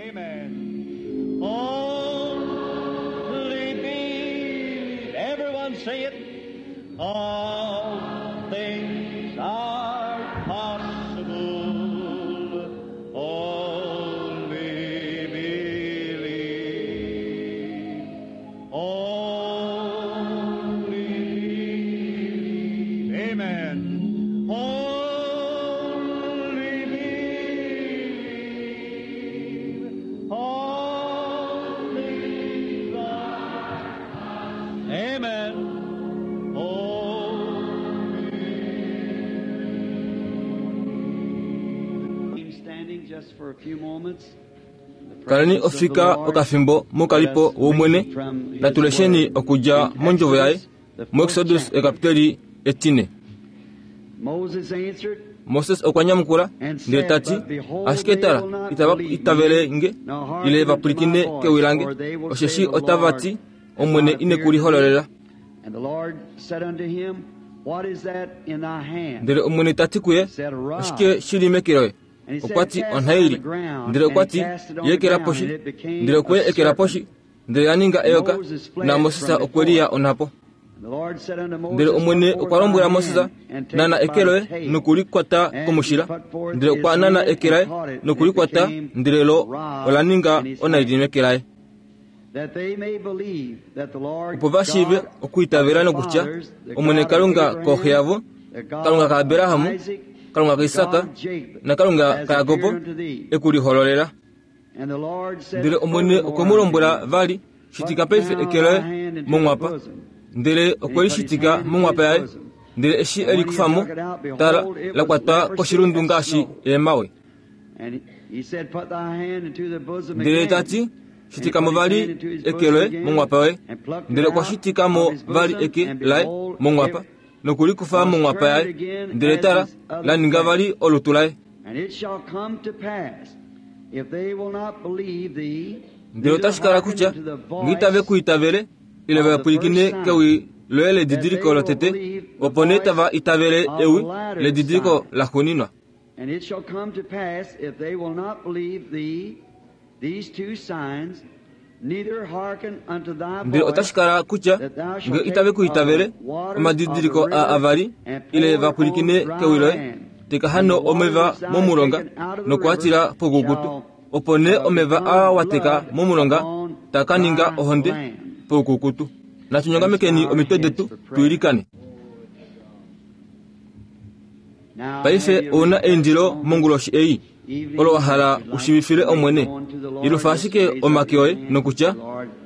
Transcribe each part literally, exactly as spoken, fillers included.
Amen. Only believe. Everyone say it. All things are possible. Only believe. Only believe. Amen. Only believe. All things are. Amen. Only Standing just for a few moments. Kaleni ofika okafimbo mokalipo womwene natulesheni okudja mondjovo yaye muExodus ekapiteli etine. Moses answered, Moses okwa nyamukula ndele ta ti, ashike tala, itava itavele nge ile va pwilikine kewi lange, osheshi otava ti, Omwene ine ku lihololela. And the Lord said unto him, What is that in thy hand? Ndele Omwene ta ti kuye, oshike shili meke loye? Okwa ti, onhaili. Ndele okwa ti, yi ekela poshi. Ndele okwe ekela poshi, ndele ya ninga eyoka, na Moses okwe liya onhapo. And the Lord said unto Moses, Ndele Omwene Put forth okwa lombwela thy Moses, hand and take nana it by eke the loye tail. noku li kwata komushila. Ndele okwa nana eke laye noku li kwata, ndele lo ola ninga onhaili meke laye. That they may believe that the Lord Opo va shiive God okwiitavela of the nokutya fathers, the Omwene God of Kalunga Abraham, kooxe yavo, the God Kalunga of kaAbraham, Isaac, Kalunga the kaIsaka, God of Jacob, naKalunga has kaYakobo appeared unto thee. e ku lihololela. And the Lord said Ndele Omwene okwe mu lombwela vali, shitika paife eke loye monghwapa. Ndele okwe li shitika monghwapa yaye, ndele eshi e li kufa mo, tala, la kwatwa koshilundu ngaashi eemawe. And he said, Put thy hand into the bosom Ndele again. ta ti, shitika mo vali eke loye monghwapa yoye. Ndele okwa shitika mo vali eke laye monghwapa, noku li kufa monghwapa yaye. Ndele tala, la ninga vali olutu laye. And it shall come to pass, if they will not believe thee, Ndele otashi kala kutya nge itave ku itavele ile va pwilikine kewi loye ledidiliko lotete, opo nee tava itavele ewi ledidiliko laxuuninwa. And it shall come to pass, if they will not believe thee, these two signs, neither hearken unto thy Ndele voice, otashi kala kutya nge itave ku itavele omadidiliko a avali ile va pwilikine kewi loye, teka hano omeva momulonga nokuatila poukukutu, opo nee omeva aa wa teka momulonga taa ka ninga ohonde poukukutu. Natu nyongamekeni omitwe detu tuilikane. Now Paife have you ouna requested eindilo on monguloshi ei olo wa hala ushivifile Omwene. Ilufa ashike omake oye nokutya,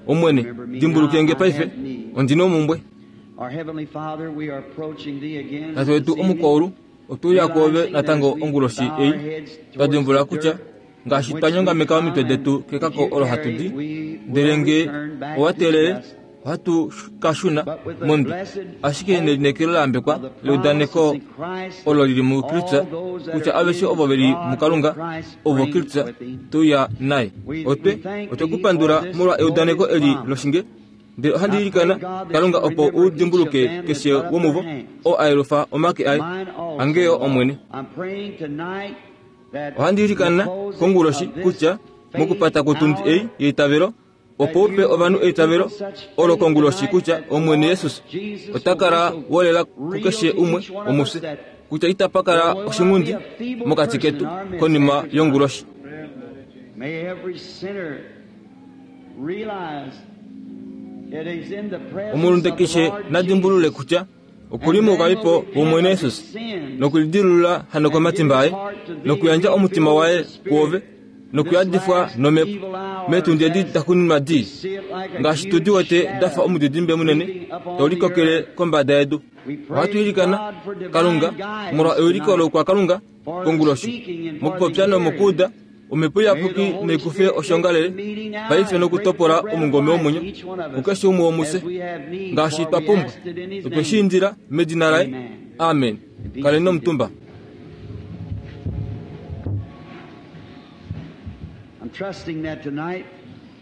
Omwene, dimbuluke nge paife, ondina omumbwe. Our Heavenly Father, we are approaching thee again Tate wetu this evening, omukwaulu, otuuya kwoove natango onguloshi ei, twa dimbulula kutya ngaashi twa nyongameka omitwe detu kekako olo hatu di, ndele nge owa teelele, ohatu ka shuna mondwi. Ashike nelineekelo la yambekwa leudaneko olo lili muKristus, kutya aveshe ovo veli muKalunga, ovo Kristus tuya naye. Otwe otwe ku pandula molwa eudaneko eli loshinge, ndele ohandi ilikana Kalunga opo u dimbuluke keshe womuvo oo a yelufa omake aye, angeyo Omwene. I'm praying tonight that Ohandi ilikana the closing konguloshi of this kutya mokupata kwotundi ei yeitavelo, opo upe that you ovanhu will give eitavelo people such olo faith konguloshi tonight kutya that the Omwene Lord Jesus Jesus ota kala will be so wolela real kukeshe to umwe each one of us womufye, that kutya itapa kala there will not oshingundi be a feeble mokati person ketu in our midst konima after tonight. yonguloshi. May every sinner realize it is in the presence Omulunde of the keshe Lord nadimbulule Jesus kutya okuli moukalipo wOmwene Jesus nokulidilulula hano komatimba aye, nokuyandja omutima waye kwoove, nokuyadifwa nomhepo meetundi edi daxuuninwa dii, ngaashi tudi wete dafa omudidimbe munene tau likokele kombada yedu. Ohatu ilikana Kalunga molwa euliko loukwakalunga konguloshi, mokupopya nomokuuda omhepo iyapuki naikufe oshongalele paife nokutopola omungome womwenyo kukeshe umwe womufye ngaashi twa pumbwa. Otwe shi indila medina laye, amen. Kaleni omutumba. I'm trusting that tonight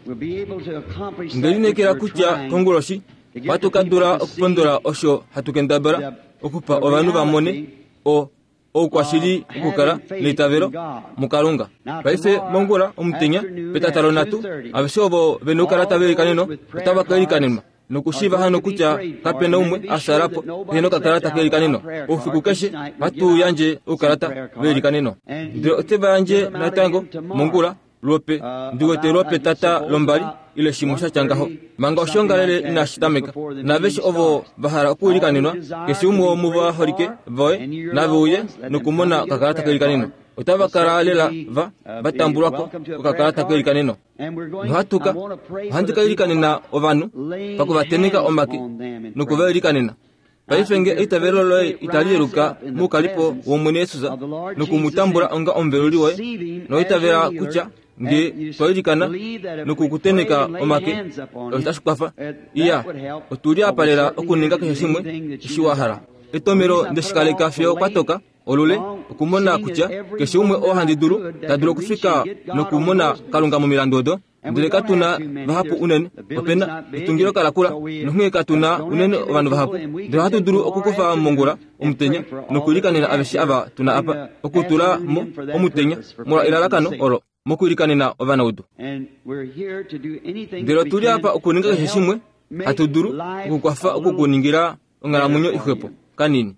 we'll be able to accomplish that Nde which lineekela we're kutya trying konguloshi ohatu ka dula okupondola osho hatu kendabala okupa ovanhu va mone o oukwashili okukala neitavelo muKalunga. Paife mongula omutenya petatalo nhatu aveshe ovo vena okukala tava ilikanenwa otava ka ilikanenwa nokushiiva hano kutya kapena umwe asalapo pehena okakalata keilikaneno. Oufiku keshe ohatu yandje oukalata veilikaneno, ndele oteva yandje natango mongula lwope ndiwete lwopetata lombali ile shimwe shatya ngaho manga oshiongalele inashi tameka. Naaveshe ovo va hala okuilikanenwa, keshe umwe womuvaholike voye nave uye nokumona okakalata keilikaneno. Otava kala lela va vatambulwako kokakalata keilikaneno. Nohatuka ohandi ka ilikanena ovanhu pakuvateneka omake nokuva ilikanena. Paife nge eitavelo loye itali yeluka muukalipo wOmwene Yesus nokumutambula onga omuveluli woye noitavela kutya nge twailikana nokukuteneka omake otashi kwafa. Iya, otuli apa lela okuninga keshe shimwe eshi wa hala. Etomelo ndeshikaleka fiyo kwatoka olule okumona kutya keshe umwe oo handi dulu ta dulu okufika nokumona Kalunga momilandu odo. Ndele katuna vahapu unene, opena etungilo kalakula nonghee katuna unene ovanhu vahapu. Ndele ohatu dulu okukufa mongula omutenya nokuilikanena aveshe ava tuna apa, okutula mo omutenya molwa elalakano olo mokuilikanena ovanaudu. Ndele otuli apa okuninga keshe shimwe hatu dulu okukwafa okukuningila onghalamwenyo ixwepo kanini,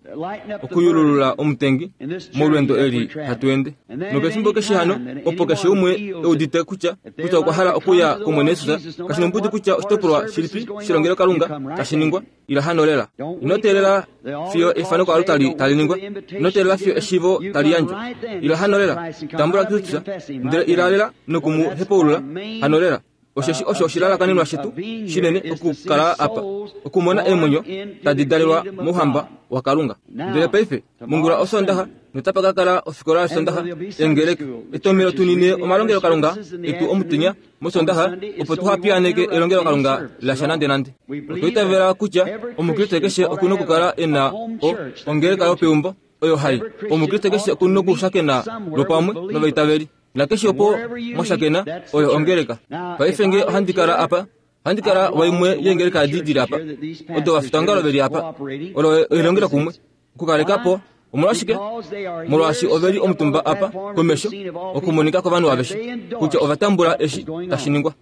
okuyululula omutengi molwendo eli hatu ende. Nopefimbo keshe hano opo keshe umwe eudite kutya kutya okwa hala okuya kOmwene Yesus, kashi nombudi kutya oshitopolwa shilipi shilongelo Kalunga tashi ningwa, ila hano lela. Ino teelela fiyo efaneko alo tali tali ningwa, ino teelela fiyo eshivo tali yandjwa, ila hano lela. Tambula Kristus ndele ila lela nokumu hepaulula hano lela. Osheshi osho oshilalakanenwa shetu shinene okukala apa, okumona eemwenyo tadi dalelwa mouhamba waKalunga. Ndele paife mongula Osondaxa notapa ka kala ofikola yOsondaxa engeleka etomelo tunine omalongelo Kalunga etu omutenya mOsondaxa, opo tuhapiyaneke elongelo Kalunga lasha nande nande. Otwa kutya omukriste keshe okuna okukala ena o ongeleka yopeumbo oyo hai. Omukriste keshe okuna okushakena lwopamwe novaitaveli. Nakeshe opo mwashakena oyo ongeleka. Paife nge ohandi kala apa, ohandi kala waimwe yengeleka adidili apa, odo vafitangalo veli apa, olo elongelo kumwe okukalekapo. Omolwashike? Molwaashi oveli omutumba apa komesho okumonika kovanhu aveshe kutya ovatambula eshi tashi ningwa.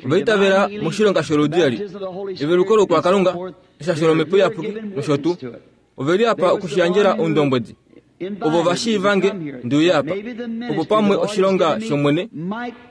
Ovaitavela moshilonga sholudi eli, eveluko lokwaKalunga, eshasho lomhepo iyapuki nosho tuu. Oveli apa okushiyandjela oundombwedi. Ovo vashiivange ndiuye apa, opo pamwe oshilonga shOmwene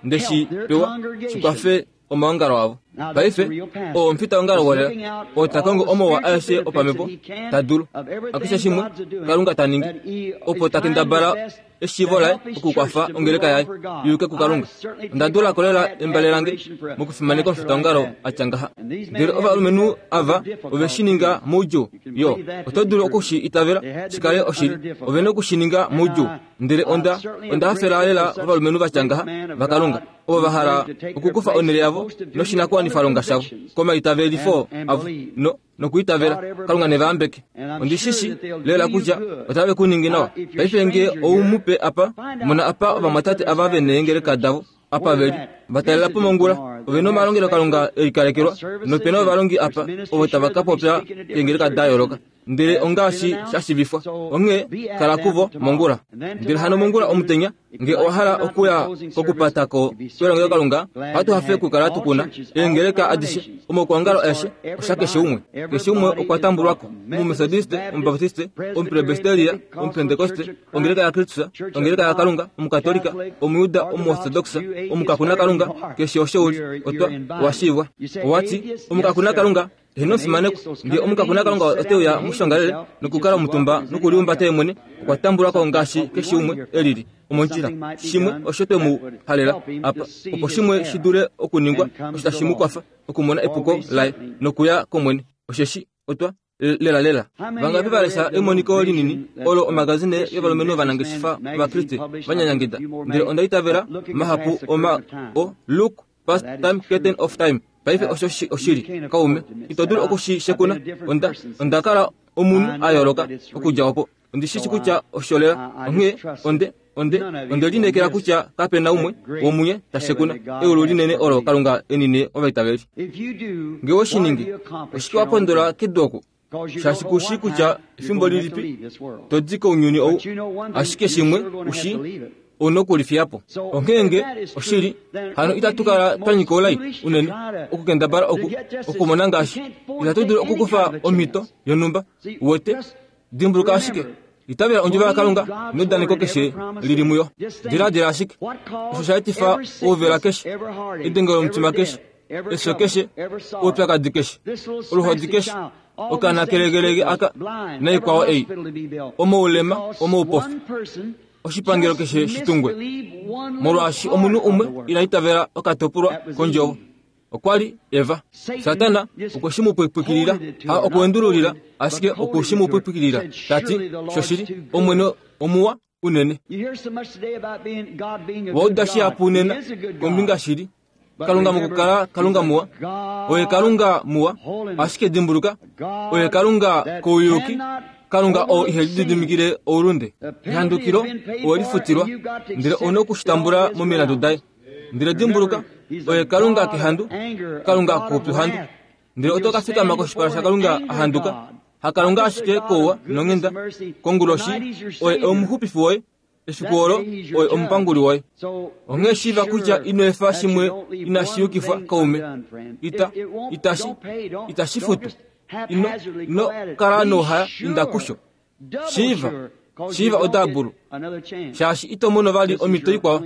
ndeshi pewa shikwafe omaongalo avo. Paife oo omufitaongalo wolela oo ta kongo omowa aeshe opamhepo ta dulu akeshe shimwe Kalunga ta ningi, opo ta kendabala eshiivo laye okukwafa ongeleka yaye yuuke kuKalunga. Onda dula kolela embale lange mokufimaneka omufitaongalo atya ngaha. Ndele ovalumenhu ava ove shi ninga moudjuu. Yo, oto dulu okushi itavela shikale oshili. Ove na okushi ninga moudjuu. Ndele onda onda hafela lela ovalumenhu vatya ngaha vaKalunga, ovo va hala okukufa onhele yavo noshinakuwanifwalonga shavo komaitavelifo avo no nokuitavela Kalunga nevahambeke. Ondishishi lela kutya otave ku ningi nawa. Paife nge oumupe apa, mona apa ovamwatate ava vene eengeleka davo apa veli vatalela po mongula, ove na omalongelo Kalunga elikalekelwa, nopena ovalongi apa ovo tava ka popya keengeleka da yooloka. Ndele ongaashi shashivifwa, onghee kala kuvo mongula. Ndele hano mongula omutenya nge owa hala okuya kokupatako kwelongelo Kalunga, ohatu hafe okukala tukuna eengeleka adishe omokuongalo aeshe osha keshe umwe. Keshe umwe okwa tambulwako, Omumethodiste, Omubaptiste, Omupresbiteria, Omupentekoste, ongeleka yaKristus, ongeleka yaKalunga, Omukatolika, Omuyuda, Omuortodoxa, Omukakuna Kalunga, keshe osho uli, otwa washiivwa. Owati Omukakuna Kalunga eheno fimaneko, nge Omukakuna Kalunga oteuya mushongalele nokukala omutumba nokuliumbata ye mwene, okwa tambulwako ngaashi keshe umwe elili. Omondjila shimwe osho twe mu halela apa, opo shimwe shi dule okuningwa osho tashi mu kwafa okumona epuko laye nokuya kOmwene. Osheshi otwa lela lela vangapi valesha emoniko linini olo omagazine yovalumenhu ovanangeshefa vaKriste vanyanyangida. Ndele onda itavela mahapu oma o Look Past Time Curtain of Time. Paife osho oshili kaume, ito dulu okushishekuna. Onda onda kala omunhu a yooloka okudja opo. Ondishishi kutya osho lela. Onghee onde onde onde linekela kutya kapena umwe womunye tashekuna eulu linene olo Kalunga enine ovaitaveli. Nge oshiningi oshike wa pondola kedu oku? Shaashi kushi kutya efimbo lilipi to di kounyuni ou, ashike shimwe ushi ou nokulifiya po. Onghee oshili hano itatu kala twa nyika oulai unene okukendabala oku okumona ngaashi itatu dulu okukufa omhito yonhumba. Uwete, dimbuluka ashike itavela ondjovo yaKalunga neudaneko keshe lili muyo. Diladila ashike osho sha etifa ouvela keshe, edenge lomutima keshe, efyo keshe, oupyakadi keshe, oluhodi keshe, okaana kelegelege aka naikwao ei, omoulema, omoupofi, oshipangelo keshe shitungwe, molwaashi omunhu umwe ina itavela okatopolwa kondjovo. Okwa li Eva. Satana okwe shi mu pwipwikilila, ha okuendululila, ashike okwe shi mu pwipwikilila, tati shoshili Omwene omuwa unene. Wauda shihapu nena kombinga shili Kalunga mokukala Kalunga muwa, oye Kalunga muwa, ashike dimbuluka oye Kalunga kouyuki, Kalunga oo ihe lididimikile oulunde. Ehandukilo owelifutilwa, ndele ouna okushitambula momilandu daye. Ndele dimbuluka oye Kalunga kehandu, Kalunga koupyuhandu. Ndele oto ka fikama koshipala shaKalunga ahanduka, haKalunga ashike kouwa nonghenda. Konguloshi oye omuxupifi woye, efiku olo oye omupanguli woye. Onghee shiiva kutya ino efa shimwe inashi yukifwa kaume. Ita itashi itashi futu. Ino ino kala nouhaya inda kusho. Shiiva shiiva odabulu, shaashi ito mono vali omhito ikwao.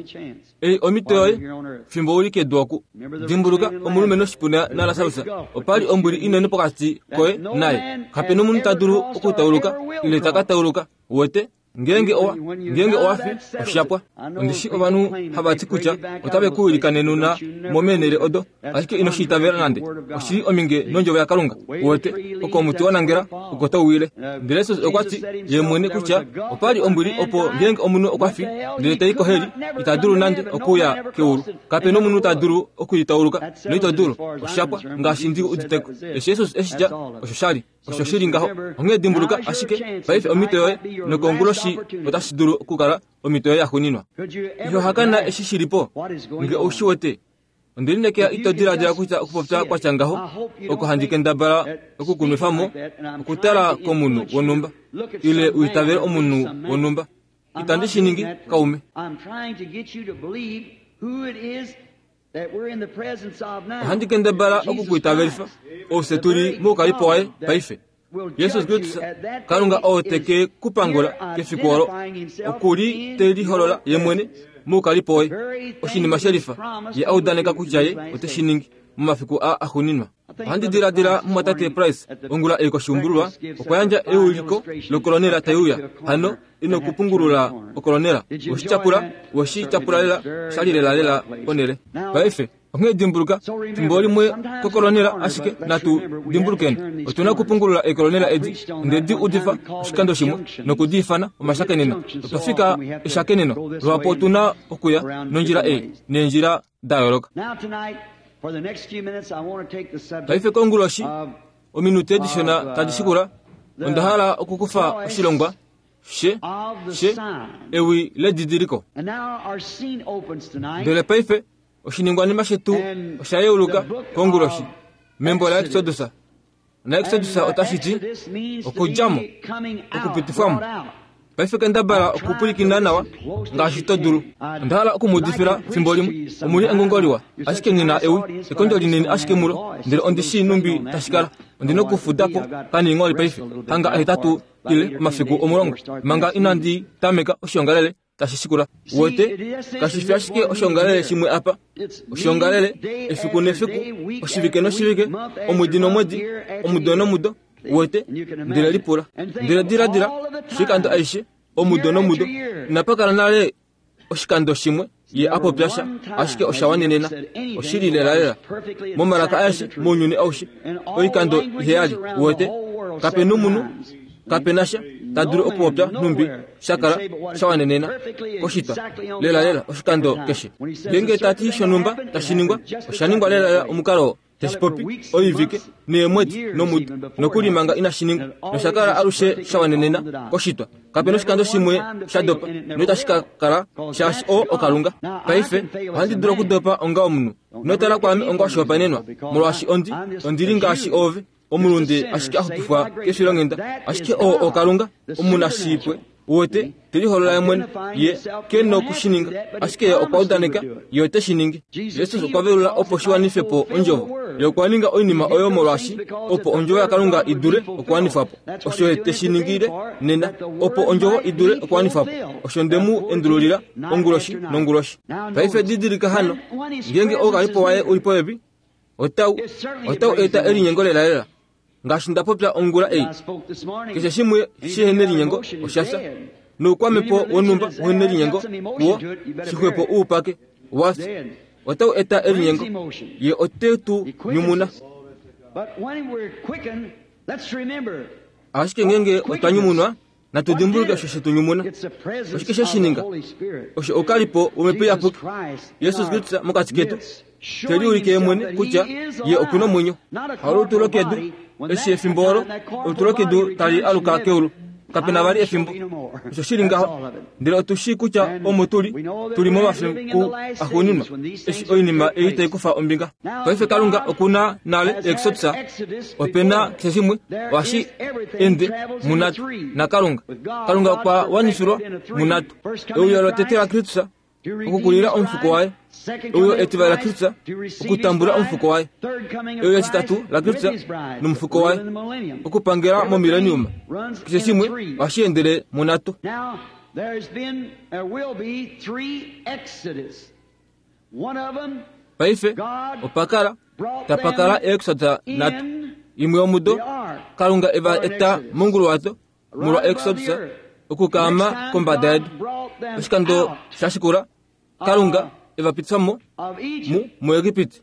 Ei omhito yoye fimbo uli kedu oku. Dimbuluka omulumenhu oshipuna naLasarus, opa li ombwili inene pokati koye naye. Kapena omunhu ta dulu okutauluka ile ta ka tauluka. Uwete, ngeenge owa ngeenge owa fi oshapwa. Ondishi ovanhu hava ti kutya otave ku ilikanenuna momeenhele odo, ashike ino shi itavela nande. Oshili ominge nondjovo yaKalunga. Uwete, oko omuti wa nangela oko tau wile. Ndele Jesus okwa ti ye mwene kutya opa li ombwili opo ngeenge omunhu okwa fi ndele tai koheli, ita dulu nande okuya keulu. Kapena omunhu ta dulu okuitauluka noito dulu. Oshapwa ngaashi ndi uditeko. Eshi Jesus eshi tya osho shali osho shili ngaho. Onghee dimbuluka ashike paife omhito yoye nokonguloshi otashi dulu okukala omhito yoye yaxuuninwa. Iho hakana eshi shili po nge ou shi wete. Onde lineekela ito diladila kutya okupopya kwatya ngaho oko handi kendabala okukunwefa mo okutala komunhu wonhumba ile u itavele omunhu wonhumba. Itandi shi ningi kaume. Ohandi kendabala okukuitavelifa oufye tuli moukalipo waye paife. Jesus Kristus, Kalunga oo teke kupangula kefiku olo, okuli te liholola ye mwene moukalipo waye. Oshinima shelifa ye audaneka kutya ye ote shi ningi momafiku a axuuninwa. Ohandi diladila mumwatate Price ongula ei koshiumbululwa okwa yandja euliko lokolonela tai uya. Hano ino kupungulula okolonela. Weshi tyapula, weshi tyapula lela, shali lela lela ponele. Paife onghee dimbuluka fimbo limwe kokolonela, ashike natu dimbulukeni otuna okupungulula ekolonela edi. Onde di udifa oshikando shimwe noku di ifana omashakeneno. Otwa fika eshakeneno lwapo otuna okuya nondjila ei neendjila da yooloka. Paife konguloshi ominute dishona tadi shikula onda hala okukufa oshilongwa she she ewi ledidiliko. Ndele paife oshiningwanima shetu osha yeuluka konguloshi membo la Exodus. Na Exodus otashi ti okudjamo, okupitifwamo. Paife kendabala okupwilikina nawa ngaashi to dulu. Onda hala okumudifila fimbo limwe omuli engongo liwa, ashike nghi na ewi ekondjo linini ashike mulo, ndele ondi shii numbi tashi kala. Ondi nokufuda po kaniingholi paife hanga ahetatu ile omafiku omulongo manga inandi tameka oshiongalele tashi shikula. Uwete, kashi fi ashike oshiongalele shimwe apa. Oshiongalele efiku nefiku, oshivike noshivike, omwedi nomwedi, omudo nomudo. Uwete, ndele lipula, ndele diladila oshikando aishe, omudo nomudo. Inapa kala nale oshikando shimwe ye apopya sha, ashike osha wanenena. Oshili lela lela momalaka aeshe mounyuni aushe, oikando iheyali. Uwete, kapena omunhu, kapena sha ta dulu okupopya nhumbi shakala sha wanenena koshitwa lela lela oshikando keshe. Ngeenge tati shonhumba tashi ningwa, osha ningwa lela lela omukalo teshi popi oivike neemwedi nomudo nokuli manga inashi ningwa, noshakala alushe sha wanenena koshitwa. Kapena oshikando shimwe sha dopa noitashi ka kala shaashi oo oKalunga. Paife ohandi dulu okudopa onga omunhu, inotala kwaame onga oshihopaenenwa, molwaashi ondi ondili ngaashi ove. Omulunde ashike axupifwa kefilonghenda ashike oo okalunga omunashipwe wote teliholola ye mwene ye ke nokushininga ashike ye okwa udaneka ye ote shi ningi. Jesus okwa velula opo shiwanife po ondjovo. Ye okwa ninga oinima oyo molwaashi opo ondjovo yaKalunga idule okuwanifwa po. Osho ye te shi ningile nena opo ondjovo idule okuwanifwa po. Osho ndemu endululila onguloshi nonguloshi. Paife didilika hano ngeenge oukalipo waye uli popepi otau otau eta elinyengo lelalela. Ngaashi nda popya ongula ei, keshe shimwe shihena elinyengo osha fya. Noukwamepo wonhumba uhena elinyengo kuwo shixwepo uupake wafya. Otau eta elinyengo ye ote tu nyumuna. Ashike ngeenge otwa nyumunwa natu dimbuluke osho shetu nyumuna. Oshike she shi ninga? Osho oukalipo womhepo iyapuki Jesus Kristus mokati ketu teliulike ye mwene kutya ye okuna omwenyo. Haolutu lokedu eshi efimbo olo olutu lokedu tali aluka keulu kapena vali efimbo. Osho shili ngaho ndele otu shii kutya omo tuli tuli momafiku axuuninwa eshi oinima ei tai kufa ombinga. Paife Kalunga okuna nale Exodus opena keshe shimwe ohashi ende munatu naKalunga. Kalunga okwa wanifilwa munatu. Euyo lotete laKristus okukulila omufuko waye. Euyo etivali laKristus okutambula omufuko waye. Euyo etitatu laKristus nomufuko waye okupangela momilenium. Keshe shimwe ohashi endele munatu. Paife opakala tapakala Exodus nhatu. Imwe yomudo Kalunga eva eta monguluwato molwa Exodus okukaama kombada yedu. Oshikando shashikula Kalunga eva pitifa mo mu muEgipiti.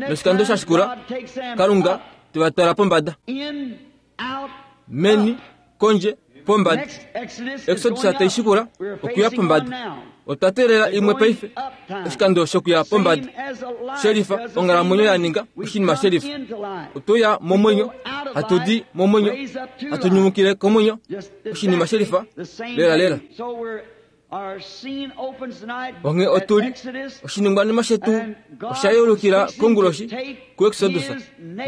Noshikando shashikula Kalunga teva twala pombada. Meni kondje pombada. Exodus tai shikula okuya pombada. Otwa teelela imwe paife oshikando shokuya pombada. Shelifa onghalamwenyo ya ninga oshinima shelifa. Otoya momwenyo hatu di momwenyo hatu nyumukile komwenyo oshinima shelifa lela lela. Onghee otuli oshiningwanima shetu osha yeulukila konguloshi kuExodus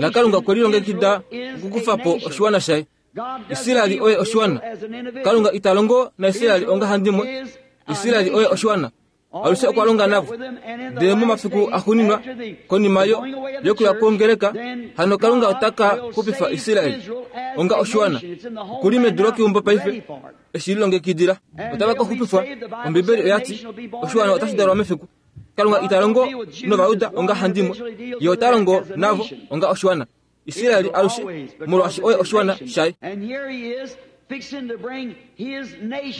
naKalunga okwe lilongekida okukufa po oshiwana shaye. Israeli oye oshiwana. Kalunga ita longo naIsraeli onga handimwe. Israeli oye oshiwana. Alushe okwa longa navo. Ndele momafiku axuuninwa konima yo yokuya kwongeleka hano Kalunga otaka xupifa Israeli onga oshiwana. Okuli medu lokeumbo paife eshi lilongekidila. Otava ka xupifwa. Ombibeli oya ti oshiwana otashi dalwa mefiku. Kalunga ita longo nOvayuda onga handimwe. Ye ota longo navo onga oshiwana. Israeli alushe molwaashi oye oshiwana shaye.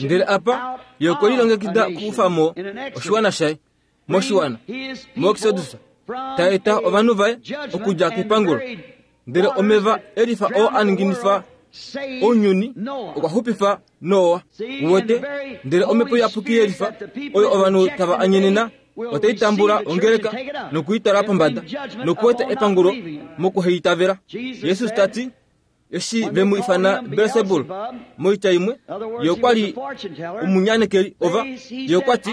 Ndele apa ye okwe lilongekida okukufa mo oshiwana shaye moshiwana moExodus ta eta ovanhu vaye okudja kepangulo. Ndele omeva elifa oo a ninginifa ounyuni okwa xupifa Noa uwete. Ndele omhepo iyapuki yelifa oyo ovanhu tava anyenena otai tambula ongeleka nokuitwala pombada nokueta epangulo mokuheitavela. Jesus ta ti eshi vemu ifana Beelsebul moitya imwe ye okwa li omunyanekeli ova ye okwa ti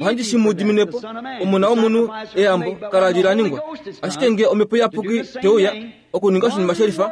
ohandi shi mu diminepo omona womunhu eyambo kala li la ningwa. Ashike nge omhepo iyapuki teuya okuninga oshinima shelifa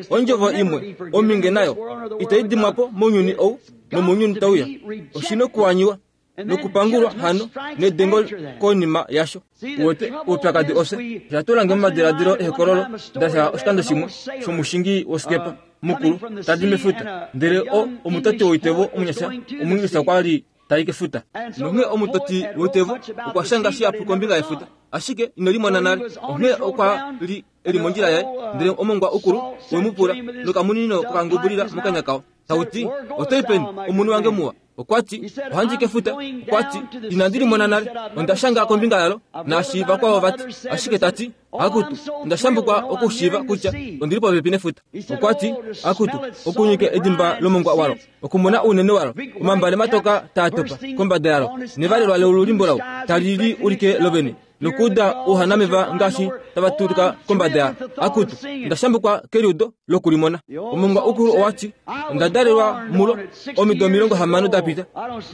ondjovo imwe ominge nayo itai dimwa po mounyuni ou nomounyuni tauya. Oshina okuwanyiwa nokupangulwa hano nedengo konima yasho. Uwete oupyakadi ose osha momadiladilo ehokololo ndasha oshikando shimwe shomushingi wosikepa mukulu tadi mefuta. Ndele o omutoti woitevo omunyasha omuingilisa okwa li tai kefuta. Nonghee omutoti woitevo okwa shanga shihapu kombinga yefuta ashike ino limona nale. Onghee okwa li eli mondjila yaye ndele omongwa ukulu wemupula nokamunino kokangubulila mokanya kao tauti otoi peni omunhu wange muwa. Okwa ti ohandi kefuta. Okwa ti inandi limona nale onda shanga kombinga yalo naashi vakwao vati. Ashike tati akutu onda shambukwa okushiiva kutya ondili popepi nefuta. Okwa ti akutu okunyike edimba lomongwa walo okumona ounene walo omambale matoka taa topa kombada yalo nevalelwa lolulimbo lawo tali li ulike lovene nokuuda ouhanameva ngaashi tava tulika kombada yalo. Akutu onda shambukwa keliudo lokulimona. Omongwa ukulu owati onda dalelwa mulo omido omilongo hamano da pita.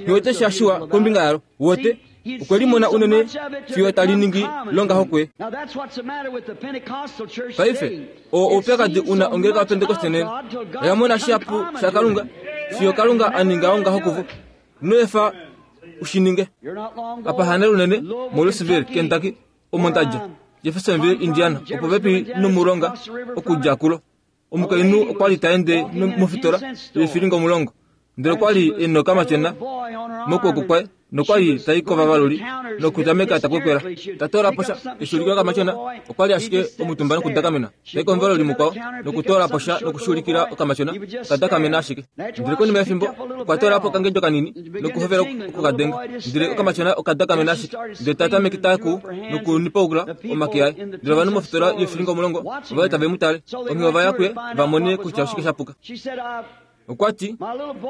Hiwete shashiwa kombinga yalo. Wote Okwe limona unene fiyo tali ningi longaho kuye. Paife oo oupyakadi una ongeleka yaPentekoste nena. Oya mona shihapu shaKalunga fiyo Kalunga a ninga ongaho kuvo. Ino efa ushininge. Apa hane lunene moLouisville, Kentucky, omo ndadja, Jeffersonville, Indiana, opo pepi nomulonga okudja kulo. Omukainhu okwa li ta ende mofitola yoifilinga omulongo, ndele okwa li e nokamatyona mokwooko kwaye nokwa li tai kovavaluli nokutameka ta kwekwela. Ta toola po sha eshuulikila okamatyona, okwa li ashike omutumba nokudakamena. Tai komuvaluli mukwao nokutoola po sha nokushuulikila okamatyona, kadakamena ashike. Ndele konima yefimbo okwa toola po okangedjo kanini nokuhovela okukadenga, ndele okamatyona okadakamena ashike. Ndele ta tameke ta ku nokunipaukula omake aye. Ndele ovanhu mofitola yoifilinga omulongo ova li tave mu tale, onghee ova ya kuye va mone kutya oshike sha puka. Okwa ti,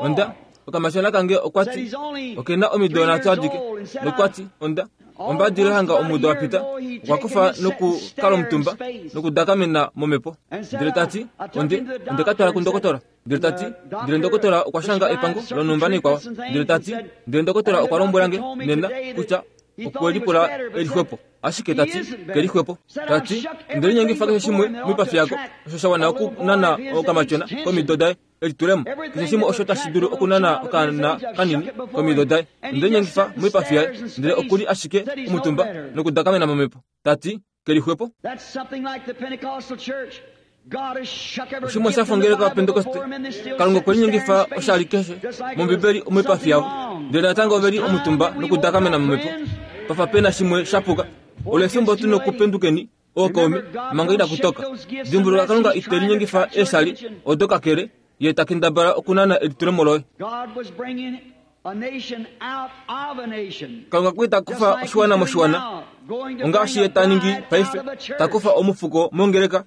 onda okamatyona kange okwa ti okena omido nhatu adike, nokwa ti onda ombadilila hanga omudo wa pita okwa kufa nokukala omutumba nokudakamena momhepo. Ndele ta ti onde onde ka twala kundokotola. Ndele ta ti ndele ndokotola okwa shanga epango lonhumba naikwao. Ndele ta ti ndele ndokotola okwa lombwela nge nena kutya okwe lipula elixwepo, ashike ta ti kelixwepo. Ta ti ndele linyengifa keshe shimwe moipafi yako osho sha wana okunana okamatyona komido daye elitulemo, keshe shimwe osho tashi dulu okunana okaana kanini komido daye. Ndele linyengifa moipafi yaye, ndele okuli ashike omutumba nokudakamena momhepo. Ta ti kelixwepo. Oshimwe sha fongeleka waPentekoste, Kalunga okwe linyengifa oshali keshe mOmbibeli moipafi yavo, ndele natango ove li omutumba nokudakamena momhepo. Pafa pena shimwe sha puka. Olo efimbo tu nokupendukeni ookaume manga ina kutoka. Dimbuluka Kalunga ite linyengifa eeshali odo kakele ye ta kendabala okunana elitulemo loye. Kalunga okwa li ta kufa oshiwana moshiwana, ongaashi ye ta ningi paife, ta kufa omufuko mongeleka,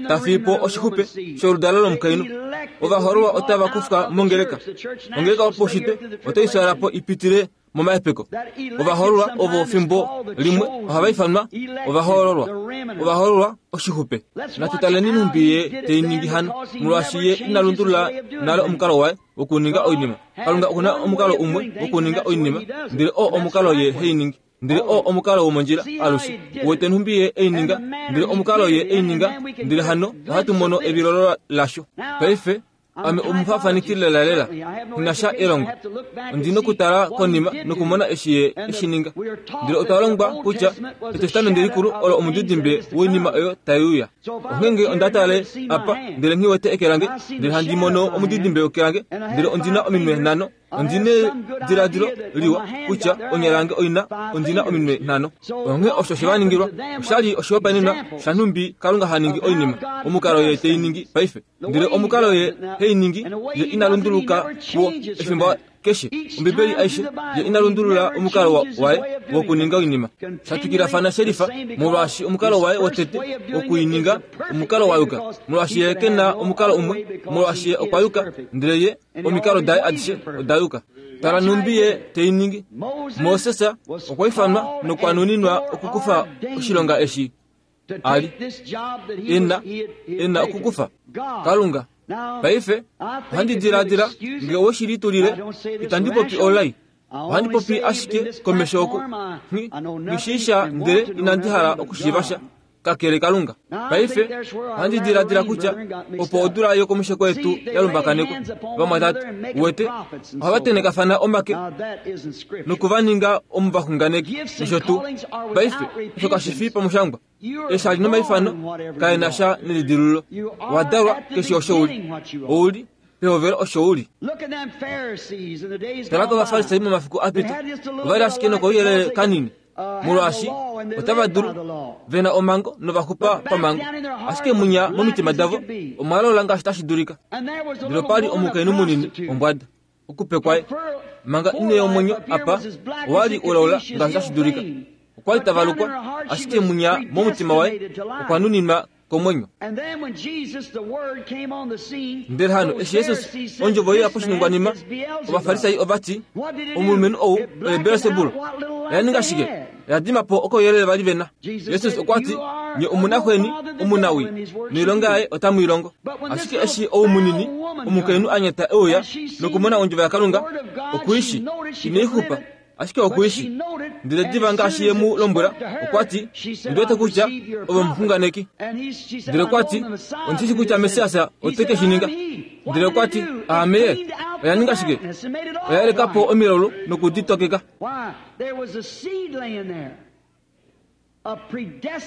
ta fiyi po oshixupe sholudalo lomukainhu. Ovahoololwa otava kufwa mongeleka. Ongeleka yopaushitwe otai fyaala po ipitile momahepeko. Ovahoololwa ovo fimbo limwe ohava ifanwa ovahoololwa. Ovahoololwa oshixupe. Natu taleni nhumbi ye tei ningi hano, molwaashi ye ina lundulula nale omukalo waye wokuninga oinima. Kalunga okuna omukalo umwe wokuninga oinima, ndele oo omukalo ye hei ningi. Ndele oo omukalo womondjila alushe. Uwete nhumbi ye ei ninga, ndele omukalo ye ei ninga, ndele hano ohatu mono evilolo lasho. Paife ame omufafaniki lelalela, nghi sha elongo. Ondi nokutala konima nokumona eshi ye eshi ninga. Ndele otwa longwa kutya Etestamenti likulu olo omudidimbe woinima oyo tai uya. Onghee nge onda tale apa, ndele nghi wete eke lange, ndele handi mono omudidimbe weke lange, ndele ondina ominwe nhano. Ondi nediladilo liwa kutya onya lange oina ondina ominwe nhano. Onghee osho she va ningilwa oshali oshihopaenenwa shanhumbi Kalunga ha ningi oinima, omukalo ye tei ningi paife. Ndele omukalo ye hei ningi, ye ina lunduluka kuwo efimbo keshe. Ombibeli aishe ye ina lundulula omukalo waye wokuninga oinima. Shatwikilafana shelifa, molwaashi omukalo waye wotete wokuininga omukalo wa yuka, molwaashi ye ke na omukalo umwe, molwaashi ye okwa yuka, ndele ye omikalo daye adishe oda yuka. Tala nhumbi ye tei ningi. Moses okwa ifanwa nokwa nuninwa okukufa oshilonga eshi ali ena ena okukufa Kalunga. Paife ohandi diladila nge owe shi litulile, itandi popi olai, ohandi popi ashike komesho oku nghishiisha, ndele inandi hala okushiiva sha kakele Kalunga. Paife ohandi diladila kutya opo odula yokomusheko yetu ya lumbakanekwa. Vamwatate, uwete ohava tenekafana omake nokuva ninga omuvaxunganeki nosho tuu. Paife osho kashi fi pamushangwa. Eeshali nomaifano kae na sha nelidilululo. Owa dalwa keshe osho uli. Ouli pehovelo osho uli. Tala kovafarisai momafiku a pita, ova li ashike nokouyelele kanini, molwaashi otava dulu ve na omhango novaxupa pamhango, ashike munya momitima davo omwa lola ngaashi tashi dulika. Ndele opa li omukainhu munini ombwada okupe kwaye manga ine yomwenyo apa owa li ulaula ngaashi tashi dulika. Okwa li tavalukwa, ashike munya momutima waye okwa nuninwa komwenyo. Ndele hano eshi Jesus ondjovo ye poshiningwanima, ovafarisai ova ti, omulumenhu ou oye Belsebul. Oya ninga shike? Oya dima po okouyelele vali vena. Jesus okwa ti, nye omunaxweni omunawi, noilonga yaye otamu i longo. Ashike eshi ou munini omukainhu a nyata e uya nokumona ondjovo yaKalunga, okui shi inai xupa, Ashike okuishi. Ndele diva ngaashi ye mu lombwela, okwa ti, ndi wete kutya ove omuxunganeki. Ndele okwa ti, ondi shi kutya Messias ote ke shi ninga. Ndele okwa ti, aame ye. Oya ninga shike? Oya yeleka po omilaulu nokuditokeka.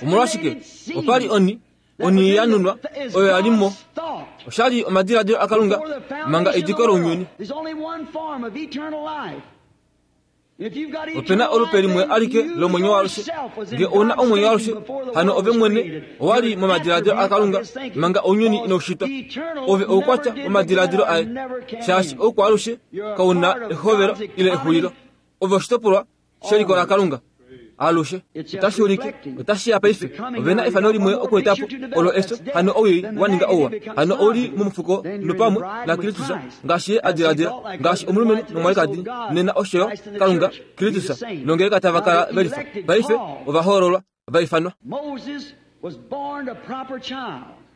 Omolwashike? Opa li oni, oni ya nunwa, oyo ya li mo. Osha li omadiladilo aKalunga manga ediko lounyuni. Opena olupe limwe alike lomwenyo waalushe. Nge ouna omwenyo waalushe, hano ove mwene owa li momadiladilo aKalunga manga ounyuni inaushitwa. Ove oukwatya womadiladilo aye, shaashi oukwaalushe kauna ehovelo ile exulilo. Ove oshitopolwa sheliko laKalunga alushe. Otashi ulike, otashi ya paife. Ovena efano limwe okuetapo olo efyo, hano owii wa ninga ouwa, hano ouli momufuko nopamwe naKristus, ngaashi ye a diladila, ngaashi omulumenhu nomwalikadi nena osho yo Kalunga Kristus nongeleka tava kala velifa. Paife ovahoololwa vaifanwa.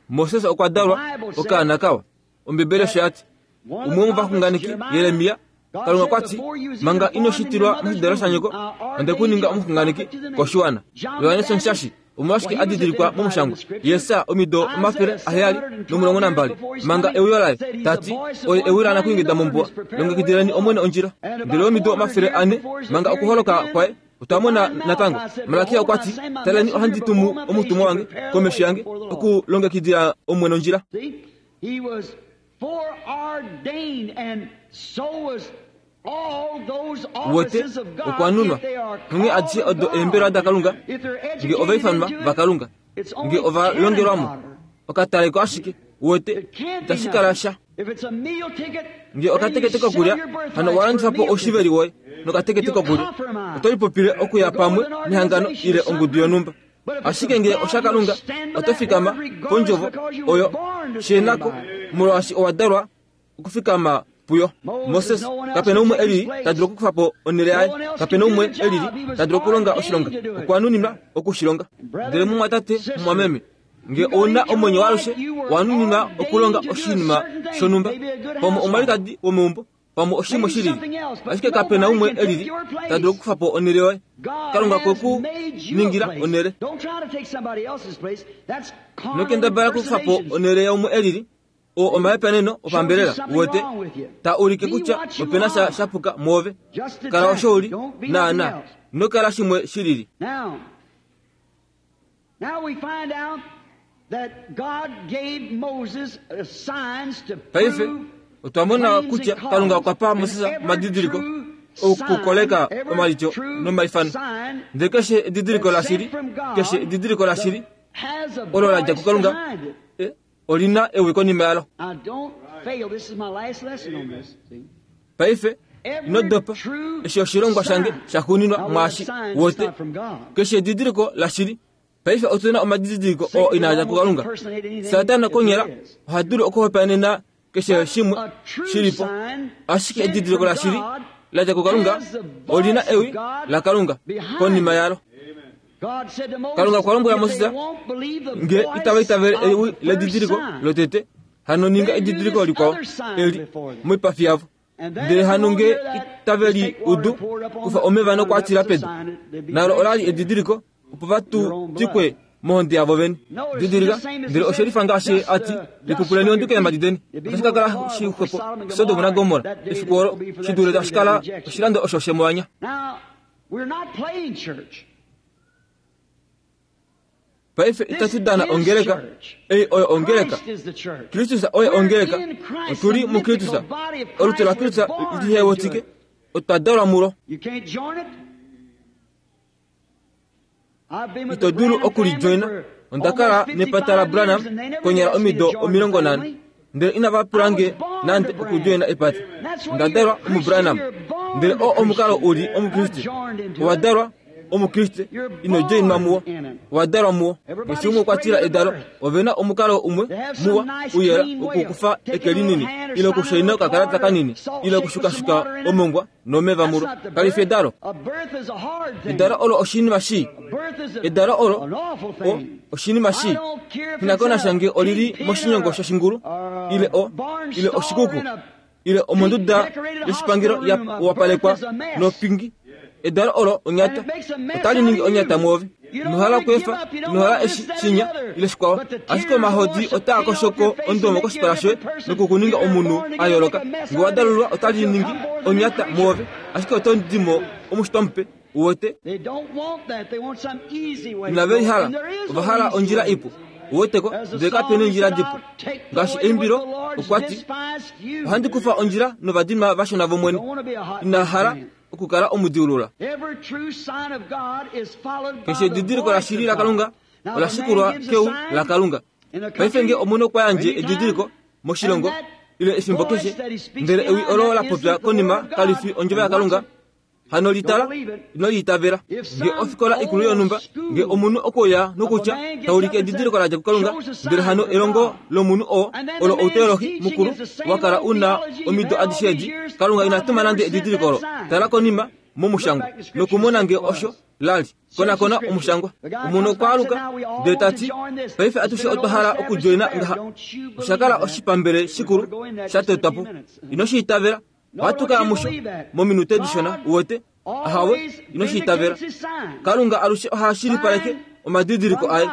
Moses okwa dalwa okaana kawa. Ombibeli osho yati, umwe womovaxunganeki Jeremia, Kalunga okwa ti, manga ino shitilwa moshidalo shanyoko, onde ku ninga omuxunganeki koshiwana. Johannes Omushashi omolwashike a didilikwa momushangwa Jesaja omido omafele aheyali nomulongo nambali manga euyo laye, tati oye ewi laanakuingida mombuwa, longekidileni Omwene ondjila. Ndele omido omafele ane manga okuholoka kwaye, otwa mona natango Malakia okwa ti, taleni ohandi tumu omutumwa wange komesho yange okulongekidila Omwene ondjila. Wote okwa nunwa onghee adishe odo eembelwa daKalunga, nge ovaifanwa vaKalunga, nge ovalongelwamo, okataleko ashike. Wote itashi kala sha. Nge okatekete kokulya, hano owa po oshiveli woye nokatekete kokulya, oto lipopile okuya pamwe nehangano ile ongudu yonhumba. Ashike nge oshaKalunga, oto fikama pondjovo oyo shenako, molwaashi owa dalwa okufikama puyo. Moses kapena umwe elili ta dulu okukufa po onhele yaye, kapena umwe elili ta dulu okulonga oshilonga, okwa nuninwa okushilonga. Ndele mumwatate, mumwameme, nge ouna omwenyo waalushe, owa nuninwa okulonga oshinima shonhumba, pamwe omwalikadi womeumbo, pamwe oshimwe shilili, ashike kapena umwe elili ta dulu okukufa po onhele yoye. Kalunga kwe ku ningila onhele. Nokendabala okukufa po onhele yaumwe elili, o omahepaneno opambelela wote ta ulike kutya opena sha shapuka mwoove. Kala osho uli naana, nokala shimwe shilili. Paife otwa mona kutya Kalunga okwa pa Moses omadidiliko okukoleka omalityo nomaifano. Ndele keshe edidiliko lashili, keshe edidiliko lashili olo la dja kuKalunga, olina ewi konima yalo. Paife ino dopa, eshi oshilongwa shange shaxuuninwa mwaashi wote. Keshe edidiliko lashili. Paife otuna omadidiliko oo inaa dja kuKalunga. Satana konyala oha dulu okuhopaenena keshe shimwe shilipo, ashike edidiliko lashili la dja kuKalunga olina ewi laKalunga konima yalo. Kalunga okwa lombwela Moses, nge itava itavele ewi ledidiliko lotete, hano ninga edidiliko likwao eli moipafi yavo. Ndele hano nge itave li udu, kufa omeva nokwaatila pedu. Nalo olali edidiliko opo vatutikwe mohonde yavo vene. Didilika, ndele oshe lifa ngaashi ati, lipupuleni onduke yeemhadi deni. Otashi ka kala shixwepo Sodom naGomorra efiku olo, shi dule tashi kala oshilando osho shemwanya. Paife itatu dana ongeleka, ei oyo ongeleka. Kristus oye ongeleka, otuli muKristus. Olutu laKristus lihewetike, otwa dalwa mulo. Ito dulu okulijoina. Onda kala nepata laBranham konyala omido omilongo nhano, ndele inava pula nge nande okujoina epata. Onda dalwa omuBranham, ndele oo omukalo uli Omukriste. Owa dalwa Omukriste, ino joinwa muwo, owa dalwa muwo. Keshe umwe okwa tila edalo, ovena omukalo umwe muwa uyela okukufa eke linini, ile okushaina okakalata kanini, ile okushukashuka omongwa nomeva mulo. Kali fi edalo. Edalo olo oshinima shii. Edalo olo o oshinima shii. Shinakonasha nge olili moshinyongo shoshingulu, ile o ile oshikuku, ile omonduda yoshipangelo ya wapalekwa nopingi. Edalo olo onyata otali ningi onyata mwoove. Inohala okweefa, inohala eshi shinya ile shikwao, ashike omahodi otaa koshoko ondomo koshipala shoye nokukuninga omunhu a yooloka. Nge wa dalulwa otali ningi onyata mwoove, ashike oto dimo omushitwa mupe. Uwete inave lihala, ova hala ondjila ipu. Uweteko ndele kapena ondjila dipu. Ngaashi eimbilo okwa ti, ohandi kufa ondjila novadinwa vashona vomwene. Ina hala okukala omudiulula. Keshe edidiliko lashili laKalunga ola shikulwa keu laKalunga. Paife nge omunhu okwa yandje edidiliko moshilongo ile efimbo keshe, ndele ewi olo la popya konima kali fi ondjovo yaKalunga, hano litala ino liitavela. Nge ofikola ikulu yonhumba, nge omunhu okouya nokutya taulike edidiliko ladja kuKalunga, ndele hano elongo lomunhu oo olo outeolohi mukulu wakala una omido adishe edi, Kalunga ina tuma nande edidiliko olo. Tala konima momushangwa nokumona nge osho lali. Konakona omushangwa. Omunhu okwa aluka ndele tati, paife atushe otwa hala okujoina ngaha. Oshakala oshipambele shikulu sha totwa po. Ino shi itavela. Ohatu kaya musho mominute dishona. Uwete ahawe, ino shi itavela. Kalunga alushe oha shilipaleke omadidiliko aye.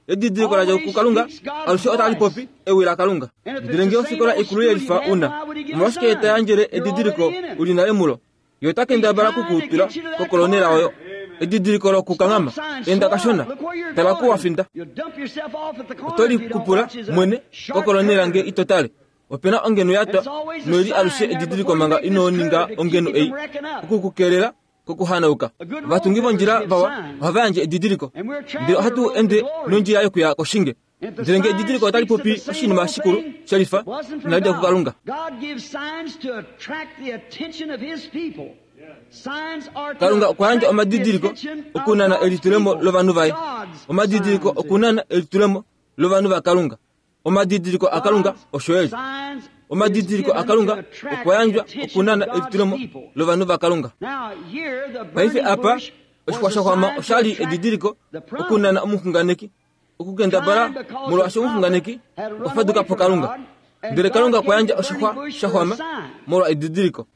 Edidiliko ladja kuKalunga alushe otali popi ewi laKalunga. Ndele nge ofikola ikulu yelifa una, omolwashike ta yandjele edidiliko uli nale mulo? Ye ota kendabala kukuutula kokolonela oyo. Edidiliko lokukanghama enda kashona, tala kuwafinda. Oto likupula mwene kokolonela nge ito tale. Opena ongeno yatwa noili alushe edidiliko manga ino ninga ongeno ei okukukelela kokuhanauka. Ovatungi vondjila vawa ohava yandje edidiliko, ndele ohatu ende nondjila yokuya koshinge. Ndele nge edidiliko otali popi oshinima shikulu shelifa, inali dja kuKalunga. Kalunga okwa yandja omadidiliko okunana elitulemo lovanhu vaye. Omadidiliko okunana elitulemo lovanhu vaKalunga. Omadidiliko aKalunga osho eli. Omadidiliko aKalunga okwa yandjwa okunana elitulemo lovanhu vaKalunga. Paife apa oshixwa shaxwama oshali edidiliko okunana omuxunganeki okukendabala, molwaashi omuxunganeki okwa faduka po Kalunga. Ndele Kalunga okwa yandja oshixwa shaxwama molwa edidiliko.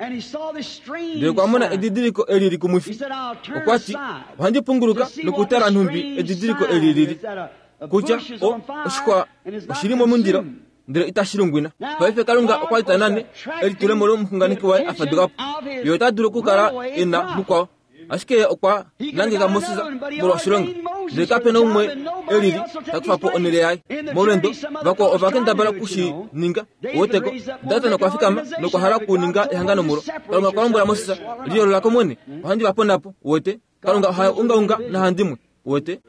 Ndele okwa mona edidiliko eli likumwifi. Okwa ti, ohandi punguluka nokutala nhumbi edidiliko eli lili. Kutya o oshixwa oshili momundilo ndele itashi lungwina. Paife Kalunga okwa li ta nane elitulemo lomuxunganeki waye a faduka po. Ye ota dulu okukala e na mukwao, ashike ye okwa nangeka Moses molwa oshilonga. Ndele kapena umwe elili ta kufa po onhele yaye. Molwendo vakwao ova kendabala okushi ninga. Uweteko Datan okwa fikama nokwa hala okuninga ehangano mulo. Kalunga okwa lombwela Moses, liyoolola komwene, ohandi va pona po. Uwete Kalunga oha ungaunga nahandimwe. Uwete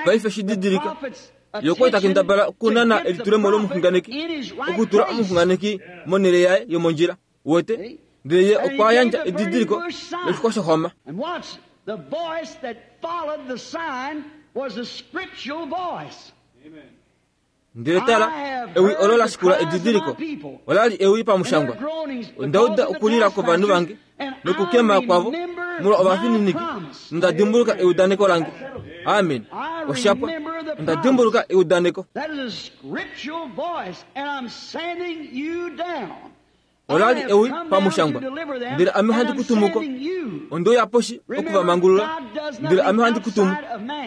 paife shididilika ye okwa li ta kendabala okunana elitulemo lomuxunganeki, okutula omuxunganeki monhele yaye yomondjila. Uwete ndele ye okwa yandja edidiliko loshixwa shaxwama. Ndele tala, ewi olo la shikula edidiliko olali ewi pamushangwa. Onda uda okulila kwovanhu vange nokukema kwavo molwa ovafininiki. Nda dimbuluka eudaneko lange. Amen. Oshapwa. Onda dimbuluka eudaneko. Olali ewi pamushangwa. Ndele ame ohandi kutumuko. Ondouya poshi okuvamangulula. Ndele ame ohandi kutumu.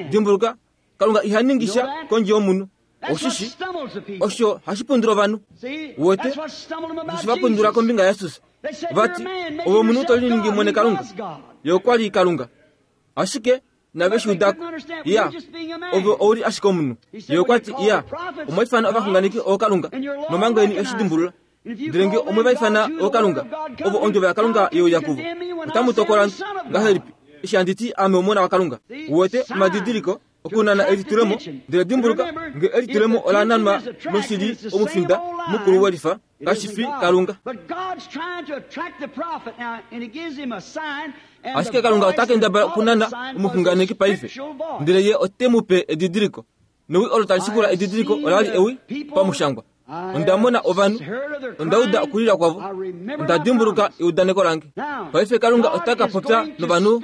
Dimbuluka, Kalunga iha ningisha kondje yomunhu. Oshishi osho hashi pundula ovanhu. Uwete osho va pundula kombinga yaJesus. Vati ove omunhu to liningi mwene Kalunga. Ye okwa li Kalunga, ashike nave shi udako. Ya, ove ouli ashike omunhu. Ye okwa ti, ya, omwa ifana ovaxunganeki ookalunga nomhango yeni oshidimbulula. Ndele nge omwe va ifana ookalunga, ovo ondjovo yaKalunga yeuya kuvo, otamu tokola ngahelipi eshi handi ti ame omona waKalunga? Uwete omadidiliko okunana elitulemo. Ndele dimbuluka, nge elitulemo ola nanwa noshili omufinda mukulu welifa kashi fi Kalunga. Ashike Kalunga ota kendabala okunana omuxunganeki paife, ndele ye ote mu pe edidiliko. Newi olo tali shikula edidiliko olali ewi pamushangwa. Onda mona ovanhu, onda uda okulila kwavo, onda dimbuluka eudaneko lange. Paife Kalunga ota ka popya novanhu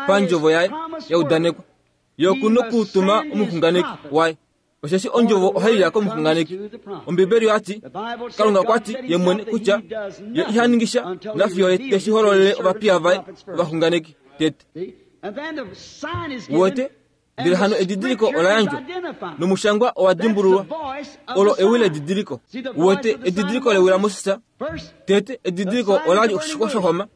pandjovo yaye yaudanekwa. Ye oku nokutuma omuxunganeki waye. Osheshi ondjovo ohai ya komuxunganeki. Ombibeli oyati Kalunga okwa ti ye mwene kutya ye iha ningisha nafiyo ye teshi hololele ovapiya vaye ovaxunganeki tete. Uwete? Ndele hano edidiliko ola yandjwa nomushangwa owa dimbululwa. Olo ewi ledidiliko. Uwete edidiliko lewi laMoses tete edidiliko ola li oshixwa shohoma.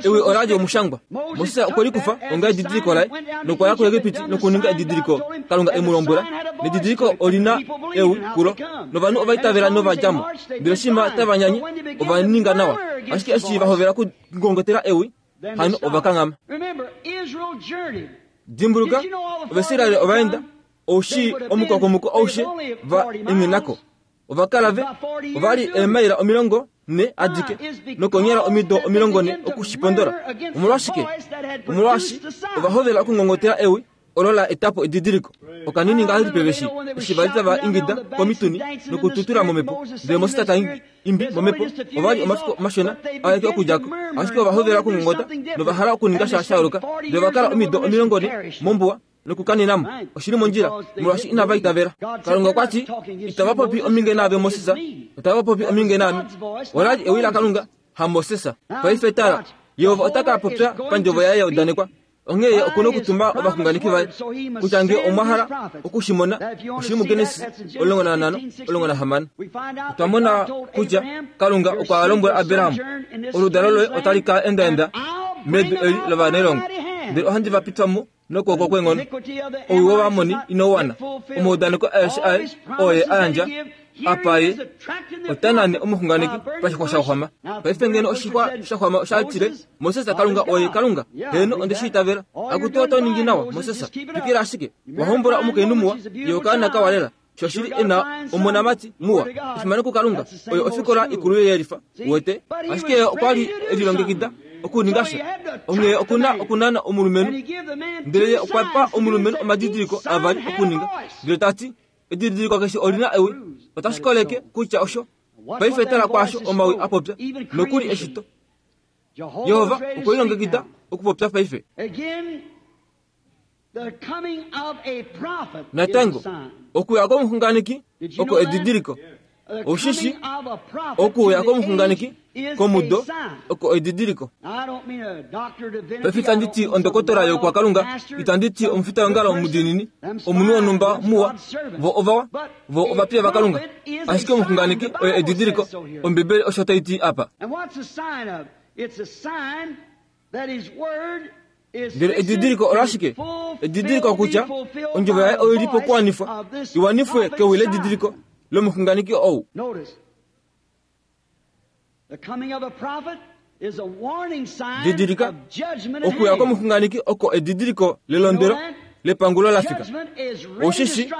Ewi ola li omushangwa. Moses okwe likufa onga edidiliko laye nokwa ya kuEgipiti nokuninga edidiliko Kalunga e mu lombwela. Nedidiliko olina ewi kulo novanhu ova itavela nova dja mo. Ndele shima tava nyanye ova ninga nawa. Ashike eshi va hovela okungongotela ewi, hano ova kanghama. Dimbuluka, Ovaisraeli ova enda oushi omukokomoko aushe va engenako. Ova kala ve ova li eemaila omilongo ne adike nokonyala omido omilongo ne okushipondola. Omolwashike? Omolwashi ova hovela okungongotela ewi olo la etapo edidiliko. Okanini ngahelipi veshi eshi vali tava ingida komituni nokututula momhepo. Ndele Moses ta imbi momhepo. Ova li omafiku mashona aeke okudjako. Ashike ova hovela okungongota nova hala okuninga sha sha yooloka. Ndele ova kala omido omilongo ne mombuwa nokukaninamo. Oshili mondjila molwaashi inava itavela. Kalunga okwa ti itava popi ominge naave Moses, otava popi ominge naame. Ola li ewi laKalunga, haMoses. Paife tala, Jehova ota ka popya pandjovo yaye ya udanekwa. Onghee ye okuna okutuma ovaxunganeki vaye kutya ngee omwa hala okushimona oshili muGenesis omulongo nanhano omulongo nahamano. Otwa mona kutya Kalunga okwa lombwela Abraham, oludalo loye otali ka endaenda medu eli lovanailongo, ndele ohandi va pitwa mo nokwooko kweenghono. Owii wOvaamoni inau wana. Omaudaneko aeshe aye oo ye a yandja apa ye ota nane omuxunganeki pashixwa shaxwama. Paife ngeno oshixwa shaxwama osha tile Moses Kalunga oye Kalunga, heeno onde shi itavela. Akutu oto ningi nawa Moses, twikila ashike. Wa hombola omukainhu muwa, ye okaana kawa lela. Shoshili e na omonamati muwa. Efimano kuKalunga, oyo ofikola ikulu yelifa. Uwete? Ashike ye okwa li e lilongekida okuninga sha. Onghee okuna okunana omulumenhu. Ndele ye okwa pa omulumenhu omadidiliko avali okuninga. Ndele ta ti, edidiliko keshe olina ewi, otashi koleke kutya osho. Paife tala kwaasho omawi a popya, nokuli eshito. Jehova okwe lilongekida okupopya paife. Natango, okuya komuxunganeki oko edidiliko. Oshishi okuya komuxunganeki komudo oko edidiliko. Paife itandi ti ondokotola yokwakalunga, itandi ti omufitaongalo omudiinini, omunhu wonhumba muwa, vo ovawa, vo ovapiya vaKalunga. Ashike omuxunganeki oye edidiliko. Ombibeli osho tai ti apa. Ndele edidiliko olashike? Edidiliko kutya ondjovo yaye oi li pokuwanifwa, iwanifwe kewi ledidiliko lomuxunganeki ou. Didilika, okuya komuxunganeki oko edidiliko lelondwelo lepangulo la fika. Oshishi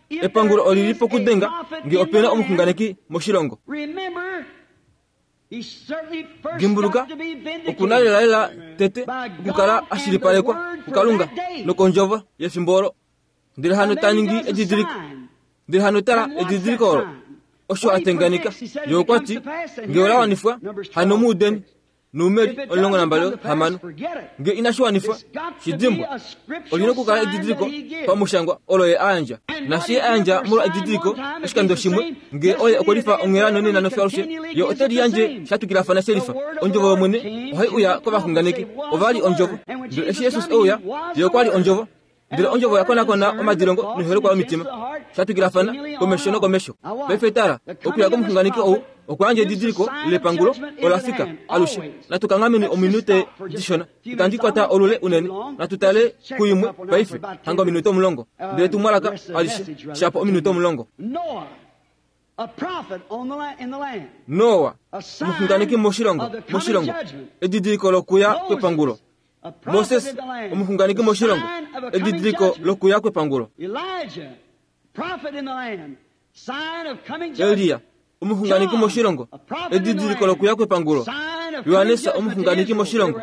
epangulo oli li pokudenga ngee opena omuxunganeki moshilongo. Dimbuluka, okuna lelalela tete okukala ashilipalekwa kuKalunga nokondjovo yefimbo olo. Ndele hano ta ningi edidiliko. Ndele hano tala edidiliko olo osho a tenganika. Ye okwa ti ngee ola wanifwa, hano muudeni nuumeri omulongo nambali hamano. Ngee inashi wanifwa, shidimbwa. Olina okukala edidiliko pamushangwa olo ye a yandja. Nashi ye a yandja molwa edidiliko oshikando shimwe, ngee oye okwe lifa onghela nonena nofyalushe, ye ote liyandje sha twikilafana shelifa. Ondjovo yOmwene ohai uya kovaxunganeki. Ova li ondjovo. Ndele eshi Jesus e uya, ye okwa li ondjovo. Ndele ondjovo ya konakona omadilongo noiholekwa yomitima, sha twikilafana komesho nokomesho. Paife tala, okuya komuxunganeki ou okwa yandja edidiliko lepangulo ola fika alushe. Natu kanghameni ominute dishona. Itandi kwata olule unene. Natu tale kuimwe paife hanga ominute omulongo. Ndele tumwalaka alishe shapo ominute omulongo. Noa, omuxunganeki moshilongo, moshilongo, edidiliko lokuya kwepangulo. Moses, omuxunganeki moshilongo, edidiliko lokuya kwepangulo. Elia, omuxunganeki moshilongo, edidiliko lokuya kwepangulo. Johannes, omuxunganeki moshilongo,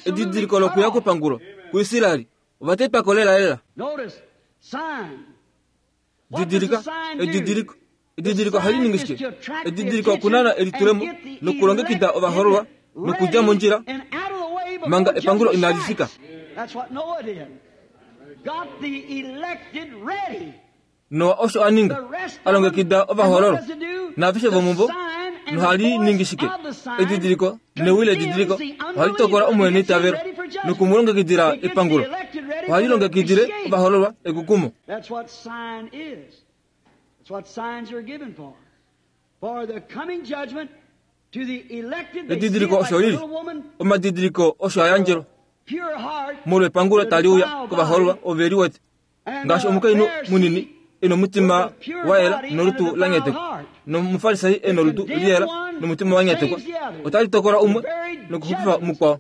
edidiliko lokuya kwepangulo. KuIsraeli, ova tetwako lelalela. Didilika, edidiliko. Edidiliko ohali ningi shike? Edidiliko okunana elitulemo nokulongekida ovahoololwa nokudja mondjila manga epangulo inali fika. Noa osho a ninga a longekida ovahoololwa naaveshe vomuvo nohali ningi shike edidiliko newi ledidiliko ohali tokola omuheniitavelo nokumulongekidila epangulo ohali longekidile ovahoololwa ekukumo. That's what sign is. That's what signs are given for. For the coming judgment to the elected, they see it Edidiliko like osho a lili little woman, omadidiliko osho a yandjelwa pure heart, molwepangulo tali uya kovahoololwa ove liwete and ngaashi the omukainhu Pharisee munini ena omutima wa yela nolutu la nyatekwa nomufarisai ena olutu liyela nomutima wa nyatekwa otali tokola umwe nokuxupifa mukwao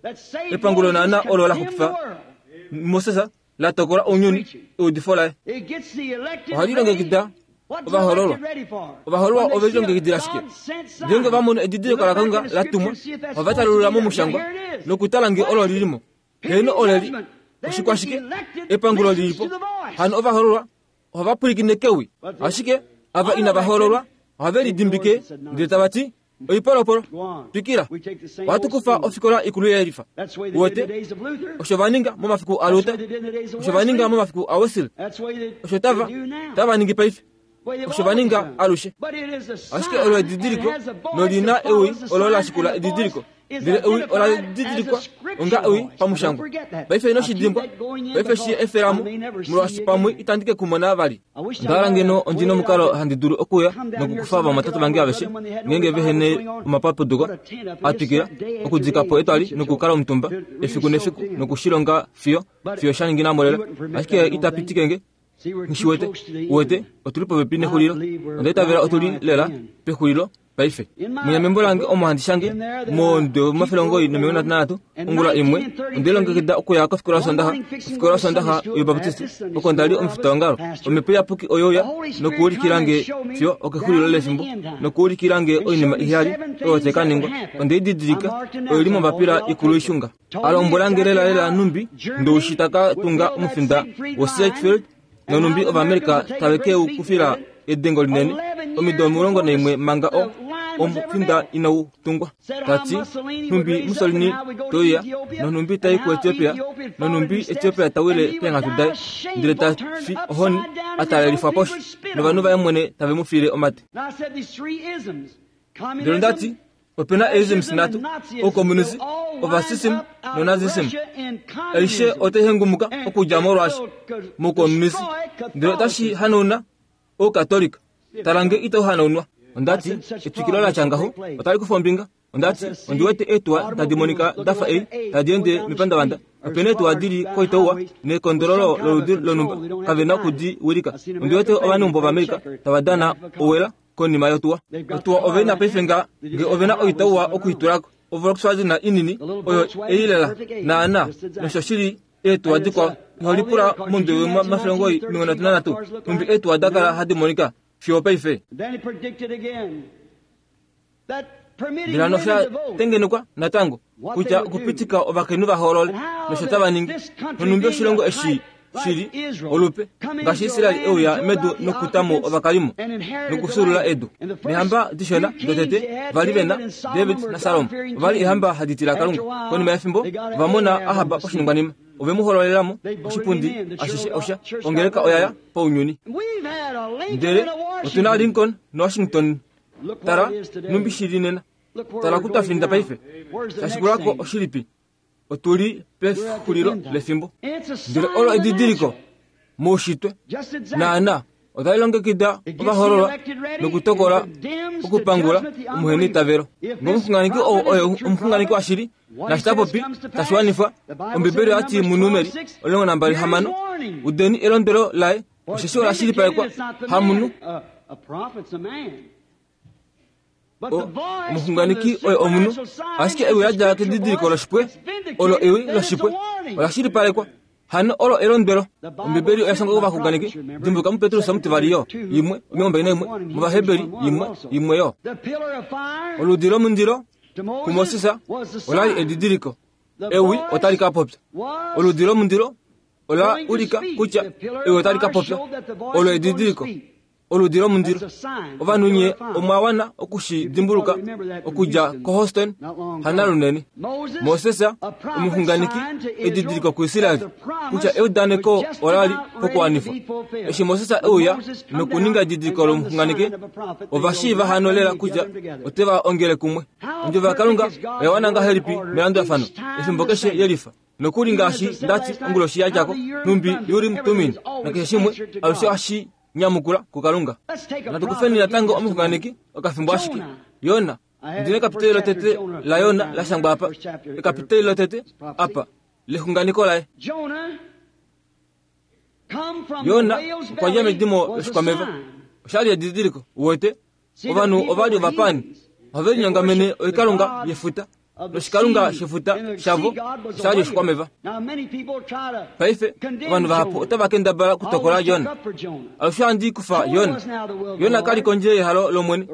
epangulo naana olo la xupifa Moses la tokola ounyuni eudifo laye It gets the elected ohali longekida ready. What's the ovahoololwa elected ready for? ovahoololwa When they ove see a lilongekidila shike God-sent sign, ngeenge va mono edidiliko look la back in Kalunga the la scripture tumwa and see if that's ohava supposed to talulula be there. momushangwa Here it is. nokutala nge olo lilimo heeno oleli oshikwashike epangulo lilipo hano ovahoololwa ohava pwilikine kewi ashike ava inava hoololwa ohave lidimbike ndele tava ti oipolopolo twikila ohatu kufa ofikola ikulu yelifa That's the way they did in the uwete days of Luther. osho va ninga momafiku That's the aLuther way they did in the days of osho va ninga Wesley. momafiku aWesley That's the way they, osho tava they do now. tava ningi paife Way they've osho va always ninga done. alushe But it is a sign, ashike olo and edidiliko it has a voice nolina that ewi follows the olo la sign, shikula and the edidiliko voice is ndele ewi ola identified as a didilikwa scripture onga ewi voice. Now, don't pamushangwa forget that. paife ino Now, keep shidimbwa that going in paife shi because efelamo I may never see molwaashi you pamwe again. itandi ke kumona vali I wish I ndala had ngeno a ondina way omukalo that I handi dulu okuya come down here nokukufa somewhere vamwatatu get all vange my aveshe brother when they had no ngeenge revival vehene going on, omapapuduko put a tent up and just atwikila sat day after okudika po day etwali and nokukala omutumba to really efiku nefiku soak in. nokushilonga fiyo But fiyo sha ningi namolela he wouldn't permit ashike that, I don't ita think. pitikenge See, we're too nishiwete close to the uwete end. otuli popepi nexulilo onda itavela otuli lela pexulilo paife munya membo lange omo handi shange monde omafele omugoyi nomilongo nhatu nanhatu ongula imwe onde lilongekida okuya kofikola yosondaxa ofikola yosondaxa yobaptist oko ndali omufitaongalo omhepo iyapuki oyouya nokuulikilange fiyo okexulilo lefimbo nokuulikilange oinima iheyali oyo tai ka ningwa onde i didilika oyo ili mombapila ikulu ishunga alombwelange lelalela numbi ndoushi taka tunga omufinda wo-Sedgefield nonumbi ovaamerica tave ke u kufila edengo linene omido omulongo naimwe manga o omufinda inau tungwa tati numbi Mussolini toiya nonumbi tai ku Ethiopia nonumbi Ethiopia tawile peenghatu daye ndele ta fi ohoni a talelifwa poshi novanhu vaye mwene tave mu fiile omate And I said these three isms, ndele ndati communism, opena isms fascism, nhatu and Nazism, oukomunisi will all line ovasism up out of nonazism Russia and aishe communism. otai hengumuka And okudja molwaashi it will moukomunisi destroy ndele otashi Catholicism. hanauna oukatolika talange itau hanaunwa ondati etwikilo la tya ngaho otali kufa ombinga ondati ondiwete eetuwa tadi monika dafa ei tadi ende mepandavanda opena eetuwa dili koitauwa nekondololo loludi lonumba kavena okudi wilika ondiwete ovaneumbo vaAmerika tava dana owela konima yotuwa otuwa ovena paife nga nge ovena oitauwa okuitulako oVolkswagen inini oyo eilela naana nosho shili eetuwa dikwao iholipula mundu wemafele omugoyi omilongo nhatu nanhatu numbi eetuwa dakala hadi monika fiyo paife Then he predicted again that permitting ndele hano women osha to vote tengenekwa natango kutya okupitika ovakainhu va hoolole nosho tava ningi nonumbi oshilongo eshi shili olupe ngaashi Israeli euya medu nokutamo ovakalimo nokusulula edu neehamba dishona dotete vali vena David naSalomo ovali eehamba hadi tila Kalunga konima yefimbo ovamona Ahab poshiningwanima ove mu hoololelamo oshipundi ashishe osha ongeleka oyaya pounyuni We've had a Lincoln ndele and a otuna Washington. Lincoln noWashington Look where tala it is today. numbi shili nena Look where tala we're kutafinda going now. paife Where's the next tashikulako thing? oshilipi otuli We're at the pexulilo end time. lefimbo It's a sign ndele olo of the edidiliko natural. moushitwe Just exactly. naana otali longekida It gets the ovahoololwa elected ready nokutokola and condemns to okupangula judgment the omuheniitavelo unbeliever. If nge omuxunganeki this ou prophet oye is a true omuxunganeki prophet, washili what nashi he says tapopi comes to pass. tashiwanifwa The Bible ombibeli said in oyati Numbers munumeri twelve six, omulongo nambali here is hamano warning. udeni elondwelo laye For it's osheshi ola shilipalekwa vindicated, it's not the hamunhu man. A, a prophet's a man. But O- the voice omuxunganeki from the oye omunhu supernatural sign ashike is ewi the la dja scripture kedidiliko voice. loshipwe It's vindicated, olo ewi then it's a loshipwe warning. ola shilipalekwa hano olo elondwelo The Bible ombibeli oya said shangwa by kovaxunganeki prophets, remember, dimbuluka muPetrus omutivali yo two, imwe omilongo mbali naimwe one, and muvaheberi Hebrews one, imwe also. imwe yo The pillar of fire oludi lomundilo to Moses kuMoses was the olali sign. edidiliko The ewi voice otali ka popya was oludi lomundilo ola going to ulika speak. kutya The pillar ewi of otali ka fire popya showed that the voice olo was going to edidiliko speak. Oludi lomundilo. Ovanhu nye omwa wana okushidimbuluka okudja koHouston hanalunene. Moses omuxunganeki edidiliko kuIsraeli kutya eudaneko ola li pokuwanifwa. Eshi Moses euya nokuninga edidiliko lomuxunganeki, ovashiiva hano lela kutya oteva ongele kumwe. Ondjovo yaKalunga oya wana ngahelipi melandulafano efimbo keshe yelifa. Nokuli ngaashi ndati onguloshi yadjako numbi Urim Tumim nakeshe shimwe alushe ohashi nyamukula kuKalunga. Natukufeni natango omuxunganeki okafimbo ashike. Yona, ndine ekapiteli lotete la Yona la shangwa apa. Ekapiteli lotete apa lexunganeko laye. Yona okwa dja medimo loshikwameva. Oshali edidiliko uwete ovanhu ovali ovapani ohave linyongamene oikalunga yefuta noshikalunga shefuta shavo oshali oshikwameva. Paife ovanhu vahapu otava kendabala okutokola Yona. Alushe ohandi kufa Yona. Yona kali kondje yehalo lOmwene.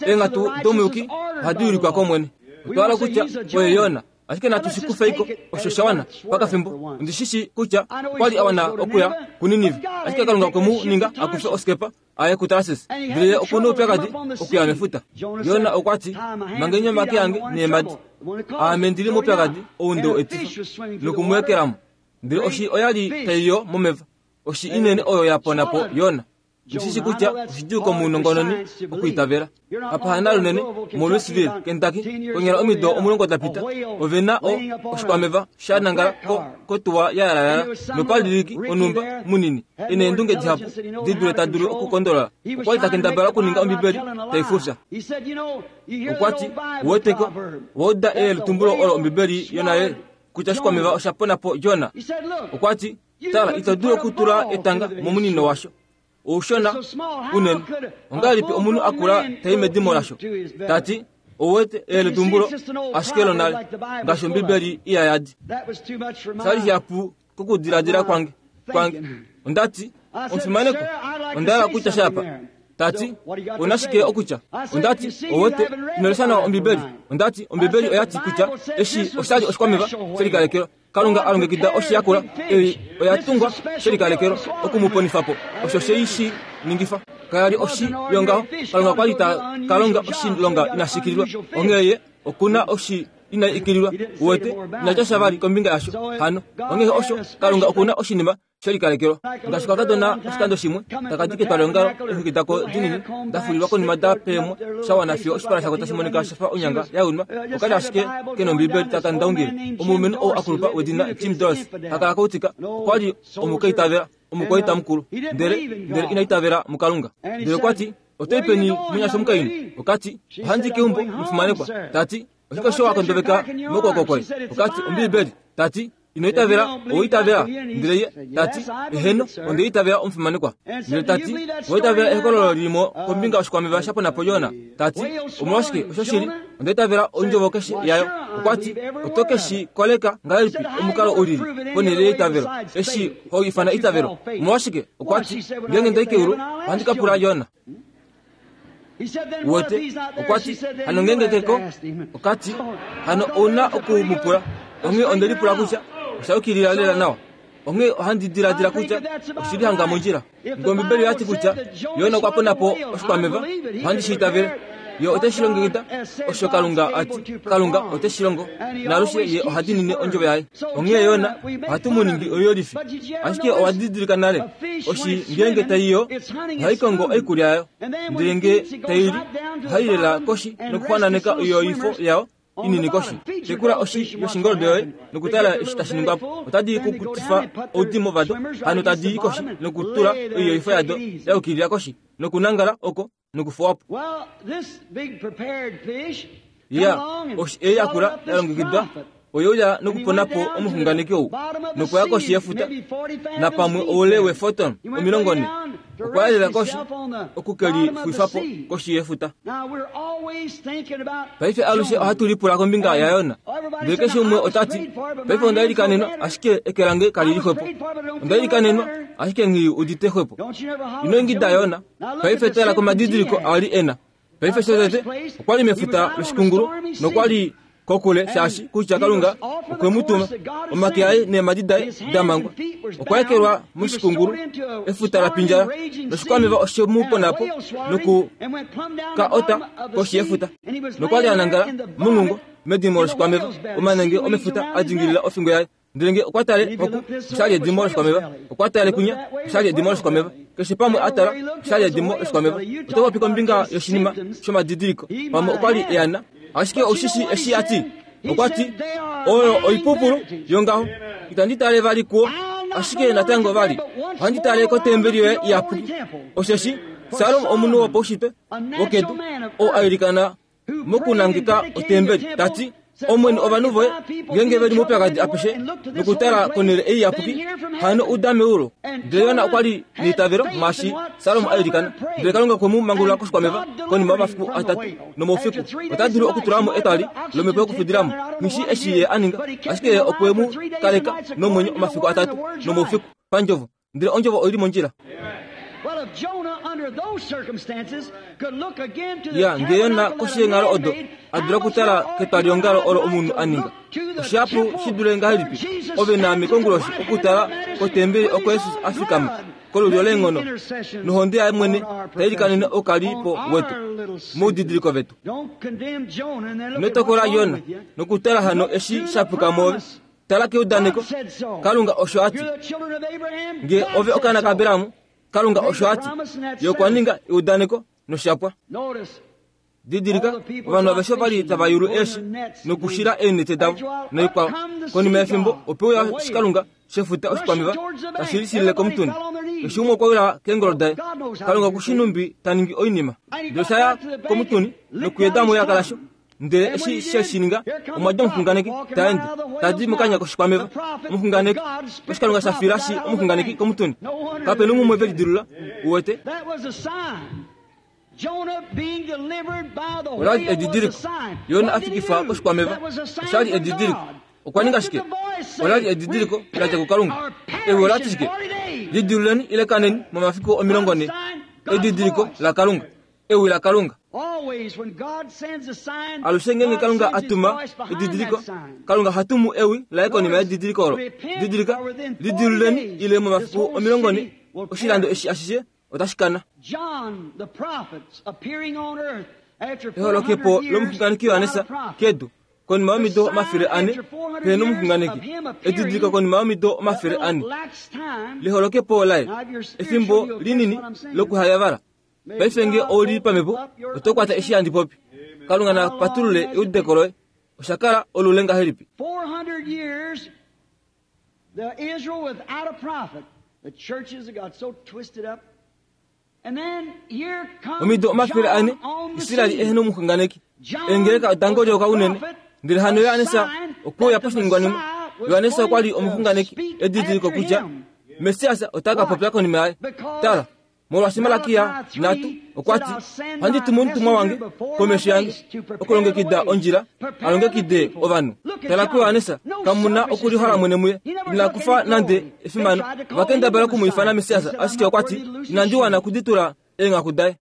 Eenghatu domuyuki ohadi ulikwa kOmwene. Otwa hala kutya oye Yona, ashike natu shi kufeiko osho sha wana pakafimbo. Ondi shi shi kutya okwali a wana okuya kuNinive, ashike Kalunga okwe mu ninga akufe oskepa aye kuTarsis, ndele ye okuna oupyakadi okuya mefuta. Yona okwa ti, mangeni omake ange neemhadi, aame ndili moupyakadi ou nde etifa nokumweekelamo. Ndele oshi oyali taiyo momeva, oshi inene oyo ya pona po Yona. Ndishi kutya oshidjuu komunongononi okuitavela. Apa hanalunene moLouisville, Kentucky, konyala omido omulongo dapita, ove na o oshikwameva sha nangala ko kotuwa ya yalayala nopaliliki onumba munini ena eendunge dihapu di dule ta dulu okukondolola. Okwali ta kendabala okuninga Ombibeli taifufya. Okwati uweteko wauda eyeletumbulo olo Ombibeli yonale kutya oshikwameva osha pona po Jona. Okwati tala, ito dulu okutula etanga momunino washo. Oushona unene ongahelipi omunhu akula tai medimo lasho? Tati ouwete eyeletumbulo ashike lonale ngaashi Ombibeli iya yadi. Shali shihapu kokudiladila kwange kwange. Ondati omufimaneko onda hala kutya shapa. Tati onashike okutya? Ondati ouwete inolesha nawa Ombibeli. Ondati Ombibeli oyati kutya eshi oshali oshikwameva shelikalekelwa. Kalunga alongekida oshiyakula ei oya tungwa shelikalekelwa okumuponifa po. Osho sheishi ningifa. Kayali oshi yongaho. Kalunga kwali ta kalonga oshilonga inashikililwa. Onghee ye okuna oshi ina ikililwa. Uwete inatya sha vali kombinga yasho hano. Onghee osho Kalunga okuna oshinima shelikalekelwa. Ngaashi kakadona oshikando shimwe takadi ketwalongalo eexwiki dako dinini dafulilwa konima da peemwa sha wana fiyo oshipala shako tashi monika shafa onyanga ya unwa. Okali ashike kena Ombibeli taka ndaungile. Omulumenhu ou akulupa wedina Jim Doss hakala koutika okwali omukaitavela omukwaita mukulu, ndele ndele ina itavela muKalunga. Ndele okwati otoi peni munyasha omukainhu? Okati ohandi keumbo mufimanekwa. Tati oshike osho wakondoveka mokwooko koye? Okati Ombibeli. Tati ino itavela oitavela. Ndele ye tati eheno onde itavela omufimanekwa. Ndele tati oitavela ehokololo lilimo kombinga yoshikwameva sha pona po Jona. Tati omolwashike osho shili onde itavela ondjovo keshe yayo. Okwati oto keshi koleka ngahelipi omukalo ulili ponhele yeitavelo eshi ho ifana itavelo? Omolwashike? Okwati ngeenge ndai keulu ohandi ka pula Jona. Uwete okwati hano ngeenge keko. Okati hano ouna okumupula. Onghee onde lipula kutya osha yukilila lela nawa. Onghee ohandi diladila kutya oshili hanga mondjila. Ngee Ombibeli oyati kutya Yona okwa pona po oshikwameva, ohandi shi itavele. Ye ote shi longekida osho Kalunga ati. Kalunga ote shi longo naalushe ye oha diinine ondjovo yaye. Onghee Yona ohatu mu ningi oiyolifi. Ashike owa didilika nale oshi ngeenge taiyo ohai kongo oikulya yayo, ndele ngee taili ohai lela koshi nokuxwananeka oiyoifo yayo inini koshi. Tekula oshi yoshingoldo yoye nokutala eshi tashi ningwa po. Otadi kukutifa oudimo vado, hano tadi i koshi nokutula oiyoifo yado ya yukilila koshi nokunangala oko nokufuwa po. Ya oshi ei yakula ya longekidwa oyeuya nokupona po omuxunganeki ou nokuya koshi yefuta napamwe oule wefoton omilongo nhe. Okwa yalela koshi okukelifuifa po koshi yefuta. Paife alushe ohatu lipula kombinga yaYona. Ndele keshe umwe otati paife onda ilikanenwa ashike eke lange kalili xwepo. Onda ilikanenwa ashike nghi udite xwepo. Ino ingida Yona. Paife tala komadidiliko ali ena. Paife shotete okwali mefuta loshikungulu nokwali Kokule shaashi kutya Kalunga okwe mu tuma omake aye neemadi daye damangwa okwa ekelwa moshikungulu efuta la pindjala noshikwameva oshe mu ponapo noku ka ota koshi yefuta nokwali anangala mongungo medimo loshikwameva omanenge omefuta a dingilila ofingo yaye ndele nge okwa tale oku oshali edimo loshikwameva okwa tale kunya oshali edimo loshikwameva keshe pamwe atala oshali edimo loshikwameva oto popi kombinga yoshinima shomadidiliko pamwe okwali eana ashike oshishi eshi ati okwa ti oyo oipupulu yongaho itandi tale vali kuo ashike natango vali ohandi tale kotembeli yoye iyapuki osheshi Salomo omunhu wopaushitwe wokedu oo ailikana mokunangika otembeli tati Omwene ovanhu voye ngenge veli moupyakadi apeshe nokutala konhele ei iyapuki hano uda meulu. Ndele Yona okwali neitavelo mwaashi Salomo ailikana ndele Kalunga okwe mu mangulula koshikwameva konima yomafiku atatu nomoufiku. Ota dulu okutulamo etwali lomhepo yokufudilamo nghishi eshi ye a ninga ashike ye okwe mu kaleka nomwenyo omafiku atatu nomoufiku pandjovo ndele ondjovo oili mondjila. Ya nge Yona koshi yenghalo odo a dula okutala ketwaliongalo olo omunhu a ninga oshihapu shi dule ngahelipi ove naame konguloshi okutala kotembeli oko Jesus a fikama kolulyo leenghono nohonde yaye mwene tailikanene oukalipo wetu moudidiliko vetu. Ino tokola Yona nokutala hano eshi shapuka mwoove. Tala keudaneko Kalunga osho ati nge ove okaana kaAberamu Kalunga osho ati ye okwa ninga eudaneko noshapwa. Didilika ovanhu aveshe ovali tava yulu eeshi nokushila eenete davo noikwao. Konima yefimbo ope uya shikalunga shefuta oshikwameva tashi lisilile komutuni. Keshe umwe okwa wila keengolo daye. Kalunga okushi numbi ta ningi oinima. Ndele osha ya komutuni nokuyeda mo elaka lasho. Ndele eshi she shi ninga omwa dja omuxunganeki ta ende tadi mokanya koshikwameva. Omuxunganeki oshikalunga sha fila shi omuxunganeki komutuni. Kapena umwe ve lidilula uwete. Olali edidiliko Yona a fikifwa koshikwameva oshali edidiliko. Okwa ninga shike? Olali edidiliko la dja kuKalunga. Ewi ola ti shike? Lidiluleni ile kaneni momafiku omilongo ne. Edidiliko la Kalunga. Ewi la Kalunga. Alushe ngenge Kalunga atuma edidiliko, Kalunga hatumu ewi laye konima yedidiliko olo. Didilika, lidiluleni ile momafiku omilongo ne oshilando eshi ashishe otashi kana. Eholokepo lomuxunganeki Yohanesa kedu konima yomido omafele ane pehena omuxunganeki. Edidiliko konima yomido omafele ane liholokepo laye efimbo linini lokuhayavala. Paife nge ouli pamhepo oto kwata eshi handi popi. Kalunga na patulule eudeko loye. Osha kala olule ngahelipi? Omido omafele ane Israeli ehena omuxunganeki. Eengeleka oda ngolyoka unene. Ndele hano Yohanesa okwe uya poshiningwanima. Yohanesa okwali omuxunganeki edidiliko kutya Mesiasa ota ka popya konima yaye. Tala, molwaashi Malakia nhatu okwa ti ohandi tumu omutumwa wange komesho yange okulongekida ondjila alongekide ovanhu. Tala kuYohanesa, kamuna okulihola mwene muye. Ina kufa nande efimano. Ovakendabala oku mu ifana Mesiasa, ashike okwa ti inandi wana okuditula eenghaku daye.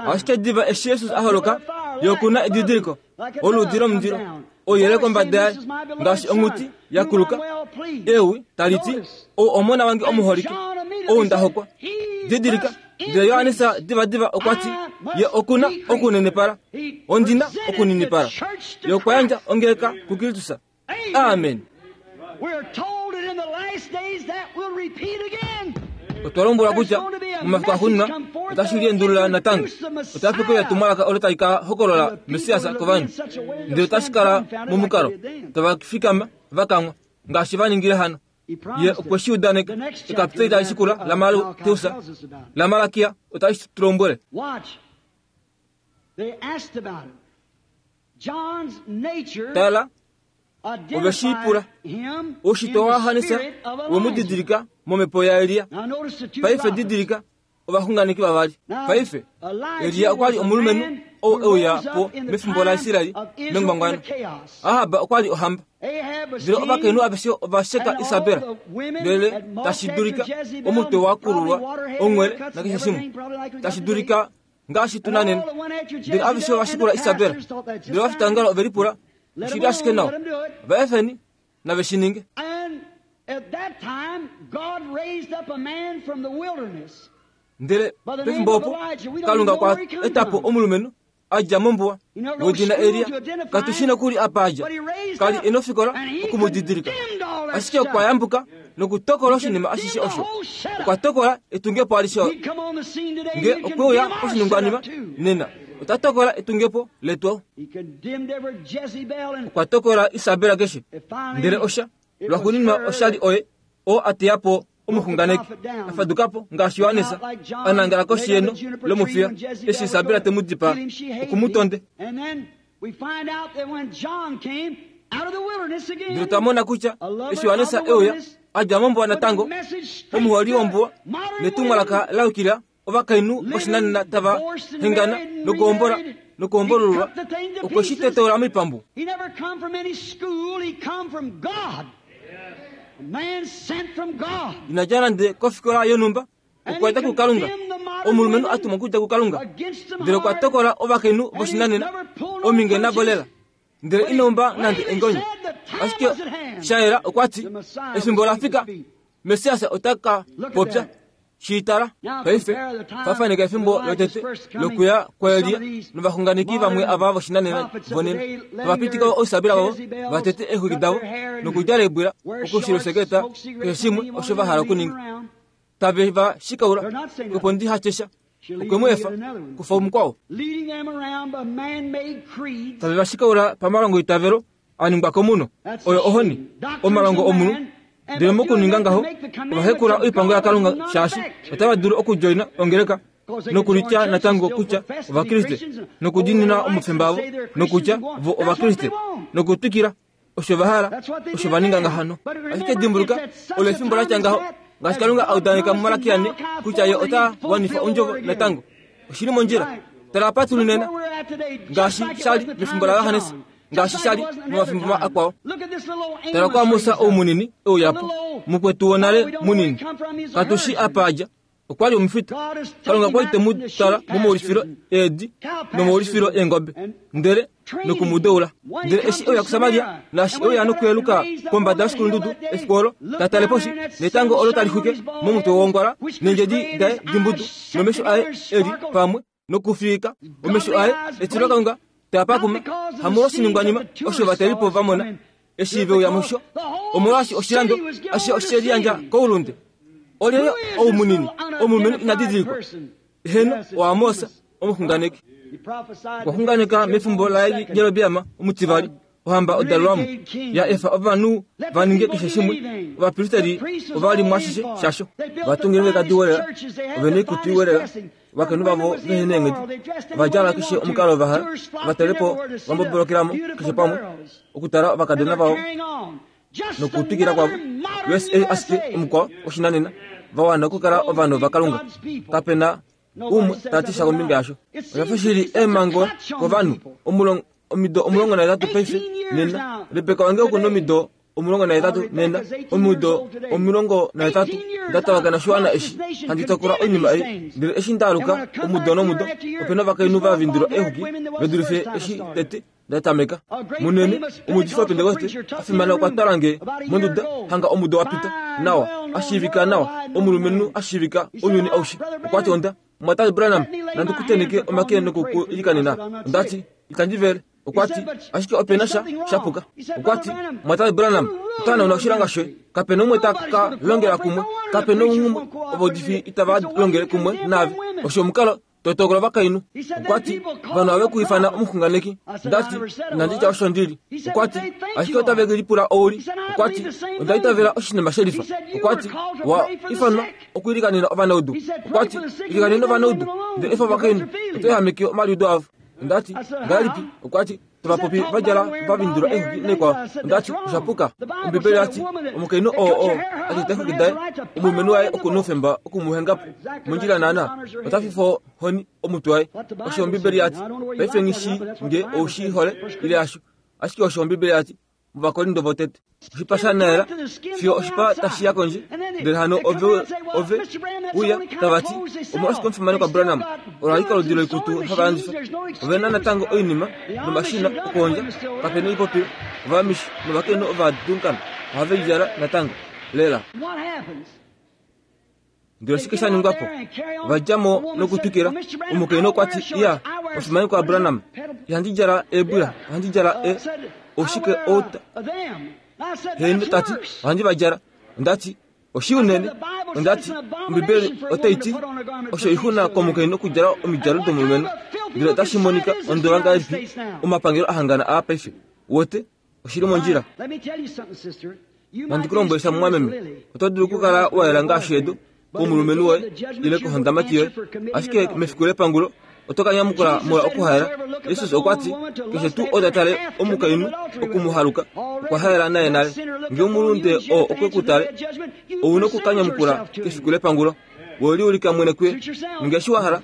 Ashike diva eshi Jesus a holoka ye okuna edidiliko oludi lomundilo ouyelele kombada yaye ngaashi onghuti ya kuluka ewi tali ti ou omona wange omuholike ou nda hokwa. Didilika, ndele Yohanesa divadiva okwa ti ye okuna okunenepala ondina okuninipala. Ye okwa yandja ongeleka kuKristus. Amen. Otwa lombwelwa kutya momafiku axuuninwa otashi liendulula natango. Otape kuya etumwalaka olo tali ka hokolola Mesiasa kovanhu. Ndele otashi kala momukalo tava fikama va kangwa ngaashi va ningile hano. Ye okwe shi udaneka. Ekapiteli tali shikula laMateus laMalakia otali tu lombwele. Tala, ove shi pula. Oushitwe waYohanesa we mu didilika momhepo yaElia. Paife didilika ovaxunganeki vavali. Paife Elia okwali omulumenhu ou e uya po mefimbo laIsraeli mengwangwano. Ahab okwali ohamba. Ndele ovakainhu aveshe ova sheka Isabel. Ndele tashi dulika omutwe wa kululwa onwele nakeshe shimwe. Tashi dulika Ngaashi tu na nena. Ndele aveshe ovashikula Isabela. Ndele ovafitangalo ove lipula, oshili ashike nawa. Va efeni, nave shi ninge. Ndele pefimbo opo, Kalunga okwa eta po omulumenhu a dja mombuwa wedina Elia. Katu shi nokuli apa a dja. Kali e nofikola okumudidilika. Ashike okwa yambuka nokutokola oshinima ashishe osho. Okwa tokola etungepo alishe. Nge okwe uya koshiningwanima nena, ota tokola etungepo letu. Okwa tokola Isabela keshe. Ndele osha lwaxuuninwa oshali oye oo a teya po omuxunganeki afaduka po ngaashi Johannes a nangala koshi yeno lomufiya eshi Isabela te mu dipaa okumutonde. Ndele otwa mona kutya eshi Johannes e uya a dja mombuwa natango, omuholi wombuwa netumwalaka la yukila ovakainhu voshinanena tava hengana nokuhombola nokuhombolululwa, okwe shi tetola moipambu. Ina dja nande kofikola yonhumba, okwa dja kuKalunga, omulumenhu a tumwa okudja kuKalunga. Ndele okwa tokola ovakainhu voshinanena ominge navo lela, ndele ina umba nande engonyo. Ashike shayela okwa ti, efimbo la fika, Messias ota ka popya. Shiitala paife fafaneka efimbo lotete lokuya kwaElia novaxunganeki vamwe ava voshinanena vonena ovapitika oisabela vavo vatete eexwiki davo nokudjala eebwila okushiloseketa keshe shimwe osho va hala okuninga. Tave va shikaula opo ndi hatyesha okwe mu efa kufa omukwao. Tave va shikaula pamalongo itavelo a ningwa komunhu, oyo ohoni omalongo omunhu. Ndele mokuninga ngaho ovahekula oipango yaKalunga shaashi otava dulu okudjoina ongeleka nokulitya natango kutya Ovakriste nokudinina omufemba avo nokutya vo Ovakriste nokutwikila osho va hala osho va ninga ngahano. Ashike dimbuluka olo efimbo la tya ngaho ngaashi Kalunga a udaneka muMalaki yane kutya ye ota wanifa ondjovo natango. Oshili mondjila. Tala apa tuli nena ngaashi shali mefimbo laJohannes, ngaashi shali momafimbo akwao. Tala kwa Musa ou munini e uya po, mukwetu wonale munini, katu shi apa a dja, okwa li omufita. Kalunga okwa li te mu tala momaulifilo eedi nomaulifilo eengobe, ndele nokumudeula. Ndele eshi e uya kuSamaria, naashi e uya nokuyeluka kombada yoshikulundudu efiku olo, ta tale poshi, netango olo tali xwike momutwe wongwala, neendjedi daye dimbudu, nomesho aye e li pamwe nokufiika omesho aye etilo Kalunga tapakuma hamolwoshiningwanima osho vatelipo va mona eshi ve uya musho, omolwaashi oshilando ashishe oshe liyandja koulunde. Olyelye ou munini omulumenhu ina didilikwa? Heno oAmos omuxunganeki. Okwa xunganeka mefimbo laJerobeam omutivali, ohamba odalwamo ya efa ovanhu va ninge keshe shimwe. Ovapristeri ova li mwashishe shasho, vatungile kadiwelela, ove noikutu iwelela, ovakainhu vavo vehe neenghedi, ovadjala keshe omukalo va hala, ovatelepo vambobolokelamo keshe pamwe okutala ovakadona vavo nokutwikila kwavo. U S A ashike omukwao oshinanena va wana okukala ovanhu vaKalunga. Kapena umwe ta ti sha kombinga yasho. Osha fa shili eemhango kovanhu omido omulongo nahetatu paife nena. Rebeka wange oku na omido omulongo nahetatu nena, omido omulongo nahetatu nda tavakana oshiwana eshi handi tokola oinima ei. Ndele eshi nda aluka omudo nomudo, ope na ovakainhu va vindilwa eexwiki ve dulife eshi tete nda tameka. Munene omuudifi waPentekoste a fimana okwa twala nge monduda hanga omudo wa pita nawa, a shiivika nawa, omulumenhu a shiivika ounyuni aushe. Okwa ti onda, Mumwatate Branham, nandi ku tenheke omake nokukuilikanena. Onda ti, itandi vele. Okwa ti, ashike ope na sha shapuka. Okwa ti, Mumwatate Branham, ota hanauna oshilonga shoye. Kape na umwe ta ka longela kumwe, kape na umwe ovaudifi itava longele kumwe naave. Osho omukalo to tokola ovakainhu. Okwa ti, ovanhu ove ku ifana omuxunganeki. Nda ti, inandi tya osho ndili. Okwa ti, ashike otave lipula ouli. Okwa ti, onda itavela oshinima shelifa. Okwa ti, wa ifanwa okuilikanena ovanaudu. Okwa ti, ilikanena ovanaudu, ndele efa ovakainhu, oto ehameke omaliudo avo. Onda ti, ngahelipi? Okwa ti, tovapopi va djala va vindilwa eexwiki naikwao. Onda ti, osha puka. Ombibeli oya ti, omukainhu oo oo a teta eexwiki daye, omulumenhu waye oku na oufemba okumuhenga po mondjila naana, ota fifa ohoni omutwe waye. Osho Ombibeli ya ti. Paife nghi shii nge ou shi hole ile hasho, ashike osho Ombibeli ya ti. muVakorinto votete. Oshipa sha naela fiyo oshipa tashi ya kondje, ndele hano ove ove uya tava ti omolwashike omufimanekwa Branham ola li koludi loikutu hava landifa. Ove na natango oinima nomashina okuhondja, kape na oipopilo, ovamishi novakainhu ovadunkana ohave i djala natango lela. Ndele oshike sha ningwa po? Ova dja mo nokutwikila. Omukainhu okwa ti, iya, omufimanekwa Branham, ihandi djala eebwila, ohandi djala e oshike outa. Heeno, tati, ohandi va djala. Onda ti, oshi unene. Onda ti, Ombibeli otai ti, osho oixuna komukainhu okudjala omidjalo domulumenhu. Ndele otashi monika ondola ngahelipi omapangelo ahangana aa paife. Wote, oshili mondjila. Nandi ku lombwele sha mumwameme, oto dulu okukala wa yela ngaashi edu komulumenhu woye ile kohondamati yoye, ashike mefiku lepangulo oto ka nyamukula molwa okuhaela. Jesus okwa ti, keshe tuu ou ta tale omukainhu okumuhaluka okwa haela naye nale. Ngee omulunde oo okwe ku tale, ou na okukanyamukula kefiku lepangulo. We liulika mwene kuye, ninga eshi wa hala.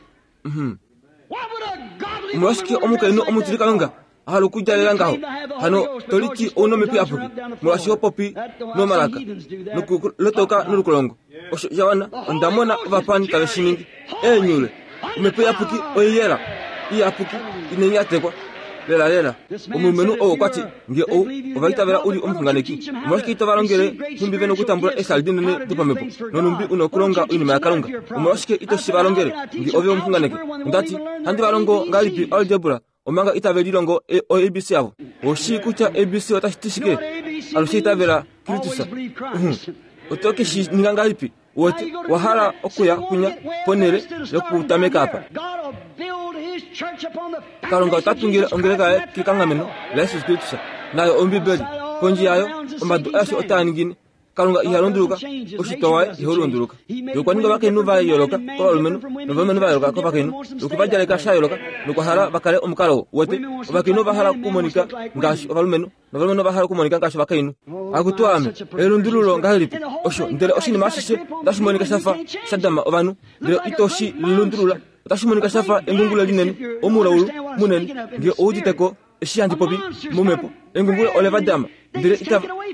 Omolwashike omukainhu omutilikalunga a hala okudjalela ngaho? Hano to liti ou na omhepo iyapuki molwaashi ho popi nomalaka nokulotoka nolukolongo. Osho sha wana, onda mona ovapani tave shi ningi. Eenyule, omhepo iyapuki oiyela, iyapuki inai nyatekwa. Lela lela. Omulumenhu ou okwa ti, ngee ou ova itavela u li omuxunganeki, omolwashike ito va longele nhumbi ve na okutambula eeshali dinene dopamhepo nonhumbi u na okulonga oinima yaKalunga? Omolwashike ito shi va longele ngee ove omuxunganeki? Onda ti, handi va longo ngahelipi algebra omanga itave lilongo o A B C avo? Oshii kutya A B C otashi ti shike? Alushe itavela Kristus. Oto ke shi ninga ngahelipi? Wote wa hala okuya kunya ponhele yokutameka apa. Kalunga ota tungile ongeleka yaye kekanghameno laJesus Kristus, nayo Ombibeli. Kondje yayo omadu aeshe otaa ningine. Kalunga iha lunduluka, oshitwa waye iha lunduluka. Ye okwa ninga ovakainhu va yooloka kovalumenhu novalumenhu va yooloka kovakainhu, nokwe va djaleka sha yooloka nokwa hala va kale omukalo wote. Ovakainhu ova hala okumonika ngaashi ovalumenhu novalumenhu ova hala okumonika ngaashi ovakainhu. Akutu ame, elundululo ngahelipi osho? Ndele oshinima ashishe otashi monika sha fa sha dama ovanhu, ndele ito shi lundulula. Otashi monika sha fa engungulo linene, omulaulu munene. Ngee ou udite ko eshi handi popi momhepo, engungulo ole va dama, ndele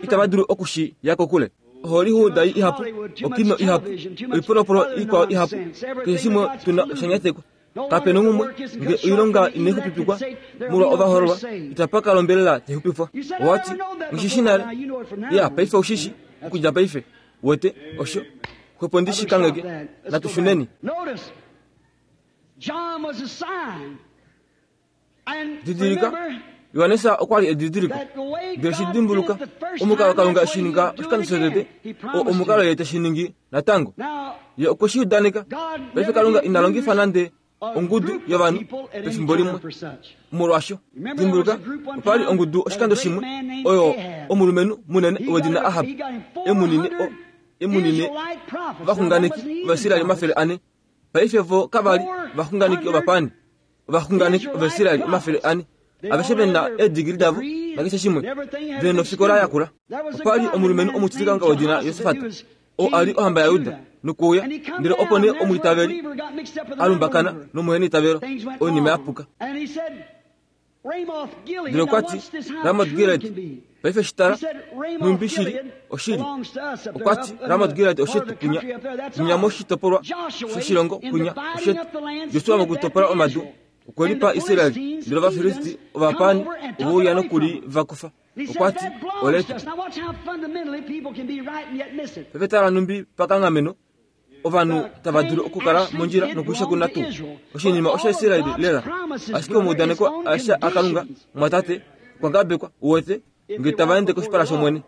itava dulu oku shi ya kokule. Hollywood ihapu, okino ihapu, oipolopolo ikwao ihapu, keshe shimwe tuna osha nyatekwa. Kape nongumwe, ngee oilonga inai xupipikwa molwa ovahoololwa, itapa ka lombelela taixupifwa. Owa ti, nghi shi nale. Ya, paife oushi shi, okudja paife. Wete, osho, xwepo ndi shi kangheke, natu shuneni. Didilika, Johannes okwa li edidiliko. Ndele shi dimbuluka, omukalo Kalunga eshi ninga oshikando shotete, oo omukalo ye teshi ningi natango. Ye okwe shi udaneka. Paife Kalunga ina longifa nande ongudu yovanhu pefimbo limwe molwaasho. Dimbuluka, opa li ongudu oshikando shimwe oyo omulumenhu munene wedina Ahab emunine o emunine ovaxunganeki Ovaisraeli omafele ane. Paife vo kava li ovaxunganeki ovapani, ovaxunganeki Ovaisraeli omafele ane. Aveshe ve na eedigili davo nakeshe shimwe, ve nofikola yakula. Opa li omulumenhu omutilikalunga wedina Josafat, oo a li ohamba yaJuda, nokuuya, ndele opo nee omwiitaveli a lumbakana nomuheniitavelo, oinima ya puka. Ndele okwa ti, Ramot Gilead, paife shi tala, nhumbi shili, oshili. Okwa ti, Ramot Gilead oshetu kunya, kunya moshitopolwa shoshilongo kunya, oshetu. Josua mokutopola omadu okwe lipa Israel, ndele Ovafilisti ovapani ove uya nokuli va kufa. Okwa ti, oletu. Paife tala nhumbi pakanghameno ovanhu tava dulu okukala mondjila nokuisha kuna tuu. Oshinima oshaIsraeli lela, ashike omaudaneko aeshe aKalunga mwatate okwa ngabekwa, uwete, ngee tava ende koshipala shOmwene.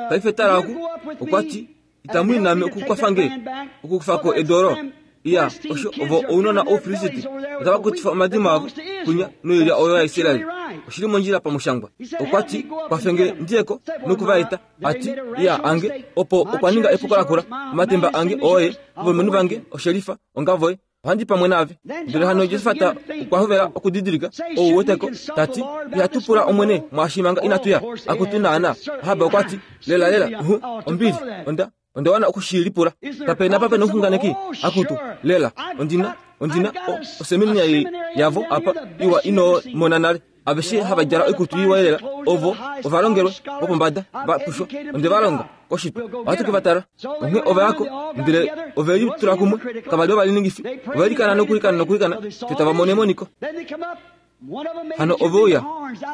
Paife tala oku, okwa ti, itamu i naame okukwafa nge okukufa ko edu olo. Iya, osho ovo ounona Oufilisti otava kutifa omadimo avo kunya noilya oyo yaIsraeli. Oshili mondjila pamushangwa. Okwa ti, kwafe nge ndiyeko noku va eta. A ti, iya, ange, opo okwa ninga epuko lakula. Omatemba ange ooye, ovalumenhu vange oshelifa, ongavoye. Ohandi pamwe naave. Ndele hano Josafat okwa hovela okudidilika ou weteko, ta ti, ihatu pula Omwene mwaashi manga inatu ya. Akutu naana. Ahab okwa ti, lela lela, uhu, ombili, onda Onda wana okushilipula. Kapena pa pena omuxunganeki akutu lela ondina ondina oseminari yavo apa iwa ino mona nale. Aveshe hava djala oikutu iwa lela ovo ovalongelwe vopombada va pushwa onde va longa koshitwe ohatu ke va tala. Onghee ova yako ndele ove litula kumwe kava li ovaliningifi ove likana nokulikana nokulikana te tava mono emoniko. Hano ove uya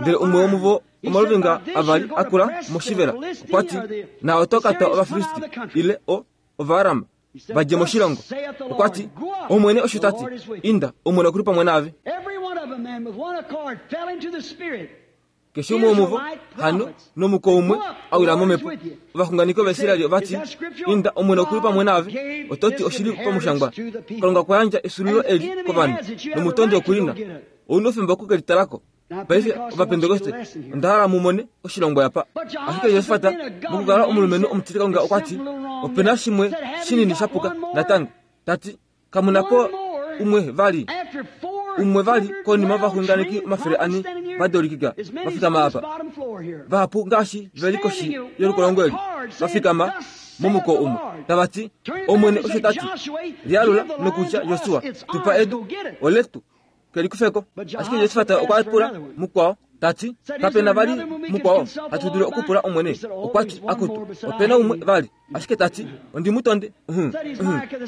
ndele umwe womuvo omaluvinga avali akula moshivela okwa ti na oto kata Ovafilisti ile o Ovaarama vadje moshilongo. Okwa ti Omwene osho tati inda Omwene okuli pamwe naave. Keshe umwe womuvo hano nomuko umwe awila momhepo. Ovaxunganeki Ovaisraeli ovati inda Omwene okuli pamwe naave. Ototi oshili pamushangwa Kalunga okwa yandja esulilo eli kovanhu nomutondi okulina. Ouna oufemba okukelitalako. Paife Ovapentekoste onda hala mu mone oshilongo apa. Ashike Josafat mokukala omulumenhu omutili Kalunga okwa ti opena shimwe shinini shapuka natango. Tati kamuna po umwe vali umwe vali konima ovaxunganeki omafele ane vadolikika vafikama apa vahapu ngaashi veli koshi yolukolongo eli vafikama momuko umwe tavati Omwene osho tati lialula nokutya Josua tupa edu oletu kelikufeko. Ashike Josafat okwa pula mukwao tati kapena vali mukwao hatu dulu okupula Omwene. Okwa ti akutu opena umwe vali. Ashike tati ondi mutonde.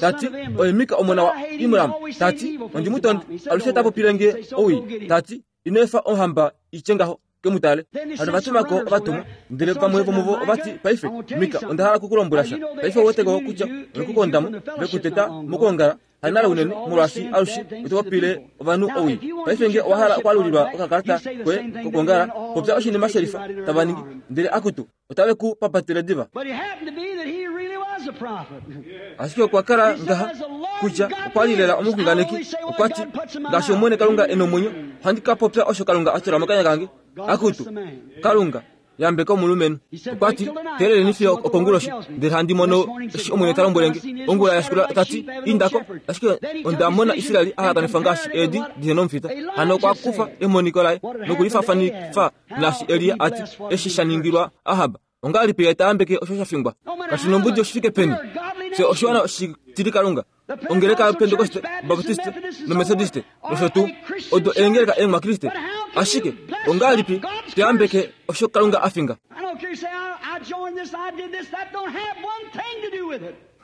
Tati oye Mika omona wa Imram. Tati ondi mutonde alushe tapopile nge owii. Tati ino efa ohamba itye ngaho kemutale. Hano vatumako ovatumwa ndele vamwe vomuvo ovati paife Mika onda hala kukulombwela sha. Paife ouweteko kutya olekukondamo vekuteta mokuongala hanale unene molwaashi alushe otopopile ovanhu owii. Paife nge owa hala okwalulilwa okakalata koye kokuongala popya oshinima shelifa tava ningi ndele akutu otave ku papatile diva. Ashike okwa kala ngaha kutya okwa li lela omuxunganeki. Okwa ti ngaashi Omwene Kalunga e nomwenyo ohandi ka popya osho Kalunga a tula mokanya kange. Akutu Kalunga yambeka omulumenhu. Okwa ti teeleleni fiyo okonguloshi ndele handi mono eshi Omwene ta lombwele nge. Ongula ya shikula tati indako. Ashike onda mona Israeli a hakanifwa ngaashi eedi dihe nomufita. Hano okwa kufa emoniko laye nokulifafanifa naashi Elia ati eshi sha ningilwa Ahab. Ongahelipi ye taambeke osho sha fingwa? Kashi nombudi oshifike peni. Fye oshiwana oshitili Kalunga. Ongeleka yaPentekoste, Baptiste noMethodiste nosho tuu odo eengeleka eemwakriste. Ashike ongahelipi toyambeke osho Kalunga a finga?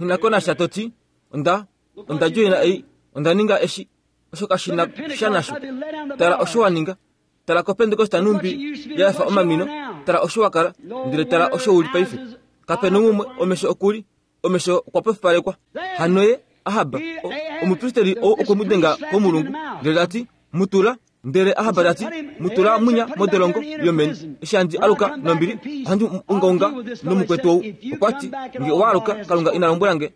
Nghinako nasha toti onda onda joina ei onda ninga eshi osho kashi na sha nasho. Tala osho wa ninga. Tala koPentekoste numbi ya fa omamino. Tala osho wa kala ndele tala osho uli paife. Kapena umwe omesho okuli omesho okwa pofipalekwa. Hano ye Ahab omupristeri ou okwe mu denga komulungu ndele tati mutula. Ndele Ahab tati mutula munya modolongo yomeni. Eshi handi aluka nombili ohandi ungaunga nomukwetu ou. Okwa ti nge owa aluka Kalunga ina lombwela nge.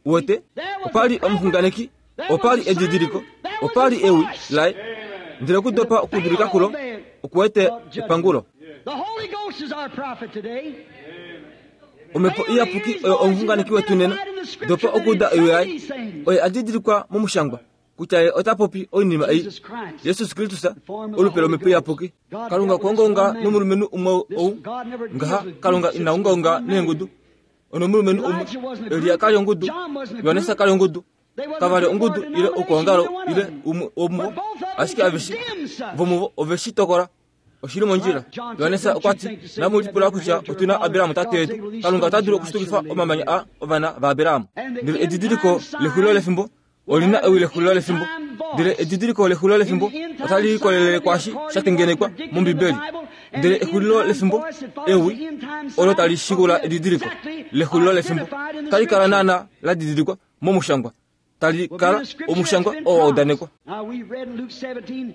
Uwete opa li omuxunganeki, opa li edidiliko, opa li ewi laye. Ndele okudopa okudulika kulo okuwete epangulo. Omhepo Iyapuki oyo omuxunganeki wetu nena. Dopa okuuda ewi laye. Oye a didilikwa momushangwa kutya ye ota popi oinima ei. Jesus Kristus olupe lomhepo Iyapuki. Kalunga okwa ungaunga nomulumenhu umwe ou ngaha. Kalunga ina ungaunga neengudu. Onomulumenhu umwe. Elia kali ongudu, Johannes kali ongudu, kava li ongudu ile okuongalo ile umwe womuvo. Ashike aveshe vomuvo ove shi tokola oshili mondjila. Johannes okwa ti namulipula kutya otuna Abraham tate yetu. Kalunga ota dulu okushitukifa omamanya a ovana vaAbraham. Ndele edidiliko lexulilo lefimbo olina ewi lexulilo lefimbo. Ndele edidiliko lexulilo lefimbo otali likolelele kwaashi sha tengenekwa mOmbibeli. Ndele exulilo lefimbo ewi olo tali shikula edidiliko lexulilo lefimbo tali kala naana la didilikwa momushangwa. Tali kala omushangwa oo wa udanekwa.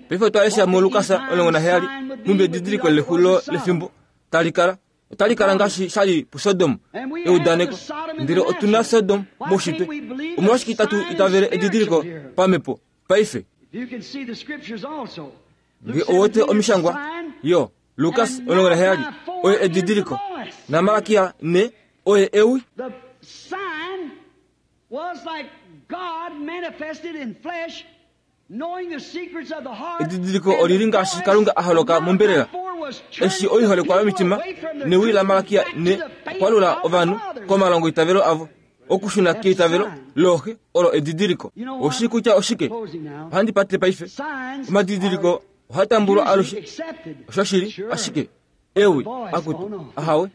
Paife otwa lesha muLukas omulongo naheyali nhumbi edidiliko lexulilo lefimbo tali kala. Otali kala ngaashi sha li puSodom eudaneko. Ndele otuna Sodom moushitwe. Omolwashike itatu itavele edidiliko pamhepo paife? Nge ouwete omishangwa yo Lukas omulongo naheyali oye edidiliko naMalakia ne oye ewi. Edidiliko olili ngaashi Kalunga a holoka mombelela. Eshi oiholekwa yomitima newi laMalakia ne okwalula ovanhu komalongo itavelo avo okushuna keitavelo looxe olo edidiliko. Oshi kutya oshike? Ohandi pate paife. Omadidiliko ohatambulwa alushe. Oshoshili ashike ewi akutu ahawe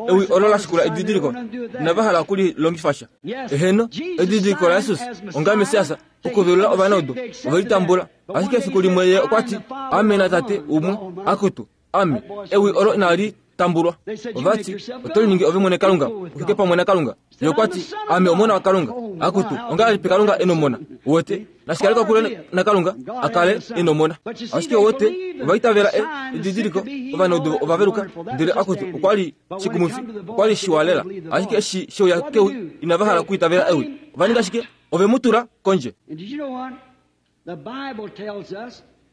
ewi olo lashikula edidiliko inava hala okulilongifa sha. Eheno edidiliko la Jesus onga Mesiasa okuvelula ovanaudu ovelitambula. Ashike efiku limwe ye okwati ame natate umwe akutu ame ewi olo inali tambulwa. Ovati oto liningi ove mwene Kalunga ufike pamwe naKalunga. Ye okwati ame omona waKalunga akutu ongahelipi Kalunga enomona? Uwete nashikale kokule naKalunga akale enomona. Ashike uwete ovaitavela edidiliko ovanaudu ovaveluka ndele akutu okwali shikumufi okwali shiwalela. Ashike eshi sheuya kewi inava hala okuitavela ewi. Ovaninga shike? Ove mu tula kondje.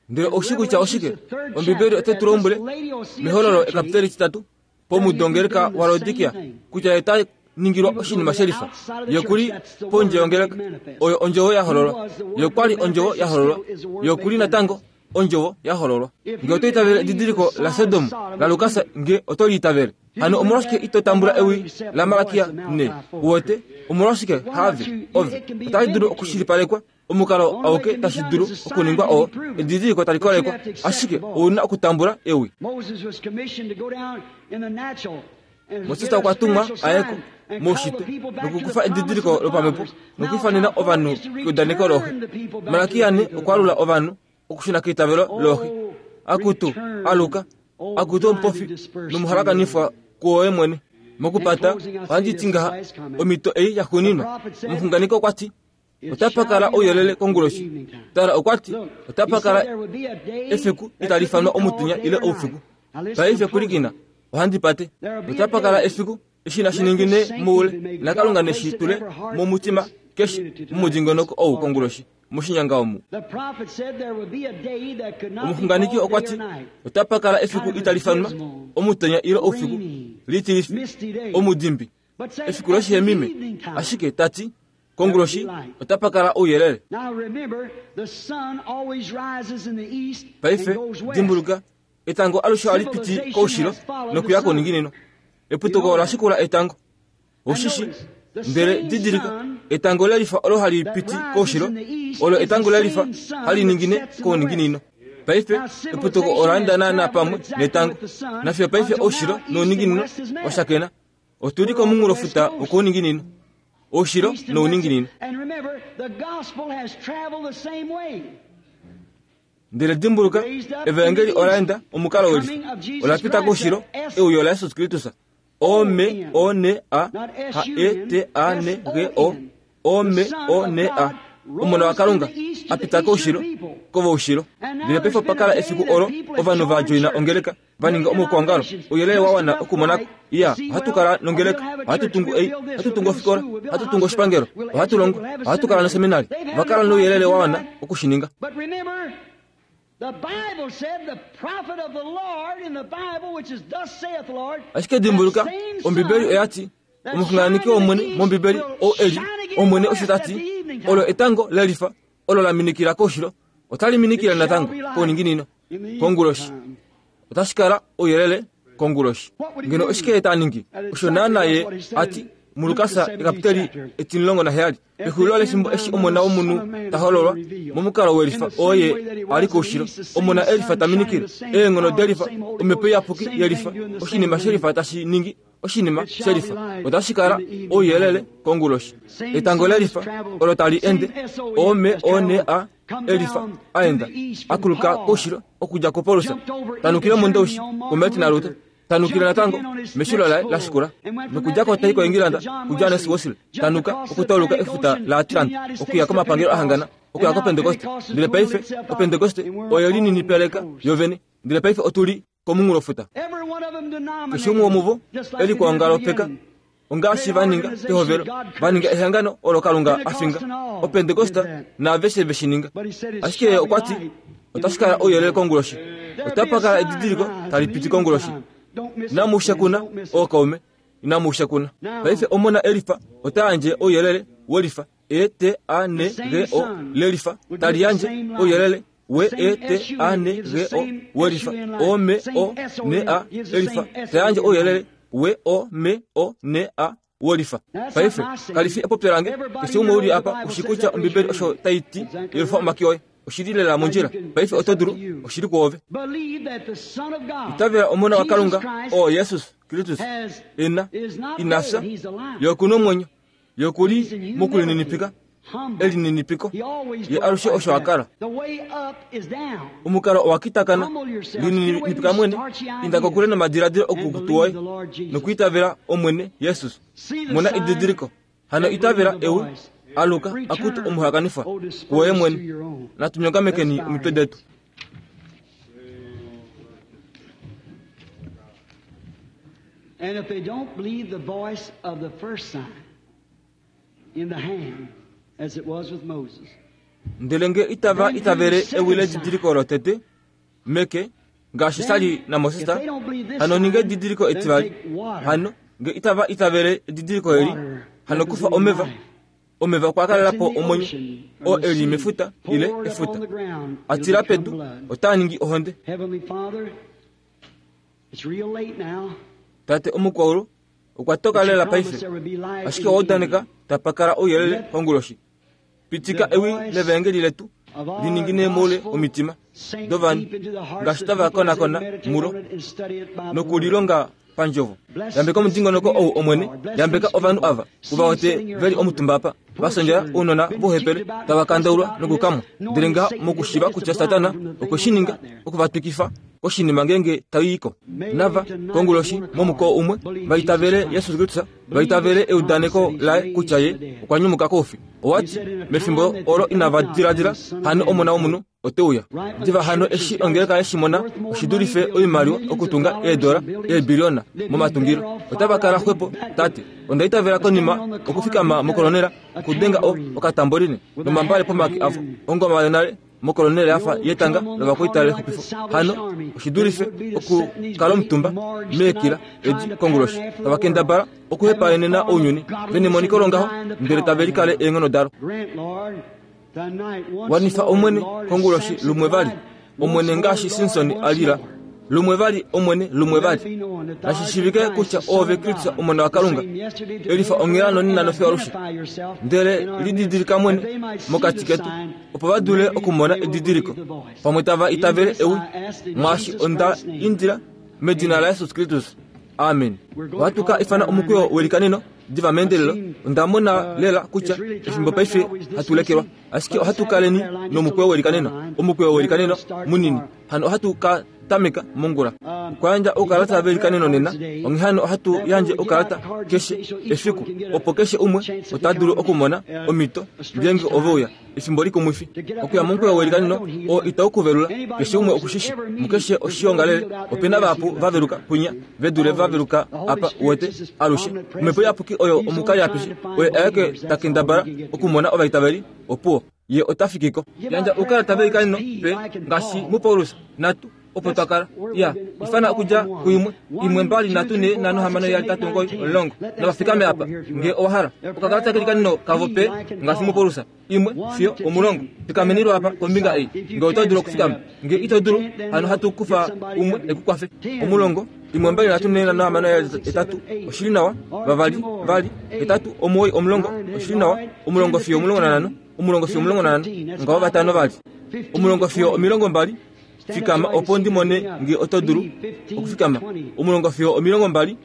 Ndele oshi kutya oshike? Ombibeli ote tu lombwele mehololo ekapiteli titatu pomudongeleka wa Laodikia kutya ye ta ningilwa oshinima shelifa. Ye kuli pondje yongeleka oyo ondjovo ya hololwa. Ye kwali ondjovo ya hololwa. Ye kuli natango ondjovo ya hololwa. Nge oto itavele edidiliko la Sodom la Lukas nge oto liitavele. Hano omolwashike ito tambula ewi la Malakia ne? Uwete omolwashike have ove otali dulu okushilipalekwa omukalo auke tashi dulu okuningwa oo edidiliko tali kolekwa. Ashike ouna okutambula ewi. Moses okwa tumwa ayeko moushitwe nokukufa edidiliko lopamhepo nokwiifanena ovanhu keudaneko looxe. Malakia ne okwalula ovanhu okushuna keitavelo looxe. Akutu aluka akutu omupofi nomuhalakanifwa kuoye mwene. Mokupata ohandi ti ngaha omhito ei yaxuuninwa. Omuxunganeki okwati otapa kala ouyelele konguloshi. Tala okwati otapa kala efiku itali ifanwa omutenya ile oufiku. Paife pwilikina ohandi pate. Otapa kala efiku eshi nashiningine moule naKalunga neshi tule momutima keshe mumudingonoko ou konguloshi moshinyanga omu. Omuxunganeki okwati otapa kala efiku itali ifanwa omutenya ile oufiku litilifi omudimbi efiku loshihemime. Ashike tati konguloshi otapa kala ouyelele. Paife dimbuluka etango alushe ohali piti koushilo nokuya kouninginino. Eputuko ola shikula etango. Oshishi ndele didilika etango lelifa olo hali piti koushilo olo etango lelifa hali ningine kouninginino. Paife eputuko ola enda naana pamwe netango. Nafiyo paife oushilo nouninginino oshakena. Otuli komunghulofuta wokouninginino. Oushilo nouninginino. Ndele dimbuluka evangeli ola enda omukalo welifa ola pita koushilo euyo la Jesus Kristus. O M O N A H E T A N G O O M O N A omona waKalunga apita koushilo kovoushilo. Ndele paife opa kala efiku olo ovanhu va joina ongeleka va ninga omukwangalo ouyelele wa wana okumonako. Iya ohatu kala nongeleka, ohatu tungu ei, ohatu tungu ofikola, ohatu tungu oshipangelo, ohatu longo, ohatu kala noseminari. Va kala nouyelele wa wana okushininga. Ashike dimbuluka Ombibeli oyati omuxunganeki wOmwene mOmbibeli ou eli Omwene osho tati olo etango lelifa olo la minikila koushilo otali minikile natango kouninginino konguloshi. Otashi kala ouyelele konguloshi. Ngeno oshike ta ningi? Osho naana ye ati muLukasa ekapiteli etimulongo naheyali pexulilo lefimbo eshi omona womunhu ta hololwa momukalo welifa oye ali koushilo omona elifa ta minikile eenghono delifa omhepo iyapuki yelifa oshinima shelifa tashi ningi oshinima shelifa. Otashi kala ouyelele konguloshi. Etango lelifa olo tali ende O M O N A elifa aenda akuluka koushilo okudja koPaulus tanukile mondoushi koMartin Luther tanukile natango meshilo laye lashikula nokudja ko tai koEngilanda kuJohannes Wesley tanuka okutauluka efuta la Atlant okuya komapangelo ahangana okuya koPentekoste. Ndele paife oPentekoste oyo lininipeleka yovene. Ndele paife otuli komunghulofuta. Keshe umwe womuvo eli kuongalo peka ongaashi vaninga pehovelo vaninga ehangano olo Kalunga afinga oPentekosta naaveshe veshininga. Ashike ye okwati otashi kala ouyelele konguloshi. Otapa kala edidiliko tali piti konguloshi. Inamu kuna ookaume, inamu kuna. Paife omona elifa ota yandje ouyelele welifa E T A N G O lelifa tali yandje ouyelele W E T A N G O welifa O M O N A elifa tayandje ouyelele W O M O N A wolifa. Paife kalifi epopyo lange keshe umwe uli apa ushikutya Ombibeli osho taiti yelufa omake oye oshili lela mondjila. Paife oto dulu oshili kwoove. Itavela omona wa Kalunga o Jesus Kristus ena inafya yokuna omwenyo yokuli mokulininipika elininipiko ye alushe osho akala. Omukalo owakitakana lininipika mwene inda kokule nomadiladilo okukutu woye nokuitavela Omwene Jesus. Mona edidiliko hano itavela ewi aluka akutu omuhakanifwa kuwoye mwene. Natunyongamekeni omitwe detu. And if they don't believe the voice of the first sign in the hand, as it was with Moses. Ndele nge itava itavele ewi ledidiliko lotete meke ngaashi sali na Moses, hano ninge edidiliko etivali. Hano nge itava itavele edidiliko eli, hano kufa omeva. Omeva okwa kalela po omwenyo o eli mefuta ile efuta atila pedu otaa ningi ohonde. Tate omukwaulu okwa toka lela paife, ashike owa tapakala ouyelele konguloshi. Pitika ewi levangeli letu liningine moule omitima dovanhu ngaashi tava konakona mulo nokulilonga pandjovo. Yambeka omudingonoko ou Omwene, yambeka ovanhu ava uvaote veli omutumba apa vasondjela ounona vohepele tava kandaulwa nokukamwa. Ndele ngaha mokushiva kutya Satana okwe shi ninga okuvatwikifa koshinima ngenge taiiko. Nava konguloshi momukoo umwe vaitavele Yesus Kristus, vaitavele eudaneko laye kutya ye okwa nyumuka koufi. Owati mefimbo olo inava diladila hano omona womunhu oteuya. Diva hano eshi ongeleka yeshimona oshidulife oimaliwa okutunga eedola eebiliona momatungilo. Otava kala xwepo tate. Onda itavela konima okufikama mokolonela okudenga o okatamboline nomambale pomake avo ongoma yonale mokolonela yafa yetanga lovakuita lexupifo. Hano oshidulife okukala omutumba meekila edi konguloshi tava kendabala okuhepaenena ounyuni venemoniko longaho ndele tave likale eenghono dalo. Wanifa Omwene konguloshi lumwe vali Omwene ngaashi Simson alila lumwe vali Omwene lumwe vali. Nashishivike kutya oove Kristus omona wa Kalunga elifa onghela nonina nofiyo alushe. Ndele lididilika mwene mokati ketu opo va dule okumona edidiliko pamwe tava itavele ewi mwaashi onda indila medina la Yesus Kristus. Amen. Ohatu ka ifana omukweyo welikaneno diva meendelelo. Onda mona lela kutya efimbo paife hatu lekelwa, ashike ohatu kaleni nomukweyo welikaneno, omukweyo welikaneno munini. Hano ohatu ka tameka mongula okuyandja oukalata velikaneno nena. Onghee hano ohatu yandje oukalata keshe efiku opo keshe umwe ota dulu okumona omhito ngeenge ove uya efimbo likumwifi. Okuya momukweyo welikaneno oo itau kuvelula keshe umwe okushishi mukeshe oshiongalele opena vahapu vaveluka kwinya vedule vaveluka apa wete alushe. Omhepo iyapuki oyo omukali apishe oye aeke takendabala okumona ovaitaveli opuwo ye ota fikiko. Yandja oukalata velikaneno pe ngaashi muPaulus natu opo twakala ya ifana okudja kuimwe imwe mbali nhatu ne nhano hamano yali tatu omugoyi omulongo navafikame apa nge owahala okakalata kelikaneno kavo pe ngaashi muPaulus imwe fiyo omulongo. Fikamenilwa apa kombinga ei nge oto dulu okufikama, nge ito dulu hano hatu kufa umwe ekukwafe. Omulongo imwe mbali nhatu ne nhano hamano yali etatu oshili nawa, vavali vali etatu omuwoi omulongo oshili nawa, omulongo fiyo omulongo nanhano, omulongo fiyo omulongo nanhano ngawo vatano vali omulongo fiyo omilongo mbali. Fikama opo ndimone nge oto dulu okufikama. Omulongo fiyo omilongo mbali,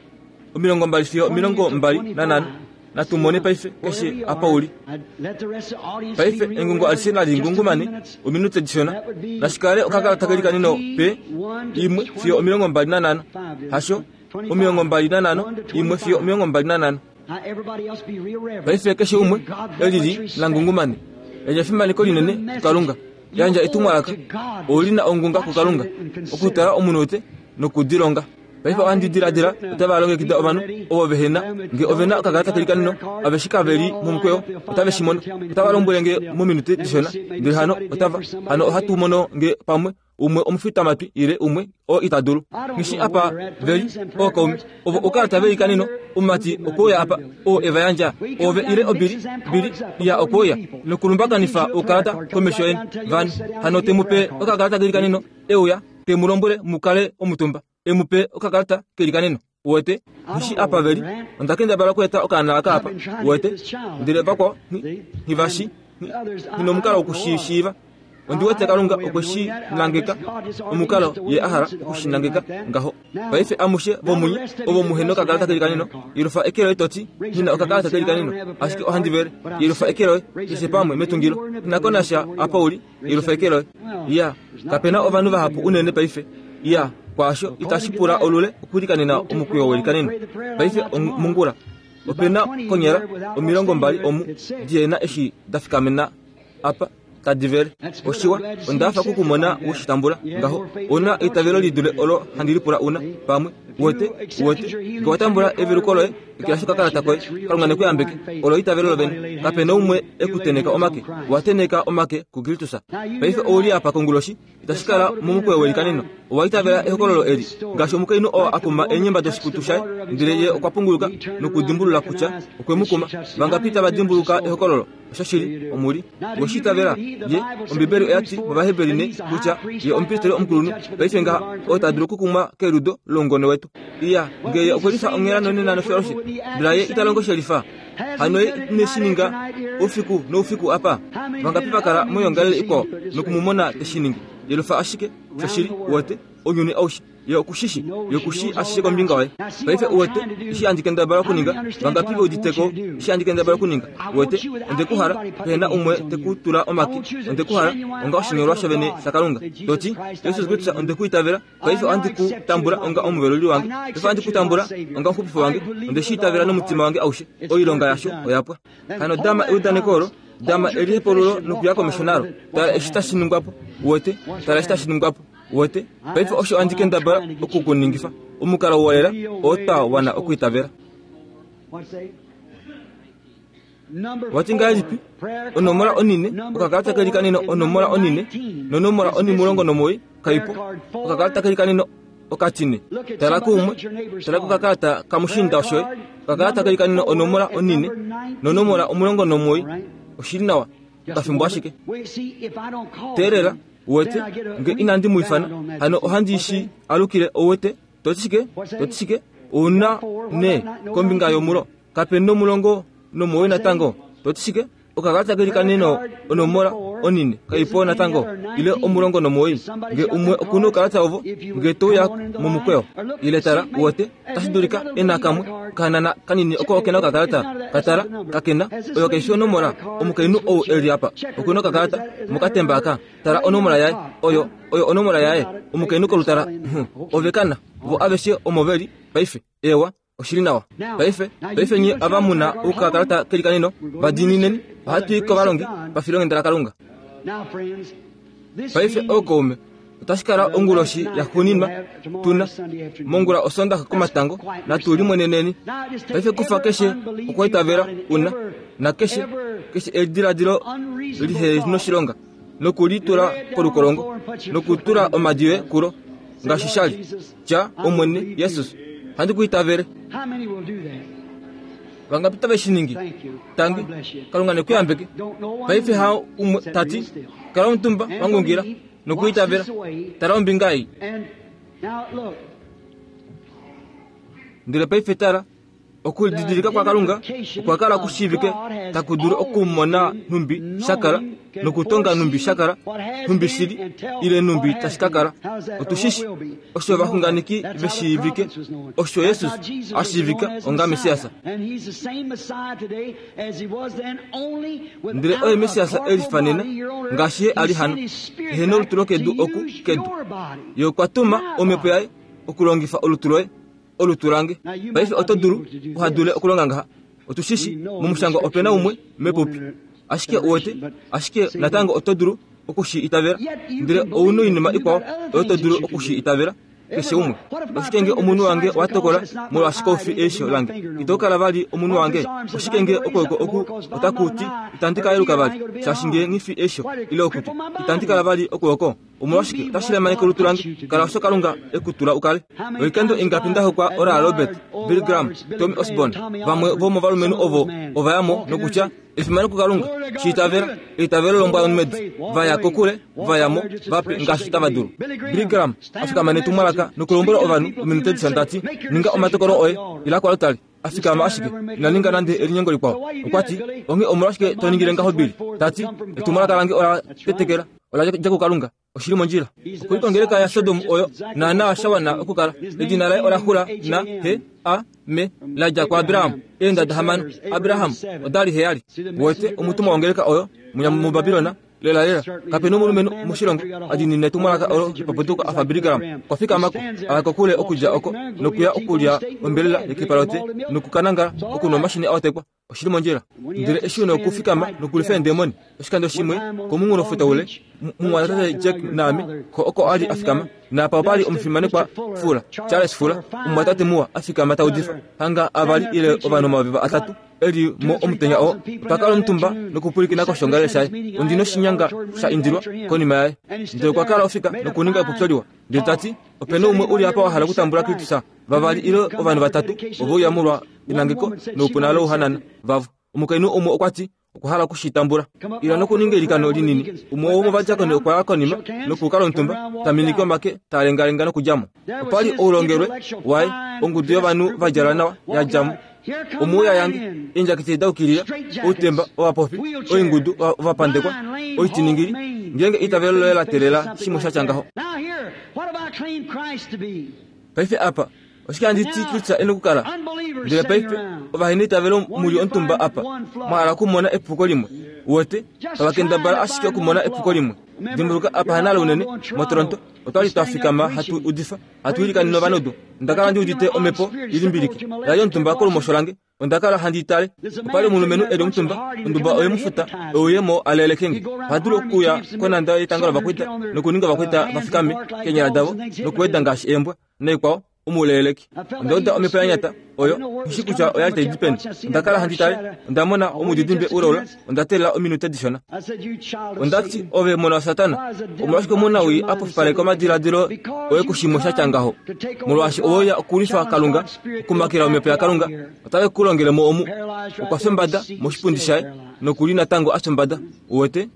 omilongo mbali fiyo omilongo mbali nanhano. Natumone paife keshe apa uli. Paife engungo alishe nalingungumane ominute dishona. Nashikale okakalata kelikaneno pe imwe fiyo omilongo mbali nanhano. Hasho omilongo mbali nanhano imwe fiyo omilongo mbali nanhano. Paife keshe umwe elili langungumane yandja efimaneko linene kuKalunga. Yandja etumwalaka olina ongunga kuKalunga okutala omunute nokudilonga. Paife ohandi diladila otava longekida ovanhu ovo vehena nge ovena okakalata kelikaneno aveshe kaveli momukweyo otave shi mono. Otava lombwele nge mominute dishona ndele hano otava hano ohatu mono nge pamwe umwe omufitamatwi ile umwe o ita dulu. Ngishi apa veli ookaume ovo oukalata velikaneno omumati okweuya apa oo eva yandja ove ile obili bili ya okweuya nokulumbakanifa oukalata komesho yeni vanhu. Hano temupe okakalata kelikaneno euya temulombwele mukale omutumba emupe okakalata kelikaneno. Uwete nishi apa veli ondakendabala okueta okaana aka apa. Uwete ndele vakwao nghivashi nginomukalo wokushishiiva. Ondiwete Kalunga okwe shi nangeka omukalo ye a hala okushinangeka ngaho. Paife amushe vomunye ovo muhe nokakalata keli kanino yelufa eke loye toti ngina okakalata keli kanino ashike ohandi vele yelufa eke loye keshe pamwe metungilo inako nasha apa uli yelufa eke loye. Ya kapena ovanhu vahapu unene paife. Ya kwaasho itashi pula olule okulikanena omukwiyo welikaneno. Paife mongula opena konyala omilongo mbali omu dihena eshi dafikamena apa tadivele. Oshiwa ondafa kukumona ushitambula ngaho ona eitavelo lidule olo handi lipula una pamwe. Uwete uwete nge watambula eveluko loye ekilashi okakalata koye Kalunga nekuyambeke olo eitavelo lovene. Kapena umwe ekuteneka omake wateneka omake kuKristus. Paife ouli apa konguloshi itashi kala momukweyo welikaneno. Owaitavela ehokololo eli ngaashi omukainhu oo akuma eenyemba doshikutu shaye ndele ye okwa punguluka nokudimbulula kutya okwe mu kuma. Vangapi tava dimbuluka ehokololo? Oshoshili omuli weshitavela ye Ombibeli oyati mOvaheberi ne kutya ye omupristeli omukulunhu paife ngaha oo ta dulu okukumwa keludo loungone wetu. Iya ngeye okwelifa onghela nonena nofyaloshe ndele ye ita longo shelifa hano ye ineshininga oufiku noufiku apa. Vangapi vakala moyongalele ikwao nokumumona teshiningi yelufa ashike shoshili. Uwete ounyuni aushe ye okushishi ye okushi ashishe kombinga waye. Paife uwete eshi handi kendabala okuninga. Vangapi veuditeko eshi handi kendabala okuninga? Uwete ondekuhala pehena umwe tekutula omake. Ondekuhala onga oshinyolwa shovene shaKalunga toti Jesus Kristus ondekuitavela. Paife ohandi ku tambula onga omuveluli wange. Paife ohandi ku tambula onga omuxupifi wange. Ondeshiitavela nomutima wange aushe. Oilonga yasho oyapwa. Hano dama eudaneko olo dama elihepolulo nokuya komesho nalo. Tala eshi tashi ningwapo. Uwete tala eshi tashi ningwapo. Uwete paife osho handi kendabala okukuningifa omukalo wolela oo twa wana okuitavela. Wati ngahelipi onomola onine okakalata keli kanino onomola onine nonomola onimulongo nomuwoi kaipo okakalata keli kanino okatine. Tala kuumwe tala kokakalata kamushinda shoye okakalata keli kanino onomola onine nonomola omulongo nomuwoi. Oshili nawa okafimbo ashike teelela. Uwete nge inandi mu ifana hano ohandi shi alukile. Ouwete toti shike toti shike ouna ne kombinga yomulo kapena omulongo nomuwoi natango. Toti shike okakalata keli kanino onomola onine kaipo natango ile omulongo nomuwoi. Nge umwe okuna oukalata ovo nge touya momukweyo ile tala. Uwete tashi dulika ena kamwe kahanana kanini oko okena okakalata katala kakena oyo kaifi onomola. Omukainhu ou eli apa okuna okakalata mokatemba aka. Tala onomola yaye oyo oyo onomola yaye. Omukainhu kolutala ove kana vo aveshe omo veli paife. Ewa oshili nawa paife. Paife nye ava muna oukakalata keli kanino vadiinineni ohatu i kovalongi pafilonghenda laKalunga. Paife ookaume otashi kala onguloshi yaxuuninwa tuna mongula osondaxa komatango natu limweneneni. Paife kufa keshe okwaitavela una nakeshe keshe ediladilo lihenoshilonga nokulitula kolukolongo nokutula omadi yoye kulo ngaashi shali tya Omwene Jesus handi kuitavele. Vangapi tave shi ningi? Tangi Kalunga nekuyambeke. Paife ha umwe tati kala omutumba wangungila nokuitavela. Tala ombinga ei. Ndele paife tala okulididilika kwa Kalunga okwa kala kushiivike taku dulu okumona nhumbi shakala nokutonga nhumbi shakala nhumbi shili ile nhumbi tashi ka kala. Otushishi osho ovaxunganeki veshiivike osho Jesus ashiivika onga Messias. Ndele oye Messias elifanena ngaashi ye ali hano ehena olutu lokedu oku kedu. Ye okwa tuma omhepo yaye okulongifa olutu loye olutu lange. Paife oto dulu uhadule okulonga ngaha. Otushishi momushangwa opena umwe mepupi ashike uwete ashike natango oto dulu okushi itavela. Ndele ouna oinima ikwao oyo to dulu okushi itavela keshe umwe. Oshike nge omunhu wange watokola molwaashi koufi eisho lange ito kala vali omunhu wange? Oshike nge okwooko oku otaku ti itandi ka yeluka vali shaashi nge nghifi eisho ile okutu itandi kala vali okwooko? Omolwashike otashi lemaneke olutu lange? Kala osho Kalunga ekutula ukale. Oikando ingapi nda hokwa Oral Robert, Billy Graham, Tommy Osborn, vamwe vomovalumenhu ovo ovayamo nokutya efimano kuKalunga shiitavela eitavelo lombwa yomumedi vaya kokule vayamo vape ngaashi tava dulu. Billy Graham afikama netumwalaka ongeleka nokulombwela ovanhu ominute dishona tati ninga omatokolo oye ila kwalotali afikama ashike ina ninga nande elinyengo likwao. Okwati onge omolwashike to ningile ngaho Bili? Tati etumwalaka lange ola tetekela ola dja kuKalunga. Oshili mondjila. Okuli kongeleka ya Sodom oyo naana shawana okukala. Edina laye ola xula na he a me la dja kuAbraham. Eendada hamano Abraham odali heyali. Wote omutumwa wongeleka oyo muBabilona lela lela kapena omulumenhu moshilongo adinine etumwalaka olo lipaputuko afa Billy Graham. Kwafikamako alakokule okudja oko nokuya okulya ombelela yekepalote nokukanangala okunwa omashini aotekwa. Oshili mondjila. Ndele eshi una okufikama nokulifa eendemoni. Oshikando shimwe komunghulofuta ule mumwatate Jack naame ko oko ali afikama napa opali omufimanekwa Fula Charles Fula omumwatate muwa afikama taudifa hanga avali ile ovanhu omayovi atatu eli mo omutenya oo otwa kala omutumba nokupwilikina koshongalele shaye. Ondi noshinyanga sha indilwa konima yaye. Ndele okwa kala ofika nokuninga epopyo liwa. Ndele tati opena umwe uli apa wa hala okutambula Kristus. Vavali ile ovanhu vatatu ovo uya molwa enangeko noupuna louhanana vavo. Omukainhu umwe okwati okwa hala okushitambula. Ila nokuninga eilikano linini. Umwe womovadiakoni okwa ya konima nokukala omutumba taminike omake talengalenga nokudjamo. Opali oulongelwe waye ongudu yovanhu vadjala nawa yadjamo. Omuuya yange eendjaketi daukilila outemba ovapofi oingudu ovapandekwa oitiningili ngenge itavelo loye la telela shimwe sha ngaho. Paife apa oshike handi ti Kristus ena okukala? Ndele paife ovahena itavelo muli omutumba apa mwahala okumona epuko limwe. Wote tavakendabala ashike okumona epuko limwe. Dimbuluka apa hanale unene moToronto otwali twafikama hatu udifa hatu ilikanene ovanudu. Onda kala ndi udite omhepo ilimbilike yali omutumba kolumosho lange. Onda kala handi itale. Opali omulumenhu eli omutumba onduba oye mufuta ouyemo alelekenge. Ohadulu okuya konanda yetango lovakwita nokuninga ovakwita vafikame keenyala davo nokuweda ngaashi eembwa naikwao omuleleki. Onda uda omhepo ya nyata oyo nghishi kutya oyali tai di peni. Onda kala handi tale. Onda mona omudidimbe ulaula. Onda teelela ominute dishona. Ondati ove mona waSatana omolwashike omunawii apofipaleka omadiladilo oye kushimwe sha ngaho? Molwaashi oweya okulifa Kalunga okumakela omhepo yaKalunga otave ku longele mo omu. Okwa fya moshipundi shaye nokuli natango a fya. Uwete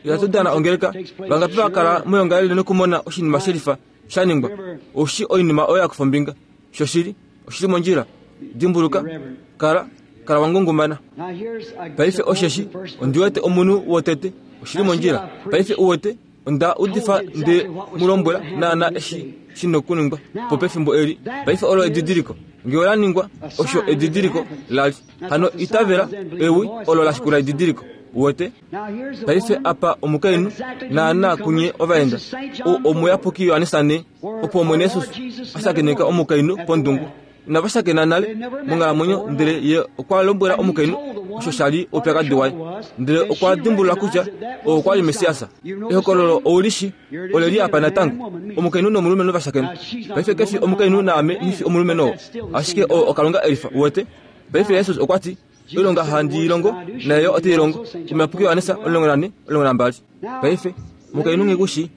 ihatu dana ongeleka. Vangapi vakala moyongalele nokumona oshinima shelifa sha ningwa? Oshi oinima oyo yakufa ombinga. Shoshili oshili mondjila. Dimbuluka kala kala wangungumana. Paife osheshi ondi wete omunhu wotete oshili mondjila. Paife uwete onda udifa nde mulombwela naana eshi shina okuningwa po pefimbo eli. Paife olo edidiliko nge ola ningwa osho edidiliko lali. Hano itavela ewi olo la shikula edidiliko. Uwete paife apa omukainhu naana kunye ovaenda omuyapuki Yohanesa opo Omwene Yesus ashakeneka omukainhu pondungu. Inava shakena nale monghalamwenyo, ndele ye okwa lombwela omukainhu osho shali oupyakadi waye. Ndele okwa dimbulula kutya oo okwali Messias. Ehokololo oulishi oleli apa natango. Omukainhu nomulumenhu vashakena. Paife kefi omukainhu naame nghifi omulumenhu oo, ashike oo oKalunga elifa. Uwete paife Yesus okwati oilonga handi ilongo naye ote ilongo. Omuyapuki Yohanesa omulongo nane omulongo nambali. Paife omukainhu nghikushi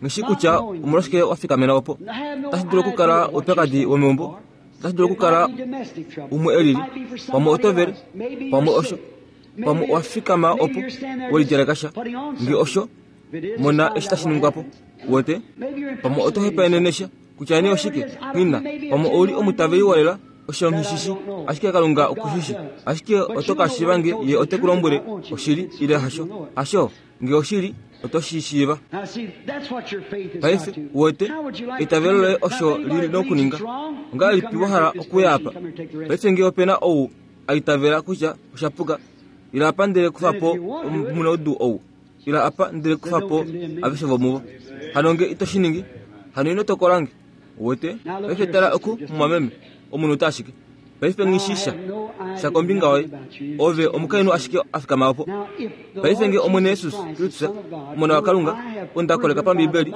nghishi kutya omolwashike wafikamena opo. Otashi dulu okukala oupyakadi womeumbo. Otashi dulu okukala umwe elili. Pamwe otovele, pamwe osho, pamwe owafikama opo welidjaleka sha. Nge osho mona eshi tashi ningwa po. Uwete pamwe oto hepaenene sha kutya nee oshike nghina. Pamwe ouli omutaveli wolela osho nghishishi, ashike Kalunga okushishi. Ashike oto ka shiiva nge ye ote ku lombwele oshili ile hasho. Hasho nge oshili oto shi shiiva. Paife uwete eitavelo loye osho lili nokuninga. Ongahelipi wa hala okuya apa? Paife nge opena ou aitavela kutya osha puka, ila apa ndele kufa po omunaudu ou, ila apa ndele kufa po aveshe vomuvo. Hano nge ito shi ningi, hano ino tokola nge. Uwete paife tala oku mumwameme omunhu ashike. Paife nghishisha sha kombinga waye. Ove omukainhu ashike afikama opo. Paife nge Omwene Yesus Kristus omona waKalunga onda koleka pambibeli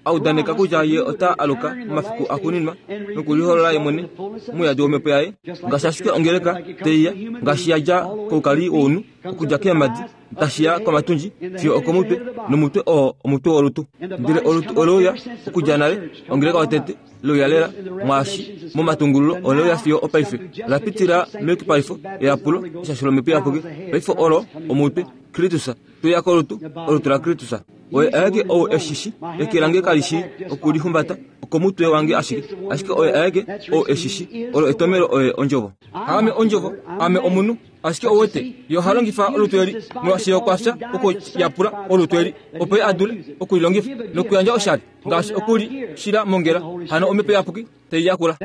audaneka kutya ye ota aluka momafiku akuninwa nokuliholola ye mwene muyadi womhepo yaye ngaashi ashike ongeleka teiya ngaashi yadja koukali wounhu okudja keemadi tashiya komatundji fiyo okomutwe nomutwe oo omutwe wolutu. Ndele olutu oleuya okudja nale ongeleka yotete leuya lela mwaashi momatungululo oleuya fiyo opaife la pitila meyukipalifo eyapulo eshasho lomhepo iyapuki. Paife olo omutwe Kristus Tuya kolutu olutu laKristus. Oye aeke ou eshishi eke lange kalishi okulihumbata okomutwe wange ashike ashike oye aeke ou eshishi olo etomelo oye ondjovo. Ame ondjovo, ame omunhu, ashike owete ye oha longifa olutu eli molwaashi okwa fya okuyapula olutu eli opo ye a dule okulilongifa nokuyandja oshali ngaashi okuli shila mongela hano omhepo iyapuki tai yakula.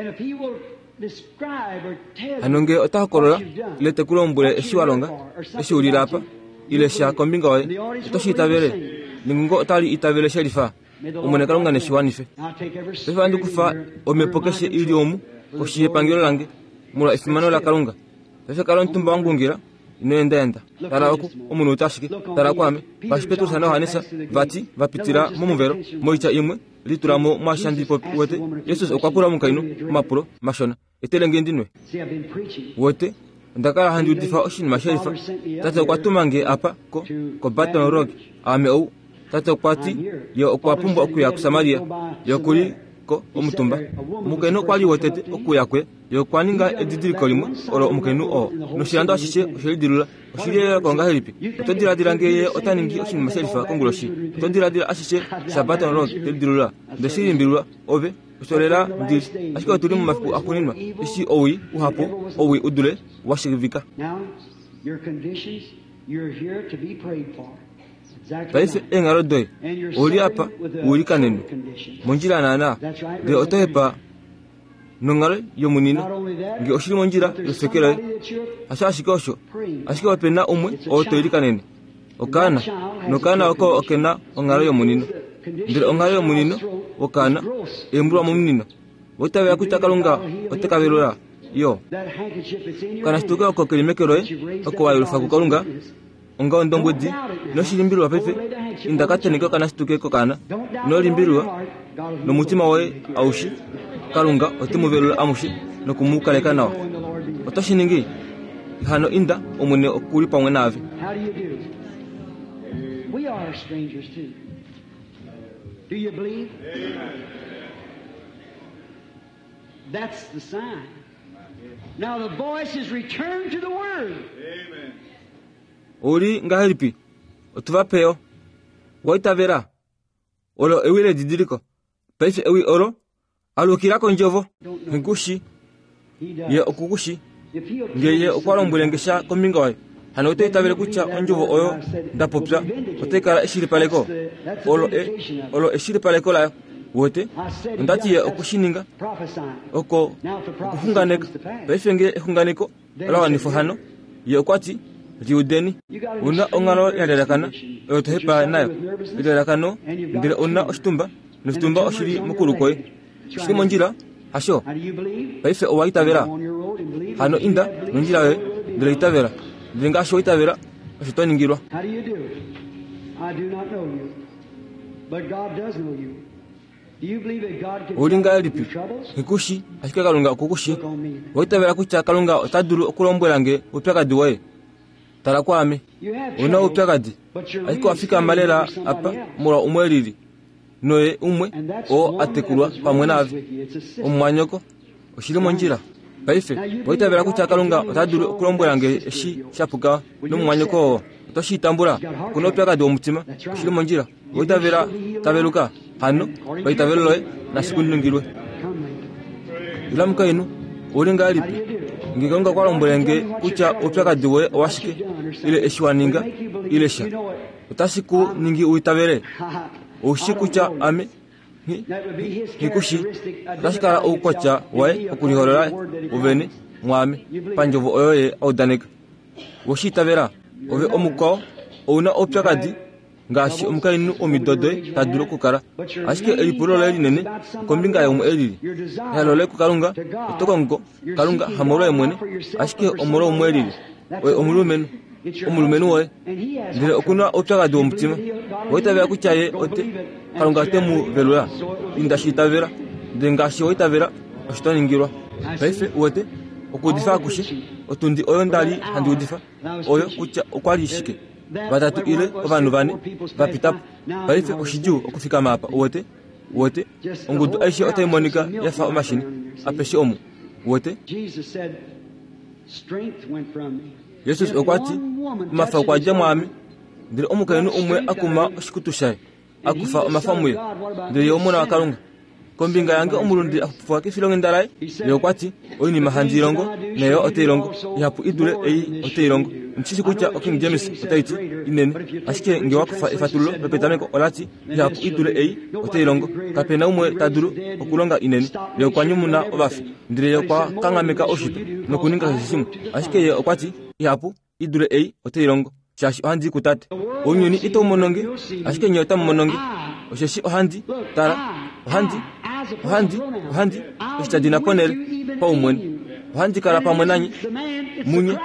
Hano ngee ota hokolola ile te ku lombwele eshi wa longa, eshi u lila apa, ile sha kombinga yoye, oto shi itavele nengungo otali itavele shelifa. Omwene Kalunga neshi wanife. Paife ohandi kufa omhepo keshe ili omu koshi yepangelo lange molwa efimano laKalunga. Paife kala omutumba wangungila, ino endaenda. Tala oku omunhu ota ashike, tala kwaame. Ngaashi Petrus naJohannes vati va pitila momuvelo, moitya imwe litula mo mwaashi handi popi wete. Jesus okwa pula omukainhu omapulo mashona. Etele nge ndinwe. Wete, onda kala handi udifa oshinima shelifa. Tate okwa tuma nge apa ko ko Baton Rouge. Ame ou. Tate okwa ti ye okwa pumbwa okuya kuSamaria. Ye okuli ko omutumba. Omukainhu okwa li wotete okuya kwe. Ye okwa ninga edidiliko limwe olo omukainhu oo. Noshilando ashishe oshe lidilula. Oshili yeyoloko ngahelipi? Oto diladila ngee ye ota ningi oshinima shelifa konguloshi? Oto diladila ashishe shaBaton Rouge te lidilula? Nde shi limbililwa ove osholela ndili. Ashike otuli momafiku axuuninwa eshi owii uhapu owii u dule wa shiivika. Paife eenghalo doye ouli apa u likanenwe mondjila naana, ndele oto hepa nonghalo yomunino ngee oshili mondjila yofeke loye. Hasho ashike osho, ashike ope na umwe oo to ilikanene okaana, nokaana oko okena onghalo yomunino. Ndele onghalo yomunino wokaana eembulwa momunino. Oitavela kutya Kalunga ote ka velula yo. Okanashituke oko keli meke loye oko wa yelufa kuKalunga onga ondombwedi inoshi limbililwa paife. Inda ka tenheke okanashituke kokaana, ino limbililwa nomutima woye aushe. Kalunga ote mu velula amushe noku mu kaleka nawa. Oto shi ningi? Hano inda, Omwene okuli pamwe naave. How do you do? We are strangers too. Do you believe? That's the sign. Now the voice is returned to the Word. Ouli ngahelipi? Otuva peyo. Waitavela. Olo ewi ledidiliko. Paife ewi olo alukila kondjovo. Ngikushi He does. ye okukushi If he'll tell ngee ye you okwa lombwele nge sha kombinga oyo. Hano oto itavele kutya ondjovo oyo nda popya otai kala eshilipaleko. Olo e olo eshilipaleko layo. Wete ondati ye okushininga prophesying. oko okuxunganeka. Paife ngee exunganeko ola wanifwa hano, ye okwa ti liudeni. Una onghalo ya lalakana oyo to hepa nayo elalakano, ndele una oshitumba noshitumba oshili mokulu kwoye. Oshili mondjila hasho? Now do you believe? Paife owa itavela. Go on your road and believe. Hano inda nondjila yoye ndele itavela. Ndele ngaashi wa itavela osho to ningilwa. How do you do? I do not know you, but God does know you. Do you believe that God can Ouli tell you ngahelipi? your troubles? Ngikushi ashike Kalunga okukushi. Look on me. Owa itavela kutya Kalunga ota dulu okulombwela nge oupyakadi woye? Tala kwaame. You have Una troubles, oupyakadi but you're ashike wa really fikama standing lela for somebody apa else. molwa umwe elili noye umwe And that's oo one a that tekulwa was pamwe raised naave with you. It's a sister. omumwanyoko. Oshili mondjila. Paife owa itavela kutya Kalunga ota dulu okulombwela nge eshi sha puka nomumwanyoko oo. Oto shi tambula. Okuna oupyakadi womutima. Oshili mondjila. Owa itavela taveluka. Hano paitavelo loye nashi ku ningilwe. Come, lady. Ila mukainhu, ouli How do ngahelipi? you do? Ngee Kalunga okwa lombwele nge kutya oupyakadi woye owashike ile eshi wa ninga ile sha, otashi ku ningi u itavele. Oushi kutya ame nghi- ngikushi otashi kala oukwatya waye okuliholola ovene mwaame pandjovo oyo ye audaneka. Weshi itavela? Ove omukwao ouna oupyakadi ngaashi omukainhu womido doye ta dulu okukala, ashike elipulo loye linene okombinga yaumwe elili. Ehalo loye kuKalunga, oto kongo Kalunga hamolwoye mwene, ashike omolwa umwe elili. Oye omulumenhu, omulumenhu woye. Ndele okuna oupyakadi womutima. Owa itavela kutya ye ote Kalunga ote mu velula. Inda shi itavela. Ndele ngaashi wa itavela osho to ningilwa. Paife uwete okuudifa akushe otundi oyo nda li handi udifa oyo kutya okwa li shike vatatu ile ovanhu vane va pita po. Paife oshidjuu okufikama apa uwete uwete ongudu aishe otai monika ya fa omashini apeshe omu uwete. Jesus said, strength went from me. Jesus If okwa ti one woman omafa okwa touches dja his mwaame garment, Ndele omukainhu umwe akuma oshikutu shaye, akufa omafa muye, ndele ye omona waKalunga. Kombinga yange omulundi akupufwa kefilonghenda laye, ye okwa ti, oinima handi ilongo, nayo ote ilongo, ihapu idule ei ote ilongo. Ndishi kutya King James otai ti inene, ashike nge wakufa efatululo lopetameko olati ihapu idule ei ote ilongo. Kapena umwe ta dulu okulonga inene. Ye okwa nyumuna ovafi, ndele ye okwa kanghameka oshito nokuninga keshe shimwe. Ashike ye okwa ti ihapu idule ei ote ilongo, shaashi ohandi ku tate. Ounyuni ito mononge, ashike nye otamu mononge. Osheshi ohandi tala, ohandi ohandi ohandi oshitadina ponele paumwene. Ohandi kala pamwe nanye munye.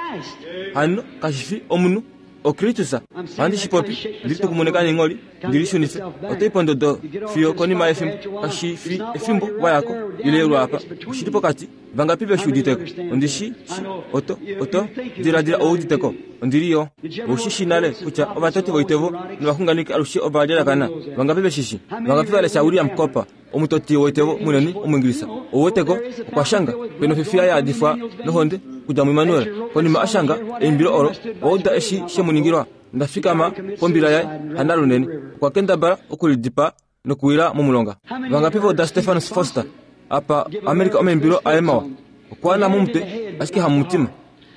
Hano kashifi omunhu oKristus. Ohandi shipopi ndili tukumoneka nengoli ndili shunife otoi pondodo fiyo konima yefimbo. Kashifi efimbo wayako ile lwapa oshili pokati. Vangapi veshuuditeko? Ondishi shi oto oto diladila ouditeko ondili yo oshishi nale kutya ovatoti voitevo novaxunganeki alushe ovalyalakana. Vangapi veshishi? Vangapi valesha William Cooper, omutoti woitevo munene Omuingilisa? Ouweteko okwa shanga peno fifiya yaadifwa nohonde kudja muImmanuel. Konima ashanga eimbilo olo, wauda eshi shemuningilwa. Ndafikama pombila yaye hana lunene. Okwa kendabala okulidipa nokuwila momulonga. Vangapi voda Stephen Foster apa Amerika omaimbilo aye mawa? Okwa na momutwe ashike hamumutima.